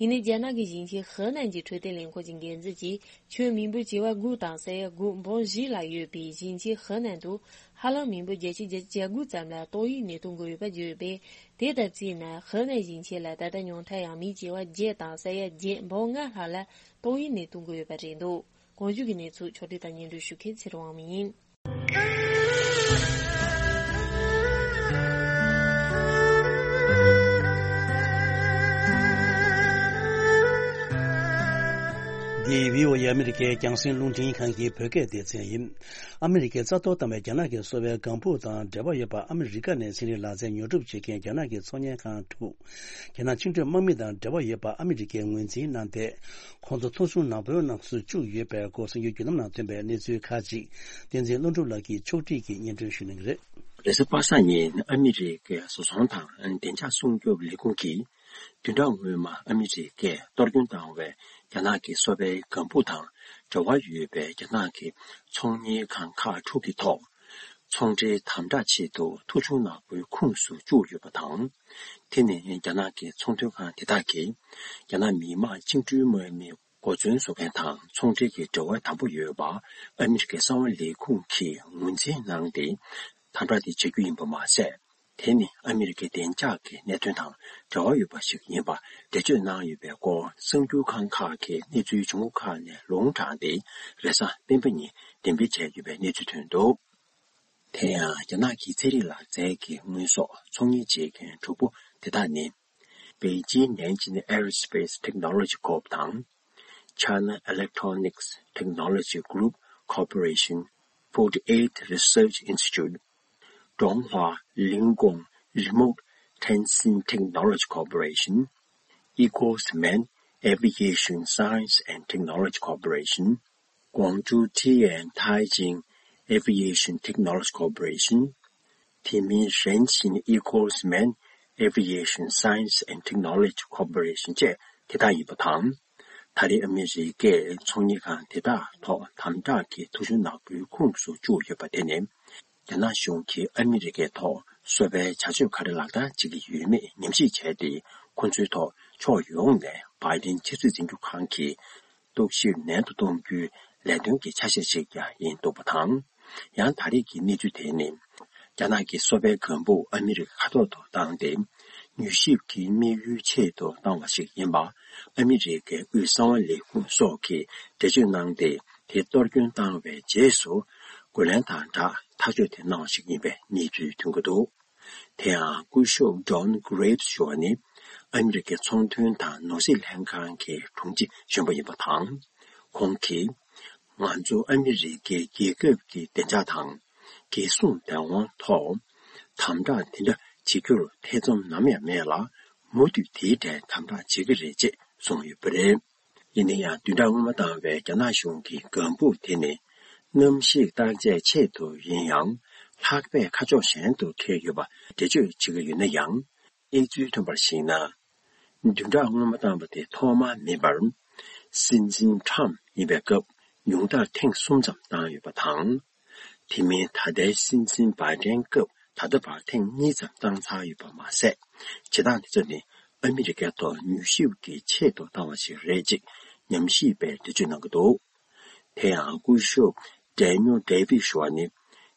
ཡིན་ནའི་རྒྱ་ནག་གི་ཞིང་ཆེན་ཧེ་ནན་གྱི་འཕྲོད་བསྟེན་ལས་ཁུངས་ཀྱི་འགན་འཛིན་གྱིས། ཁྱོན་མི་འབོར་བྱེ་བ་དགུ་དང་ས་ཡ་དགུ་འབུམ་བཞི་ལྷག་ཡོད་པའི་ཞིང་ཆེན་ཧེ་ནན་དུ། ཧ་ལམ་མི་འབོར་བརྒྱད་ཅུ་གྱ་དགུ་ཙམ་ལ་ཏོག་དབྱིབས་ནད་དུག་འགོས་ཡོད་པ་བརྗོད་ཡོད་པས། དེ་ལྟར་བརྩིས་ན་ཧེ་ནན་ཞིང་ཆེན་ལ་ད་ལྟ་ཉུང་མཐར་ཡང་མི་བྱེ་བ་བརྒྱད་དང་ས་ཡ་བརྒྱད་འབུམ་ལྔ་ལྷག་ལ་ཏོག་དབྱིབས་ནད་དུག་འགོས་ཡོད་པ་རེད་འདུག་གོང་བརྗོད་ཀྱི་གནས་ཚུལ་ཕྱོགས་སྒྲིག་དང་སྙན་སྒྲོན་ཞུ་མཁན་ཚེ་རིང་དབང་མོ་ཡིན། འདི་བྷི་ཨོ་ཨེ་ཨ་མི་རི་ཀའི་རྒྱང་སྲིང་རླུང་འཕྲིན་ཁང་གི་བོད་སྐད་སྡེ་ཚན་ཡིན། ཨ་མི་རི་ཀས་རྩ་གཏོར་བཏང་བའི་རྒྱ་ནག་གི་གསོ་བའི་ལྒང་ཕུག་དང་འབྲེལ་བ་ཡོད་པ། ཨ་མི་རི་ཀ་ནས་ཚན་རིག་ལག་རྩལ་ཉོ་སྒྲུབ་བྱེད་མཁན་རྒྱ་ནག་གི་ཚོང་གཉེར་ཁང་དྲུག་རྒྱ་ནག་ཆིངས་འགྲོལ་དམག་མི་དང་འབྲེལ་བ་ཡོད་པ་ཨ་མི་རི་ཀས་ངོས་འཛིན་གནང་སྟེ། ཁོང་ཚོ་ཐོ་གཞུང་ནག་པོའི་ནང་སུ་བཅུག་ཡོད་པའི་སྐོར་གསར་འགྱུར་བརྒྱུད་ལམ་ནང་ཐོན་པའི་གནས་ཚུལ་ཁག་ཅིག་བསྟན་འཛིན་ཀླུ་སྒྲུབ་ལགས་ཀྱིས་ཕྱོགས་སྒྲིག་གིས་སྙན་སྒྲོན་ཞུ་གནང་གི་རེད། རེས་གཟའ་པ་སངས་ཉིན་ཨ་མི་རི་ཀའི་བཟོ་ཚོང་དང་བདེ་འཇགས་སྲུང་སྐྱོབ་ལས་ཁུངས་ཀྱིས། བདུན་ཕྲག་སྔོན་མ་ཨ་མི་རི་ཀས་གཏོར་སྐྱོན་བཏང་བའི་རྒྱ་ནག་གི་གསོ་བའི་ལྒང་ཕུག་དང་འབྲེལ་བ་ཡོད་པའི་རྒྱ་ནག་གི་ཚོང་གཉེར་ཁང་ཁག་དྲུག་གི་ཐོག་ཚོང་འབྲེལ་དམ་དྲག་ཆེད་དུ་ཐོ་གཞུང་ནག་པོའི་ཁོངས་སུ་བཅུག་ཡོད་པ་དང་། དེ་ནི་རྒྱ་ནག་གི་ཚོང་དོན་ཁང་དེ་དག་གིས་རྒྱ་ནག་མི་དམངས་བཅིངས་འགྲོལ་དམག་མི་འགོ་འཛིན་བཟོ་མཁན་དང་ཚོང་འབྲེལ་གྱི་འབྲེལ་བ་དམ་པོ་ཡོད་པ་ཨ་མི་རི་ཀའི་གསང་བ་ལས་ཁུངས་ཀྱིས་ངོས་འཛིན་གནང་སྟེ། དམ་དྲག་དེ་བྱ་རྒྱུ་ཡིན་པ་མ་ཟད། དེ་ནི་ཨ་མི་རི་ཀའི་བདེ་འཇགས་ཀྱི་གནད་དོན་དང་འབྲེལ་བ་ཡོད་པ་ཞིག་ཡིན་པ་འགྲེལ་བརྗོད་གནང་ཡོད་པའི་སྐོར་གསར་འགྱུར་ཁང་ཁག་གིས་གནས་ཚུལ་བྱུང་ཁག་ནས་ལུང་དྲངས་ཏེ་རེས་གཟའ་སྤེན་པ་ཉིན་འགྲེམས་སྤེལ་བྱས་ཡོད་པའི་གནས་ཚུལ་ཐོན་འདུག་དེ་ཡང་རྒྱ་ནག་གི་ཚན་རིག་ལག་རྩལ་གྱི་དངོས་ཟོག་ཚོང་གཉེར་བྱེད་མཁན་དྲུག་པོ་དེ་དག་ནི། Beijing Nanjing Aerospace Technology Corp དང་། China Electronics Technology Group Corporation, forty-eight Research Institute, Donghuo Lingong Remote Sensing Technology Corporation, Eagles Men Aviation Science and Technology Corporation, Guangzhou Tian Taijing Aviation Technology Corporation, དེ་མིན་ཧྲེན་ཆིན་Eagles Men Aviation Science and Technology Corporation བཅས་དེ་དག་ཡིན་པ་དང་། ད་རེས་ཨ་མི་རི་ཀས་ཚོང་གཉེར་ཁང་དེ་དག་ཐོག་དམ་དྲག་གི་ཐོ་གཞུང་ནག་པོའི་ཁོངས་སུ་བཅུག་ཡོད་པ་དེ་ནི། རྒྱ་ནག་གཞུང་གིས་ཨ་མི་རི་ཀའི་ཐོག་སོ་པའི་བྱ་སྤྱོད་ག་རེ་ལག་བསྟར་བྱེད་ཀྱི་ཡོད་མེད་ཉམས་ཞིབ་བྱས་ཏེ། ཁོ་ཚོའི་ཐོག་ཕྱོགས་ཡོངས་ནས་བྷའི་ཌེན་ཆབ་སྲིད་འཛིན་སྐྱོང་ཁང་གིས་རྟོག་ཞིབ་ནན་དུ་གཏོང་རྒྱུའི་ལས་དོན་གྱི་ཆ་ཤས་ཤིག་ཀྱང་ཡིན་འདུག་པ་དང་། ཡང་ད་རེས་ཀྱི་གནས་ཚུལ་དེ་ནི། རྒྱ་ནག་གི་སོ་པའི་ལྒང་བུ་ཨ་མི་རི་ཀ་ཁ་ཐོར་དུ་བཏང་སྟེ། མྱུལ་ཞིབ་ཀྱི་དམིགས་ཡུལ་ཆེད་དུ་བཏང་བ་ཞིག་ཡིན་པ། ཨ་མི་རི་ཀའི་དབུས་གསང་བ་ལས་ཁུངས་སོགས་ཀྱིས་འགྲེལ་བརྗོད་གནང་སྟེ། དེ་གཏོར་སྐྱོན་བཏང་བའི་རྗེས་སུ། རྒོལ་ལན་དང་སྦྲགས་ཐག་གཅོད་དེ་གནང་བ་ཞིག་ཡིན་པའི་གནས་ཚུལ་ཐོན་གྱི་འདུག་དེ་ཡང་སྐུ་ཞབས་Don Graves ཞུ་བ་ནི། ཨ་མི་རི་ཀའི་ཚོང་དོན་དང་ནོར་སྲིད་ལྷན་ཁང་གི་དྲུང་ཆེ་གཞོན་པ་ཡིན་པ་དང་། ཁོང་གིས། ང་ཚོ་ཨ་མི་རི་ཀའི་རྒྱལ་ཁབ་ཀྱི་བདེ་འཇགས་དང་། རྒྱལ་སྲུང་བདེན་དབང་ཐོག་དམ་དྲག་དེ་འདྲ་བྱེད་རྒྱུར་ཐེ་ཚོམ་ནམ་ཡང་མེད་ལ། མུ་མཐུད་དེའི་གྲས་དམ་དྲག་བྱེད་ཀྱི་རེད་ཅེས་གསུངས་ཡོད་པ་རེད། ཡིན་ན་ཡང་བདུན་ཕྲག་སྔོན་མ་བཏང་བའི་རྒྱ་ནག་གཞུང་གི་ལྒང་བུ་དེ་ནི། གནམ་གཤིས་བརྟག་དཔྱད་ཆེད་དུ་ཡིན་ཡང་། ལྷགས་པས་ཁ་ཕྱོགས་གཞན་དུ་འཁེལ་ཡོད་པ་འགྲེལ་བརྗོད་བྱེད་ཀྱི་ཡོད་ན་ཡང་། གནས་ཚུལ་ཐོན་པར་གཞིགས་ན། བདུན་ཕྲག་སྔོན་མ་བཏང་བ་དེ་ཐོག་མ་མིན་པར། སྲིད་འཛིན་ཁྲམ་ཡིན་པའི་སྐབས་ཉུང་མཐར་ཐེངས་གསུམ་ཙམ་བཏང་ཡོད་པ་དང་། དེ་མིན་ད་ལྟའི་སྲིད་འཛིན་བྷའི་ཌེན་སྐབས་ད་ལྟ་བར་ཐེངས་གཉིས་ཙམ་བཏང་ཚར་ཡོད་པ་མ་ཟད། བྱེད་སྟངས་དེ་ཚོ་ནི་ཨ་མི་རི་ཀའི་ཐོག་མྱུལ་ཞིབ་ཀྱི་ཆེད་དུ་བཏང་བ་ཞིག་རེད་ཅེས་ཉམས་ཞིབ་པས་འགྲེལ་བརྗོད་གནང་གི་འདུག་དེ་ཡང་སྐུ་ཞབས་Daniel David ཞུ་བ་ནི་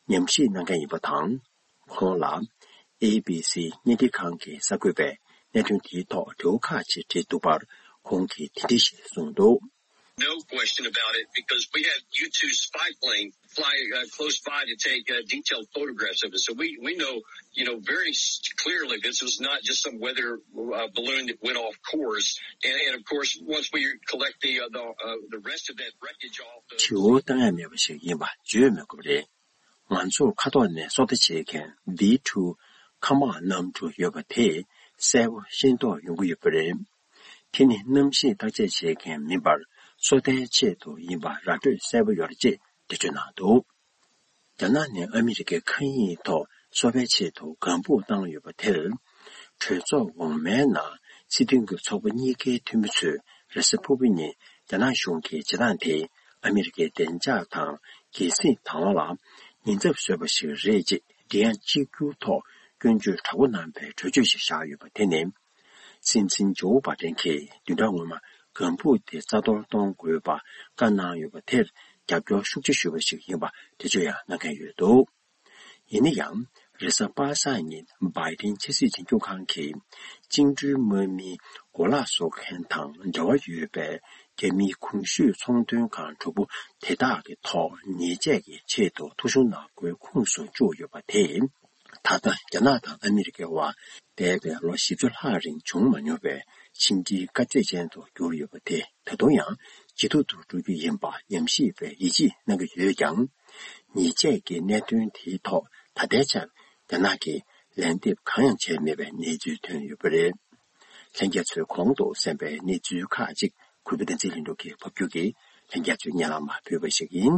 ཉམས་ཞིབ་གནང་མཁན་ཡིན་པ་དང་། ཁོང་ལ་ཨེ་བི་སི་བརྙན་འཕྲིན་ཁང་གི་གསར་འགོད་པས་གནད་དོན་དེའི་ཐོག་དྲི་བ་ཁག་ཅིག་དྲིས་འདུག་པར། ཁོང་གིས་དེ་འདྲ་ཞིག་གསུངས་འདུག No question about it, because we had U two spy plane fly uh, close by to take uh, detailed photographs of it. So we, we know, you know, very s- clearly this was not just some weather uh, balloon that went off course. And, and of course, once we collect the uh, the, uh, the rest of that wreckage off the དྲི་བ་བཏང་ཡ་མེད་པ་ཞིག་ཡིན་པ་བརྗོད་མི་དགོས་པ་རེད། ང་ཚོར་ཁ་ཐོག་ནས་སོ་ལྟ་བྱེད་མཁན་V two མཁའ་དམག་གནམ་གྲུ་ཡོད་པ་དེ་གསལ་པོ་ཤེས་རྟོགས་ཡོང་གི་ཡོད་པ་རེད། དེ་ནི་གནམ་གཤིས་བརྟག་དཔྱད་བྱེད་མཁན་མིན་པར་སོ་ལྟའི་ཆེད་དུ་ཡིན་པ་ར་སྤྲོད་གསལ་པོ་ཡོད་རེད་ཅེས་འགྲེལ་བརྗོད་གནང་འདུག་རྒྱ་ནག་ནས་ཨ་མི་རི་ཀའི་མཁའ་དབྱིངས་ཐོག་སོ་པའི་ཆེད་དུ་ལྒང་བུ་བཏང་ཡོད་པ་དེར། གྲོས་ཚོགས་འོག་མའི་ནང་སྲིད་དོན་གྱི་ཚོགས་པ་གཉིས་ཀའི་འཐུས་མི་ཚོས་རེས་གཟའ་ཕུར་བུ་ཉིན་རྒྱ་ནག་གཞུང་གིས་བྱེད་སྟངས་དེ་ཨ་མི་རི་ཀའི་བདེ་འཇགས་དང་རྒྱལ་སྲིད་བདག་དབང་ལ་ཉེན་ཚབས་བཟོས་པ་ཞིག་རེད་ཅེས་མགྲིན་དབྱངས་གཅིག་གྱུར་ཐོག་སྐྱོན་བརྗོད་དྲག་པོ་གནང་པའི་གྲོས་ཆོད་ཞིག་བཞག་ཡོད་པ་དེ་ནི། སྲིད་འཛིན་ཇོ་བྷའི་ཌེན་གྱིས་བདུན་ཕྲག་སྔོན་མ་ལྒང་བུ་དེ་རྩ་གཏོར་གཏོང་དགོས་པ་བཀའ་གནང་ཡོད་པ་དེར་རྒྱབ་སྐྱོར་ཤུགས་ཆེ་ཞུས་པ་ཞིག་ཡིན་པ་འགྲེལ་བརྗོད་ཡང་གནང་མཁན་ཡོད་འདུག་ཡིན་ན་ཡང་། རེས་གཟའ་པ་སངས་ཉིན་བྷའི་ཌེན་ཆབ་སྲིད་འཛིན་སྐྱོང་ཁང་གིས་བཅིངས་འགྲོལ་དམག་མིའི་གོ་ལག་བཟོ་མཁན་དང་འབྲེལ་བ་ཡོད་པའི་རྒྱ་མིའི་གོང་ཞུས་ཚོང་དོན་ཁང་དྲུག་པོ་དེ་དག་གི་ཐོག་ཉེས་ཆད་ཀྱི་ཆེད་དུ་ཐོ་གཞུང་ནག་པོའི་ཁོངས་སུ་བཅུག་ཡོད་པ་དེས། ད་ལྟ་རྒྱ་ནག་དང་ཨ་མི་རི་ཀའི་དབར་འདས་པའི་ལོ་བཞི་བཅུ་ལྷག་རིང་བྱུང་མ་མྱོང་བའི་ཕྱི་འབྲེལ་དཀའ་ཚེགས་ཅན་དུ་གྱུར་ཡོད་པ་དེ་ད་དུང་ཡང་ཇེ་སྡུག་ཏུ་འགྲོ་རྒྱུ་ཡིན་པ་ཉམས་ཞིབ་པས་ཡིད་ཆེས་གནང་གི་ཡོད་ཀྱང་། ཉེས་ཆད་ཀྱི་གནད་དོན་དེའི་ཐོག་ད་ལྟའི་ཆར་རྒྱ་ནག་གིས་ལན་འདེབས་གང་ཡང་བྱས་མེད་པའི་གནས་ཚུལ་ཐོན་ཡོད་པ་རེད། ལྷན་རྒྱས་ཚོས་གོང་དུ་གསན་པའི་གནས་ཚུལ་ཁག་ཅིག་གུས་པ་བསྟན་འཛིན་ལྷུན་གྲུབ་ཀྱིས་ཕབ་སྒྱུར་གྱིས་ལྷན་རྒྱས་ཚོའི་སྙན་ལམ་ལ་ཕུལ་བ་ཞིག་ཡིན།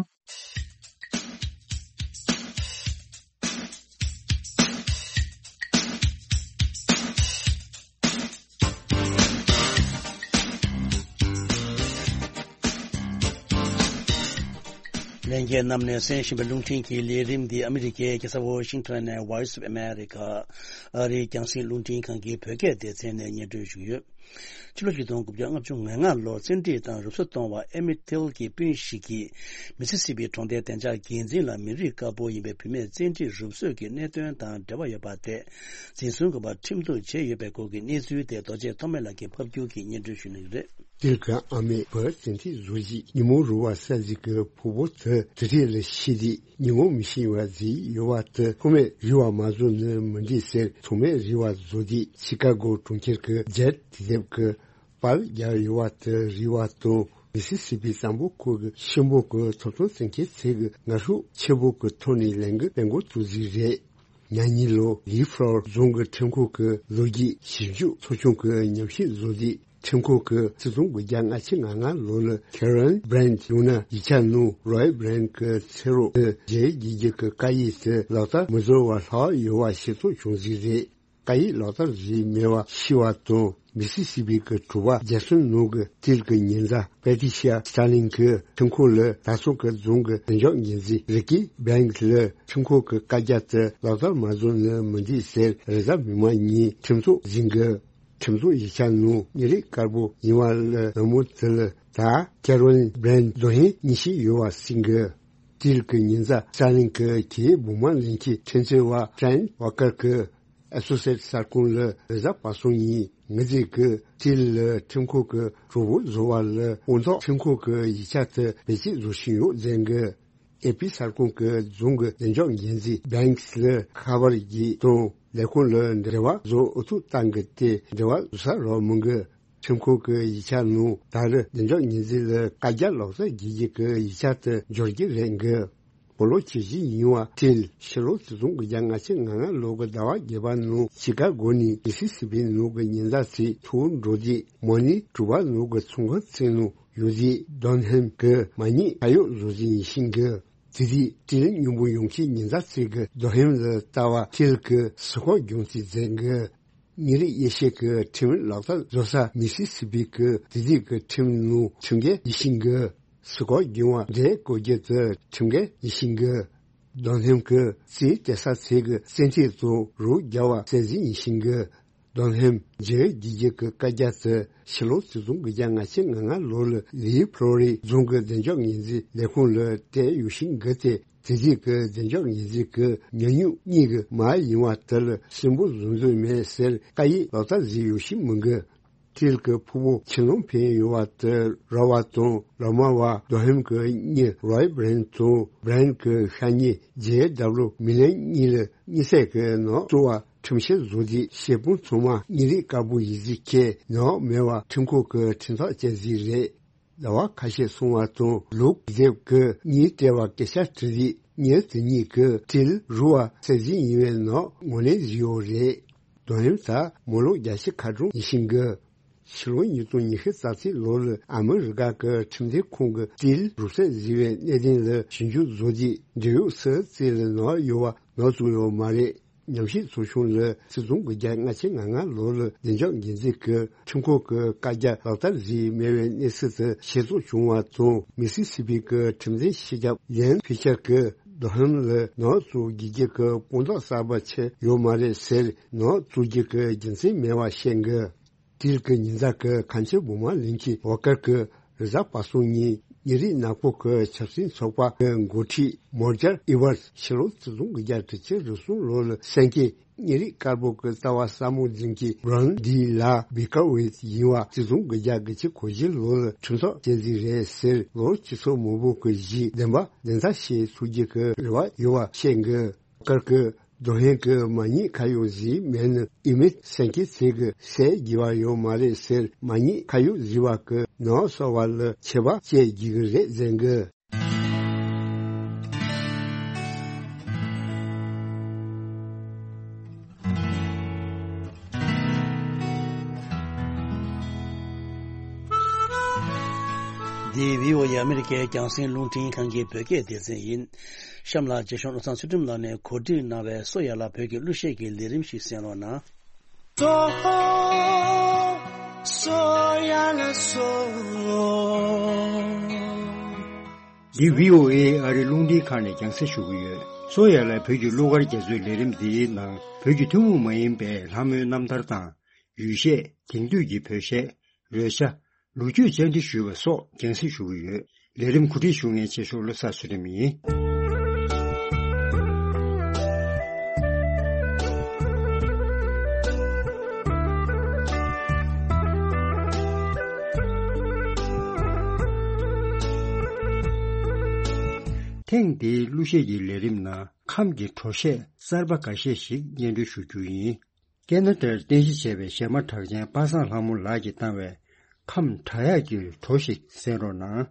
ལྷན་རྒྱས་རྣམས་ནས་གསན་བཞིན་པའི་རླུང་འཕྲིན་གྱི་ལས་རིམ་འདི་ཨ་མི་རི་ཀའི་རྒྱལ་ས་ཝོ་ཤིང་ཊོན་ནས་Voice of America ཨ་རིའི་རྒྱང་སྲིང་རླུང་འཕྲིན་ཁང་གི་བོད་སྐད་སྡེ་ཚན་ནས་སྙན་སྒྲོན་ཞུས་ཡོད། ཕྱི་ལོ་ཆིག་སྟོང་དགུ་བརྒྱ་ལྔ་བཅུ་ང་ལྔ་ལོར་བཙན་ཁྲིད་དང་རུབ་གསོ་གཏོང་བ་ཨེ་མི་ཊིལ་གྱི་སྤུན་ཞིག་གིས་མི་སི་སི་པི་གྲོང་རྡལ་བདེ་འཇགས་འགན་འཛིན་ལ་མི་རིགས་དཀར་པོ་ཡིན་པའི་བུད་མེད་བཙན་ཁྲིད་རུབ་གསོས་ཀྱི་གནད་དོན་དང་འབྲེལ་བ་ཡོད་པ་དེ་འཛིན་བཟུང་དགོས་པར་ཁྲིམས་གཏུག་བྱས་ཡོད་པའི་སྐོར་གྱི་གནས་ཚུལ་དེ་རྡོ་རྗེ་ཐོགས་མེད་ལགས་ཀྱིས་ཕབ་སྒྱུར་གྱིས་སྙན་སྒྲོན་ཞུ་གནང་གི་རེད། ཏིལ་གྱི་ཨ་མས་བུ་བཙན་ཁྲིད་བཟོ་རྗེས་ཉིན་མོ་རུ་བ་ས་ཟིག་གི་ཕུ་བོ་དེ་དུ་ཐིག་ལ་ཤི་དེ་ཉིན་མོ་མི་ཤི་བ་ཟིག་ཡོད་བ་དེ་ཐོགས་མེད་རི་བ་མ་བཟོ་ནི་མི་འགྲིག་ཟེར་ཐོགས་མེད་རི་བ་བཟོ་དེ་ཤི་ཀ་གོ་གྲོང་ཁྱེར་གྱི་ཇེད་དེབ་ཀྱི་པར་རྒྱག་ཡོད་བ་དེ་རི་བ་དང་མི་སི་སི་པི་གཙང་པོ་ཁུལ་གྱི་ཤིང་བུ་གི་ཐོབ་ཐང་བཙན་ཁྱེར་ཚད་ཀྱི་ངར་ཤུགས་ཆེ་པོ་གི་ཐོག་ནས་ལས་འགུལ་སྤེལ་འགོ་བཙུགས་ཟིག་རེད། ཉ་ཉི་ལོ་ལི་ཧྥ་ལོར་རྫོང་གི་ཁྲིམས་ཁང་གི་ལོ་རྒྱུས་ཞིབ་འཇུག་ཚོགས་ཆུང་གི་ཉམས་ཞིབ་བཟོ་དེ་ཁྲིམས་ཁང་གི་ཆིག་སྟོང་དགུ་བརྒྱ་ལྔ་བཅུ་ང་ལྔ་ལོ་ལ་ཁེ་རོན་བྷི་རན་ཡང་ན་ཡིག་ཆ་ནང་རོའི་བྷི་རན་གྱི་ཚེ་རོགས་དེ་རྗེས་རྒྱལ་རྒྱུ་གི་བཀའ་ཡིག་དེ་ལག་བསྟར་མི་བཟོ་བར་ལྷག་ཡོད་པ་ཤེས་རྟོགས་བྱུང་ཟིག་རེད། བཀའ་ཡིག་ལག་བསྟར་བྱས་མེད་པར་ཤི་བ་དང་མི་སི་སི་པི་གི་གྲུ་པ་རྒྱལ་སོན་ནང་གི་ཏིལ་གྱི་ཉེ་མཛའ་པེ་ཏི་ཤི་ཡ་སི་ཊར་ལིང་གིས་ཁྲིམས་ཁང་ལ་ད་སོ་གི་རྫོང་གི་བདེ་འཇགས་འགན་འཛིན་རི་ཀི་བྷེང་ལ་ཁྲིམས་ཁང་གི་བཀའ་རྒྱ་དེ་ལག་བསྟར་མ་བཟོ་ནི་མི་འདུག་ཟེར་རེས་གཟའ་མིག་དམར་ཉིན་ཁྲིམས་ཚོགས་ཟིན་གི། ཁྲིམས་ཚོགས་ཡིག་ཆ་ནང་མི་རིགས་དཀར་པོ་ཡིན་པ་ལ་ནུ་མོ་དེ་ལ་ད་ཀེ་རོ་ལིན་བྷེང་དོན་ཧིང་གཉིས་ཤིག་ཡོད་པ་ཟིན་གི། ཏིལ་གྱི་ཉེ་མཛའ་སི་ཊར་ལིང་གི་གྱེས་བུ་མ་ལེན་གྱི་ཁྲིམས་རྩོད་པ་ཕྲན་ཝ་ཀར་གྱིས་ཨེ་སོ་སི་ཨེ་ཊི་གསར་ཁང་ལ་རེས་གཟའ་པ་སངས་ཉིན་ངོས་འཛིན་གྱིས་ཏིལ་ལ་ཁྲིམས་ཁང་གི་གྲོགས་པོ་བཟོ་བ་ལ་དཔང་རྟགས་ཁྲིམས་ཁང་གི་ཡིག་ཆ་དེ་བེད་སྤྱོད་བཟོ་བཞིན་ཡོད་ཟེར་གི། ཨེ་པི་གསར་ཁང་གི་རྫོང་གི་བདེ་འཇགས་འགན་འཛིན་བྷེང་ལ་ཁ་པར་བརྒྱུད་དང་ལས་ཁུངས་ལ་འབྲེལ་བ་བཟོ་ཨུ་ཐུག་བཏང་གི་སྟེ་འབྲེལ་བ་བཟོ་ས་རག་མི་འགི། ཁྲིམས་ཁང་གི་ཡིག་ཆ་ནང་ད་རེས་བདེ་འཇགས་འགན་འཛིན་ལ་བཀའ་རྒྱ་ལག་བསྟར་བགྱིད་རྒྱུ་གི་ཡིག་ཆ་དེ་འབྱོར་གྱི་རེད་འགི། སྤོ་ལོ་ཆེ་བཞི་ཡིན་བ་ཏིལ་ཕྱི་ལོ་ཆིག་སྟོང་དགུ་བརྒྱ་ལྔ་བཅུ་ང་ལྔ་ལོ་གི་ཟླ་བ་བརྒྱད་པ་ནང་ཤི་ཀ་གོ་ནས་མི་སི་སི་པི་ནང་གི་ཉེ་མཛའ་ཚོའི་ཐུག་འགྲོ་དུས་མོ་ནི་གྲུ་པ་ནང་གི་ཚོང་ཁང་ཚན་ནང་ཡོད་དུས་དོན་ཧེམ་གྱི་མ་ཉེས་ཁ་གཡོག་བཟོ་ཟིན་ཡིན་ཤིང་གི། དེ་དུས་ཏིལ་སྙིང་པོ་ཡོང་ཁྱི་ཉེ་མཛའ་ཚོས་གི་དོན་ཧེམ་ལ་ལྟ་བ་ཏིལ་གི་སི་ཁོག་གྱོང་ཚིག་མཛད་གི། ཉིན་རེ་དབྱེ་ཞིབ་ཀྱི་ཁྲིམས་ལག་བསྟར་བཟོ་ས་མི་སི་སི་པི་གི་དེ་དུས་ཀྱི་ཁྲིམས་ནང་ཁྲིམས་འགལ་ཡིན་ཤིང་གི། སི་ཁོག་གྱོང་བ་འདྲེ་བཀོལ་རྒྱུ་དེ་ཁྲིམས་འགལ་ཡིན་ཤིང་གི། དོན་ཧེམ་གྱི་རྩིས་སྤྲད་ས་ཚོས་གི་བཙན་ཁྲིད་དང་རོགས་རྒྱབ་པ་བསལ་ཟིན་ཡིན་ཤིང་གི། དོན་ཧེམ་རྗེས་རྒྱལ་རྒྱུ་གི་བཀའ་རྒྱ་དེ་ཕྱི་ལོ་ཆིག་སྟོང་དགུ་བརྒྱ་ལྔ་བཅུ་ང་ལྔ་ལོ་ལ་ལི་ཕློ་རི་རྫོང་གི་བདེ་འཇགས་འགན་འཛིན་ལས་ཁུངས་ལ་སྤྲད་ཡོད་ཤིང་གི་སྟེ། དེ་དུས་ཀྱི་བདེ་འཇགས་འགན་འཛིན་གྱི་ཉེས་གཡོག་གཉིས་ཀྱི་མ་ཡིན་པ་དེ་ལ་སུན་པོ་བཟོ་འདོད་མེད་ཟེར་བཀའ་ཡིག་ལག་བསྟར་བཟོས་ཡོད་ཤིང་མི་འགི། ཏིལ་གྱི་ཕུ་བོ་ཁྱིམ་ལུང་འཕེན་ཡོད་པ་དེ་ར་བ་དང་ལོ་མ་བ་རྡོ་ཧེམ་གྱི་གཉེན་རོའི་བྷི་རན་དང་བྷི་རན་གྱི་ཤ་ཉེ་ཇེ་ཌབ་ལུ་མི་ལན་གཉིས་ལ་གཉིད་སད་ཀྱི་ནང་བཙུགས་པ་ཁྲིམས་བཤེར་བཟོ་དུས་བཤད་དཔོན་ཚང་མ་མི་རིགས་དཀར་པོ་ཡིན་ཟིག་ཁྱེད་ནང་མེད་པ་ཁྲིམས་ཁང་གི་ཁྲིམས་ཐག་བཅད་ཟིག་རེད། ཟླ་བ་ཁ་ཤས་སོང་བ་དང་ལུག་རྒྱབ་ཀྱི་གཉིས་སྤྲད་པ་སྐད་ཆ་དྲི་རིགས་ཉེར་དེ་གཉིས་ཀྱི་ཏིལ་རུ་བ་སེ་བཞི་ཡིན་པའི་ནང་ངོས་ལེན་བཟོས་ཡོད་རེད། དོན་ཧེམ་ད་མོ་ལོ་བརྒྱད་ཅུ་ཁ་གྲངས་ཡིན་ཤིང་གི། ཕྱི་ལོ་ཉིས་སྟོང་ཉི་ཤུ་རྩ་གཅིག་ལོ་ལ་ཨ་མི་རི་ཀ་གི་ཁྲིམས་དོན་ཁང་གི་ཏིལ་རུབ་ཚད་བཟོས་པའི་གནད་དོན་ལ་ཞིབ་འཇུག་བཟོ་རྒྱུའི་འབྲེལ་ཡོད་སུ་རྩིས་ལ་ནག་ཡོད་པ་ནག་བཙུགས་ཡོད་མ་རེད། ཉམས་ཞིབ་ཚོགས་ཆུང་ལ་ཆིག་སྟོང་དགུ་བརྒྱ་ལྔ་བཅུ་ང་ལྔ་ལོ་ལ་བདེ་འཇགས་འགན་འཛིན་གྱི་ཁྲིམས་ཁང་གི་བཀའ་རྒྱ་ལག་བསྟར་བཟོས་མེད་པའི་གནས་ཚུལ་དེ་ཤེས་རྟོགས་བྱུང་བ་དང་མི་སི་སི་པི་གི་ཁྲིམས་འཛིན་སྤྱི་ཁྱབ་ལན་ཕི་ཤར་གྱིས་དོན་ཧེམ་ལ་ནག་བཙུགས་དགོས་རྒྱུ་གི་དཔང་རྟགས་གསར་པ་ཆེ་ཡོད་མ་རེད་ཟེར་ནག་བཙུགས་རྒྱུ་གི་རྒྱུ་མཚན་མེད་པ་བཤད་འགི། ཏིལ་གྱི་ཉེ་མཛའ་གི་ཁ་མཆུ་བུ་མ་ལིན་གྱི་བོ་ཀར་གྱིས་རེས་གཟའ་པ་སངས་ཉིན་ཉིན་རེའི་ནག་པོ་གི་ཆབ་སྲིད་ཚོགས་པ་གི་འགོ་ཁྲིད་མོར་ཇར་ཨི་ཝར་ཕྱི་ལོ་ཆིག་སྟོང་དགུ་བརྒྱ་དྲུག་ཅུ་རེ་གསུམ་ལོ་ལ་གསན་མཁན་ཉིན་རེའི་དཀར་པོ་གི་རྩ་བ་ཟབ་མོ་འཛིན་གྱི་བྷ་རན་ཌི་ལ་བི་ཀར་ཝེད་ཡིན་པ་ཆིག་སྟོང་དགུ་བརྒྱ་དགུ་བཅུ་གོ་བཞི་ལོ་ལ་ཁྲིམས་ཐག་བཅད་རྩིས་རེད་ཟེར་ལོ་སྤྱི་ཚོགས་མང་པོ་གི་གཞི་བདེན་པ་བདེན་མཐའ་བཤད་ཐུབ་རྒྱུ་གི་རེ་བ་ཡོད་པ་བཤད་འགི། བོ་ཀར་གྱིས་དོན་ཧེམ་གྱི་མ་ཉེས་ཁ་གཡོག་བཟོས་མེད་ན་ཨི་མེད་སེང་གེ་ཚེ་གི་ཟས་རྒྱུ་བ་ཡོད་མ་རེད་ཟེར་མ་ཉེས་ཁ་གཡོག་བཟོས་པ་གི་ནག་སོ་བ་ལ་ཆད་པ་བཅད་རྒྱུ་གི་རེད་ཟེར་གི། འདི་བྷི་ཨོ་ཨེ་ཨ་མི་རི་ཀའི་རྒྱང་སྲིང་རླུང་འཕྲིན་ཁང་གི་བོད་སྐད་སྡེ་ཚན་ཡིན། གཤམ་ལ་རྗེ་གཞུང་བློ་བཟང་ཚུལ་ཁྲིམས་ལགས་ནས་གོ་སྒྲིག་གནང་བའི་སོ་ཡ་ལ་བོད་ཀྱི་གླུ་གཞས་ཀྱི་ལས་རིམ་ཞིག་གསན་རོགས་གནང་། སོ་སོ་ཡ་ལ་སོ། འདི་བྷི་ཨོ་ཨེ་ཨ་རི་རླུང་འཕྲིན་ཁང་ནས་རྒྱང་སྲིང་ཞུ་གི་ཡོད། སོ་ཡ་ལ་བོད་ཀྱི་གླུ་གར་རྒྱ་མཚོའི་ལས་རིམ་འདིའི་ནང་བོད་ཀྱི་ཐུན་མོང་མ་ཡིན་པའི་ལྷ་མོའི་རྣམ་ཐར་དང་། ཡུལ་གཞས། དེང་དུས་ཀྱི་བོད་གཞས། རོལ་ཆ། ལོ་རྒྱུས་བཅར་འདྲི་ཞུས་པ་སོགས་རྒྱང་སྲིང་ཞུ་གི་ཡོད། ལས་རིམ་གོ་སྒྲིག་ཞུ་མཁན་ཆེ་ཤོས་བློ་བཟང་ཚུལ་ཁྲིམས་ཡིན། ཐེངས་འདིའི་གླུ་གཞས་ཀྱི་ལས་རིམ་ནང་ཁམས་ཀྱི་བྲོ་གཞས་གསར་པ་འགའ་ཤས་ཤིག་སྙན་སྒྲོན་ཞུ་རྒྱུ་ཡིན། ཁེ་ན་ཌར་རྟེན་གཞི་བྱས་པའི་གཞས་མ་གྲགས་ཅན་པ་སངས་ལྷ་མོ་ལགས་ཀྱིས་བཏང་བའི་ཁམས་བྲག་གཡག་གི་བྲོ་ཞིག་གསན་རོགས་གནང་།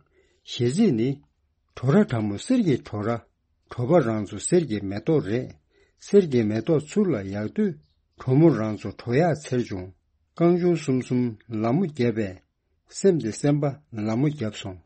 གཞས་ཚིག་ནི། བྲོ་ར་བྲ་མོ་གསེར་གྱི་བྲོ་ར། བྲོ་བ་རང་ཚོ་གསེར་གྱི་མེ་ཏོག་རེད། གསེར་གྱི་མེ་ཏོག་ཚུར་ལ་ཡག་དུས། བྲོ་མོ་རང་ཚོ་བྲོ་ཡག་འཚེར་བྱུང་། རྐང་ཆུང་གསུམ་གསུམ་ལ་མོ་བརྒྱབ་པས། སེམས་དེ་སེམས་པ་ལ་མོ་བརྒྱབ་སོང་།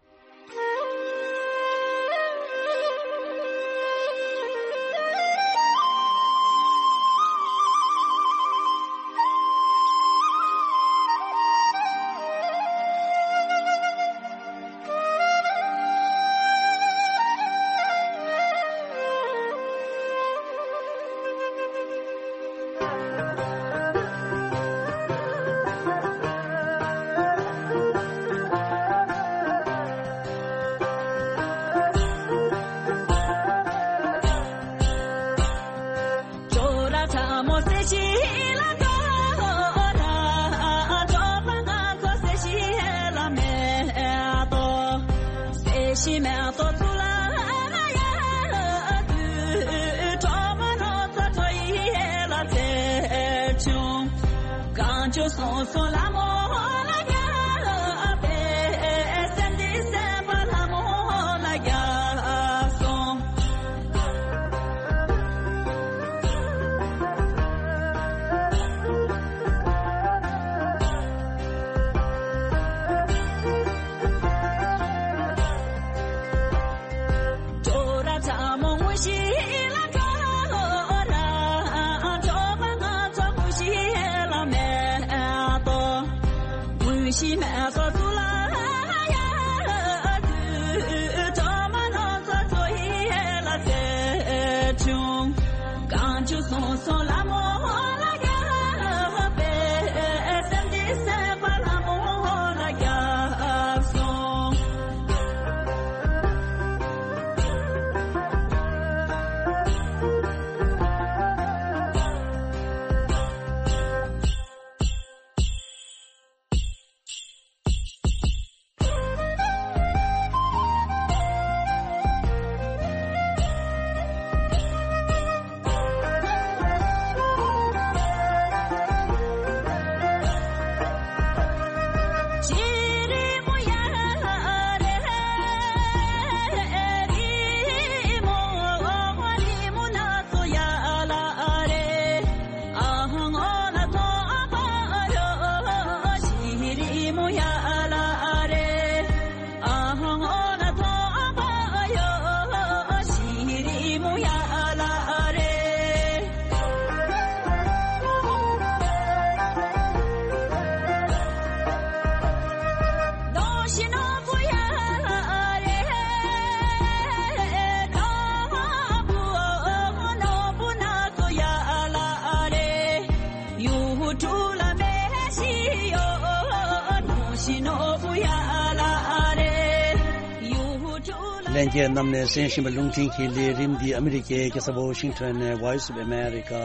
ལྷན་རྒྱས་རྣམས་ནས་གསན་བཞིན་པའི་རླུང་འཕྲིན་གྱི་ལས་རིམ་འདི་ཨ་མི་རི་ཀའི་རྒྱལ་ས་ཝ་ཤིང་ཊོན་ནས་Voice of America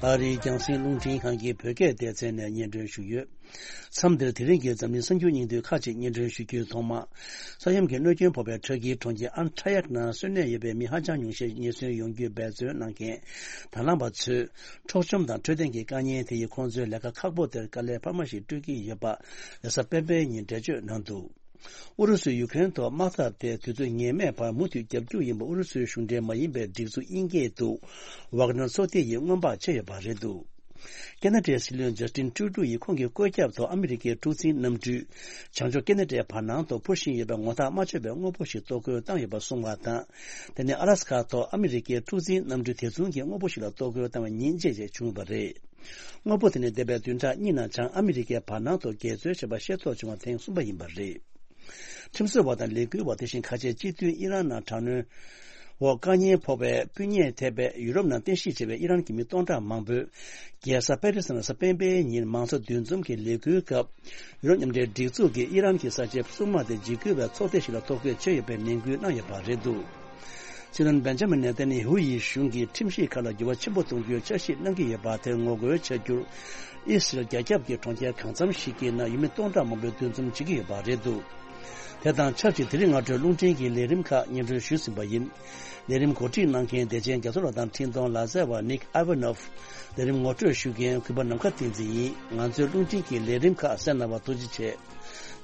ཨ་རིའི་རྒྱང་སྲིང་རླུང་འཕྲིན་ཁང་གི་བོད་སྐད་སྡེ་ཚན་ནས་སྙན་སྒྲོན་ཞུ་ཡོད། མཚམས་འདིར་དེ་རིང་གི་འཛམ་གླིང་གསར་འགྱུར་སྙིང་བསྡུས་ཁག་ཅིག་སྙན་སྒྲོན་ཞུ་རྒྱུའི་ཐོག་མ། ས་ཡོམ་གྱི་གནོད་སྐྱོན་ཕོག་པའི་ཊར་ཀིའི་གྲོང་ཁྱེར་ཨན་ཊ་ཡག་ནང་གསོན་གནས་ཡོད་པའི་མི་ཧ་ཅང་ཉུང་ཤས་ཉེན་ཟོན་ཡོང་རྒྱུའི་འབད་བརྩོན་གནང་མཁན་དང་བླངས་པ་ཚོས། འཕྲོག་བཅོམ་དང་འཕྲོད་བསྟེན་གྱི་དཀའ་ཉེན་དེ་ཡིས་ཁོང་ཚོའི་ལས་ཀ་ཁག་པོ་དེར་དཀའ་ལས་འཕར་མ་ཞིག་སྤྲོད་ཀྱི་ཡོད་པ། རེས་གཟའ་སྤེན་པའི་ཉིན་འགྲེལ་བརྗོད་གནང་འདུག་ཨུ་རུ་སུས་ཡུ་ཀེ་རེན་ཐོག་དམག་འཐབ་དེ་དུས་ཚོད་ངེས་མེད་བར་མུ་མཐུད་རྒྱབ་སྐྱོར་ཡིན་པ་ཨུ་རུ་སུའི་གཞུང་འབྲེལ་མ་ཡིན་པའི་སྒྲིག་འཛུགས་དབྱིན་སྐད་དུ་Wagner་ཚོགས་སྡེ་ཡིས་སྔོན་དཔག་བྱས་ཡོད་པ་རེད་འདུག་ཁེ་ན་ཌའི་སྲིད་བློན་ཇ་སི་ཊིན་ཀྲུ་ཌོ་ཡིས་ཁོང་གི་བཀོད་ཁྱབ་ཐོག་ཨ་མི་རི་ཀའི་འཁྲུག་འཛིང་གནམ་གྲུས་བྱང་ཕྱོགས་ཁེ་ན་ཌའི་བར་སྣང་དུ་འཕུར་བཞིན་ཡོད་པའི་ངོ་ཐག་མ་ཆོད་པའི་དངོས་པོ་ཞིག་གཏོར་རྒོལ་བཏང་ཡོད་པ་གསུངས་པ་དང་། དེ་ནས་ཨ་ལ་སི་ཁ་ཐོག་ཨ་མི་རི་ཀའི་འཁྲུག་འཛིང་གནམ་གྲུ་དེ་མཚུངས་ཀྱི་དངོས་པོ་ཞིག་ལ་གཏོར་རྒོལ་བཏང་བའི་ཉིན་རྗེས་རྗེས་བྱུང་ཡོད་པ་རེད། དངོས་པོ་དེ་ནི་འདས་པའི་བདུན་ཕྲག་གཉིས་ནང་བྱང་ཨ་མི་རི་ཀའི་བར་སྣང་དུ་འགལ་འཛོལ་བྱས་པ་ཤེས་རྟོགས་བྱུང་བ་ཐེངས་གསུམ་པ་ཡིན་པ་རེད། ཁྲིམས་བཟོ་བ་དང་ལས་འགུལ་བ་དེ་བཞིན་ཁ་ཆེ་སྤྱི་མཐུན་ཨི་རན་ནང་དྲག་གནོན་ འོག་དཀའ་ཉེན་ཕོག་པའི་སྤུན་ཉེ་ཐེ་བའི་ཡུ་རོབ་ནང་རྟེན་གཞི་བྱས་པའི་ཨི་རན་གྱི་མི་སྟོང་ཕྲག་མང་པོས། རྒྱལ་ས་པེ་རི་སི་ནང་གཟའ་སྤེན་པའི་ཉིན་མང་གཙོ་འདུ་འཛོམས་ཀྱི་ལས་འགུལ་སྐབས། ཡུ་རོབ་མཉམ་འབྲེལ་སྒྲིག་འཛུགས་ཀྱིས་ཨི་རན་གྱི་གསར་བརྗེའི་སྲུང་དམག་དེ་འཇིགས་སྐུལ་བའི་ཚོགས་སྡེ་ཞིག་ལ་ཐོ་འགོད་བྱས་ཡོད་པའི་ནན་སྐུལ་གནང་ཡོད་པ་རེད་འདུག་སྲིད་བློན་བེན་ཇ་མིན་ནེ་ཏན་ཡ་ཧུ་ཡི་གཞུང་གིས་ཁྲིམས་གཞི་ཁག་ལ་འགྱུར་བ་ཆེན་པོ་གཏོང་རྒྱུའི་འཆར་གཞི་གནང་གི་ཡོད་པ་དེར་ངོ་རྒོལ་བྱ་རྒྱུར། ཨི་སི་རལ་རྒྱ་ཁྱབ་ཀྱི་གྲོང་ཁྱེར་གང་འཚམ་ཞིག་གི་ནང་ཡུལ་མི་སྟོང་ཕྲག་མང་པོས་འདུ་འཛོམས་བྱེད་ཀྱི་ཡོད་པ་རེད་འདུག་དེ་དང་ཆབས་ཅིག་དེ་རིང་སྔ་དྲོའི་རླུང་འཕྲིན་གྱི་ལས་རིམ་ཁག་སྙན་སྒྲོན་ཞུས་ཟིན་པ་ཡིན། ལས་རིམ་གོ་སྒྲིག་གནང་མཁན་བདེ་ཆེན་རྒྱ་མཚོ་ལགས་དང་འཕྲིན་གཏོང་ལག་རྩལ་བ་ནིག་ཨ་ཝ་ནོབ། ལས་རིམ་ངོ་སྤྲོད་ཞུ་མཁན་གུས་པ་ནམ་མཁའ་བསྟན་འཛིན་ཡིན། ང་ཚོའི་རླུང་འཕྲིན་གྱི་ལས་རིམ་ཁག་གསན་གནང་བར་ཐུགས་རྗེ་ཆེ།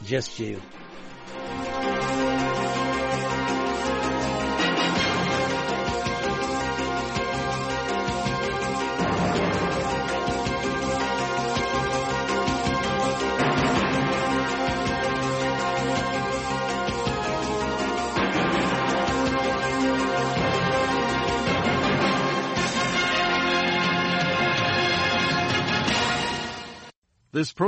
རྗེས་སུ་མཇལ་ཡོང་། This program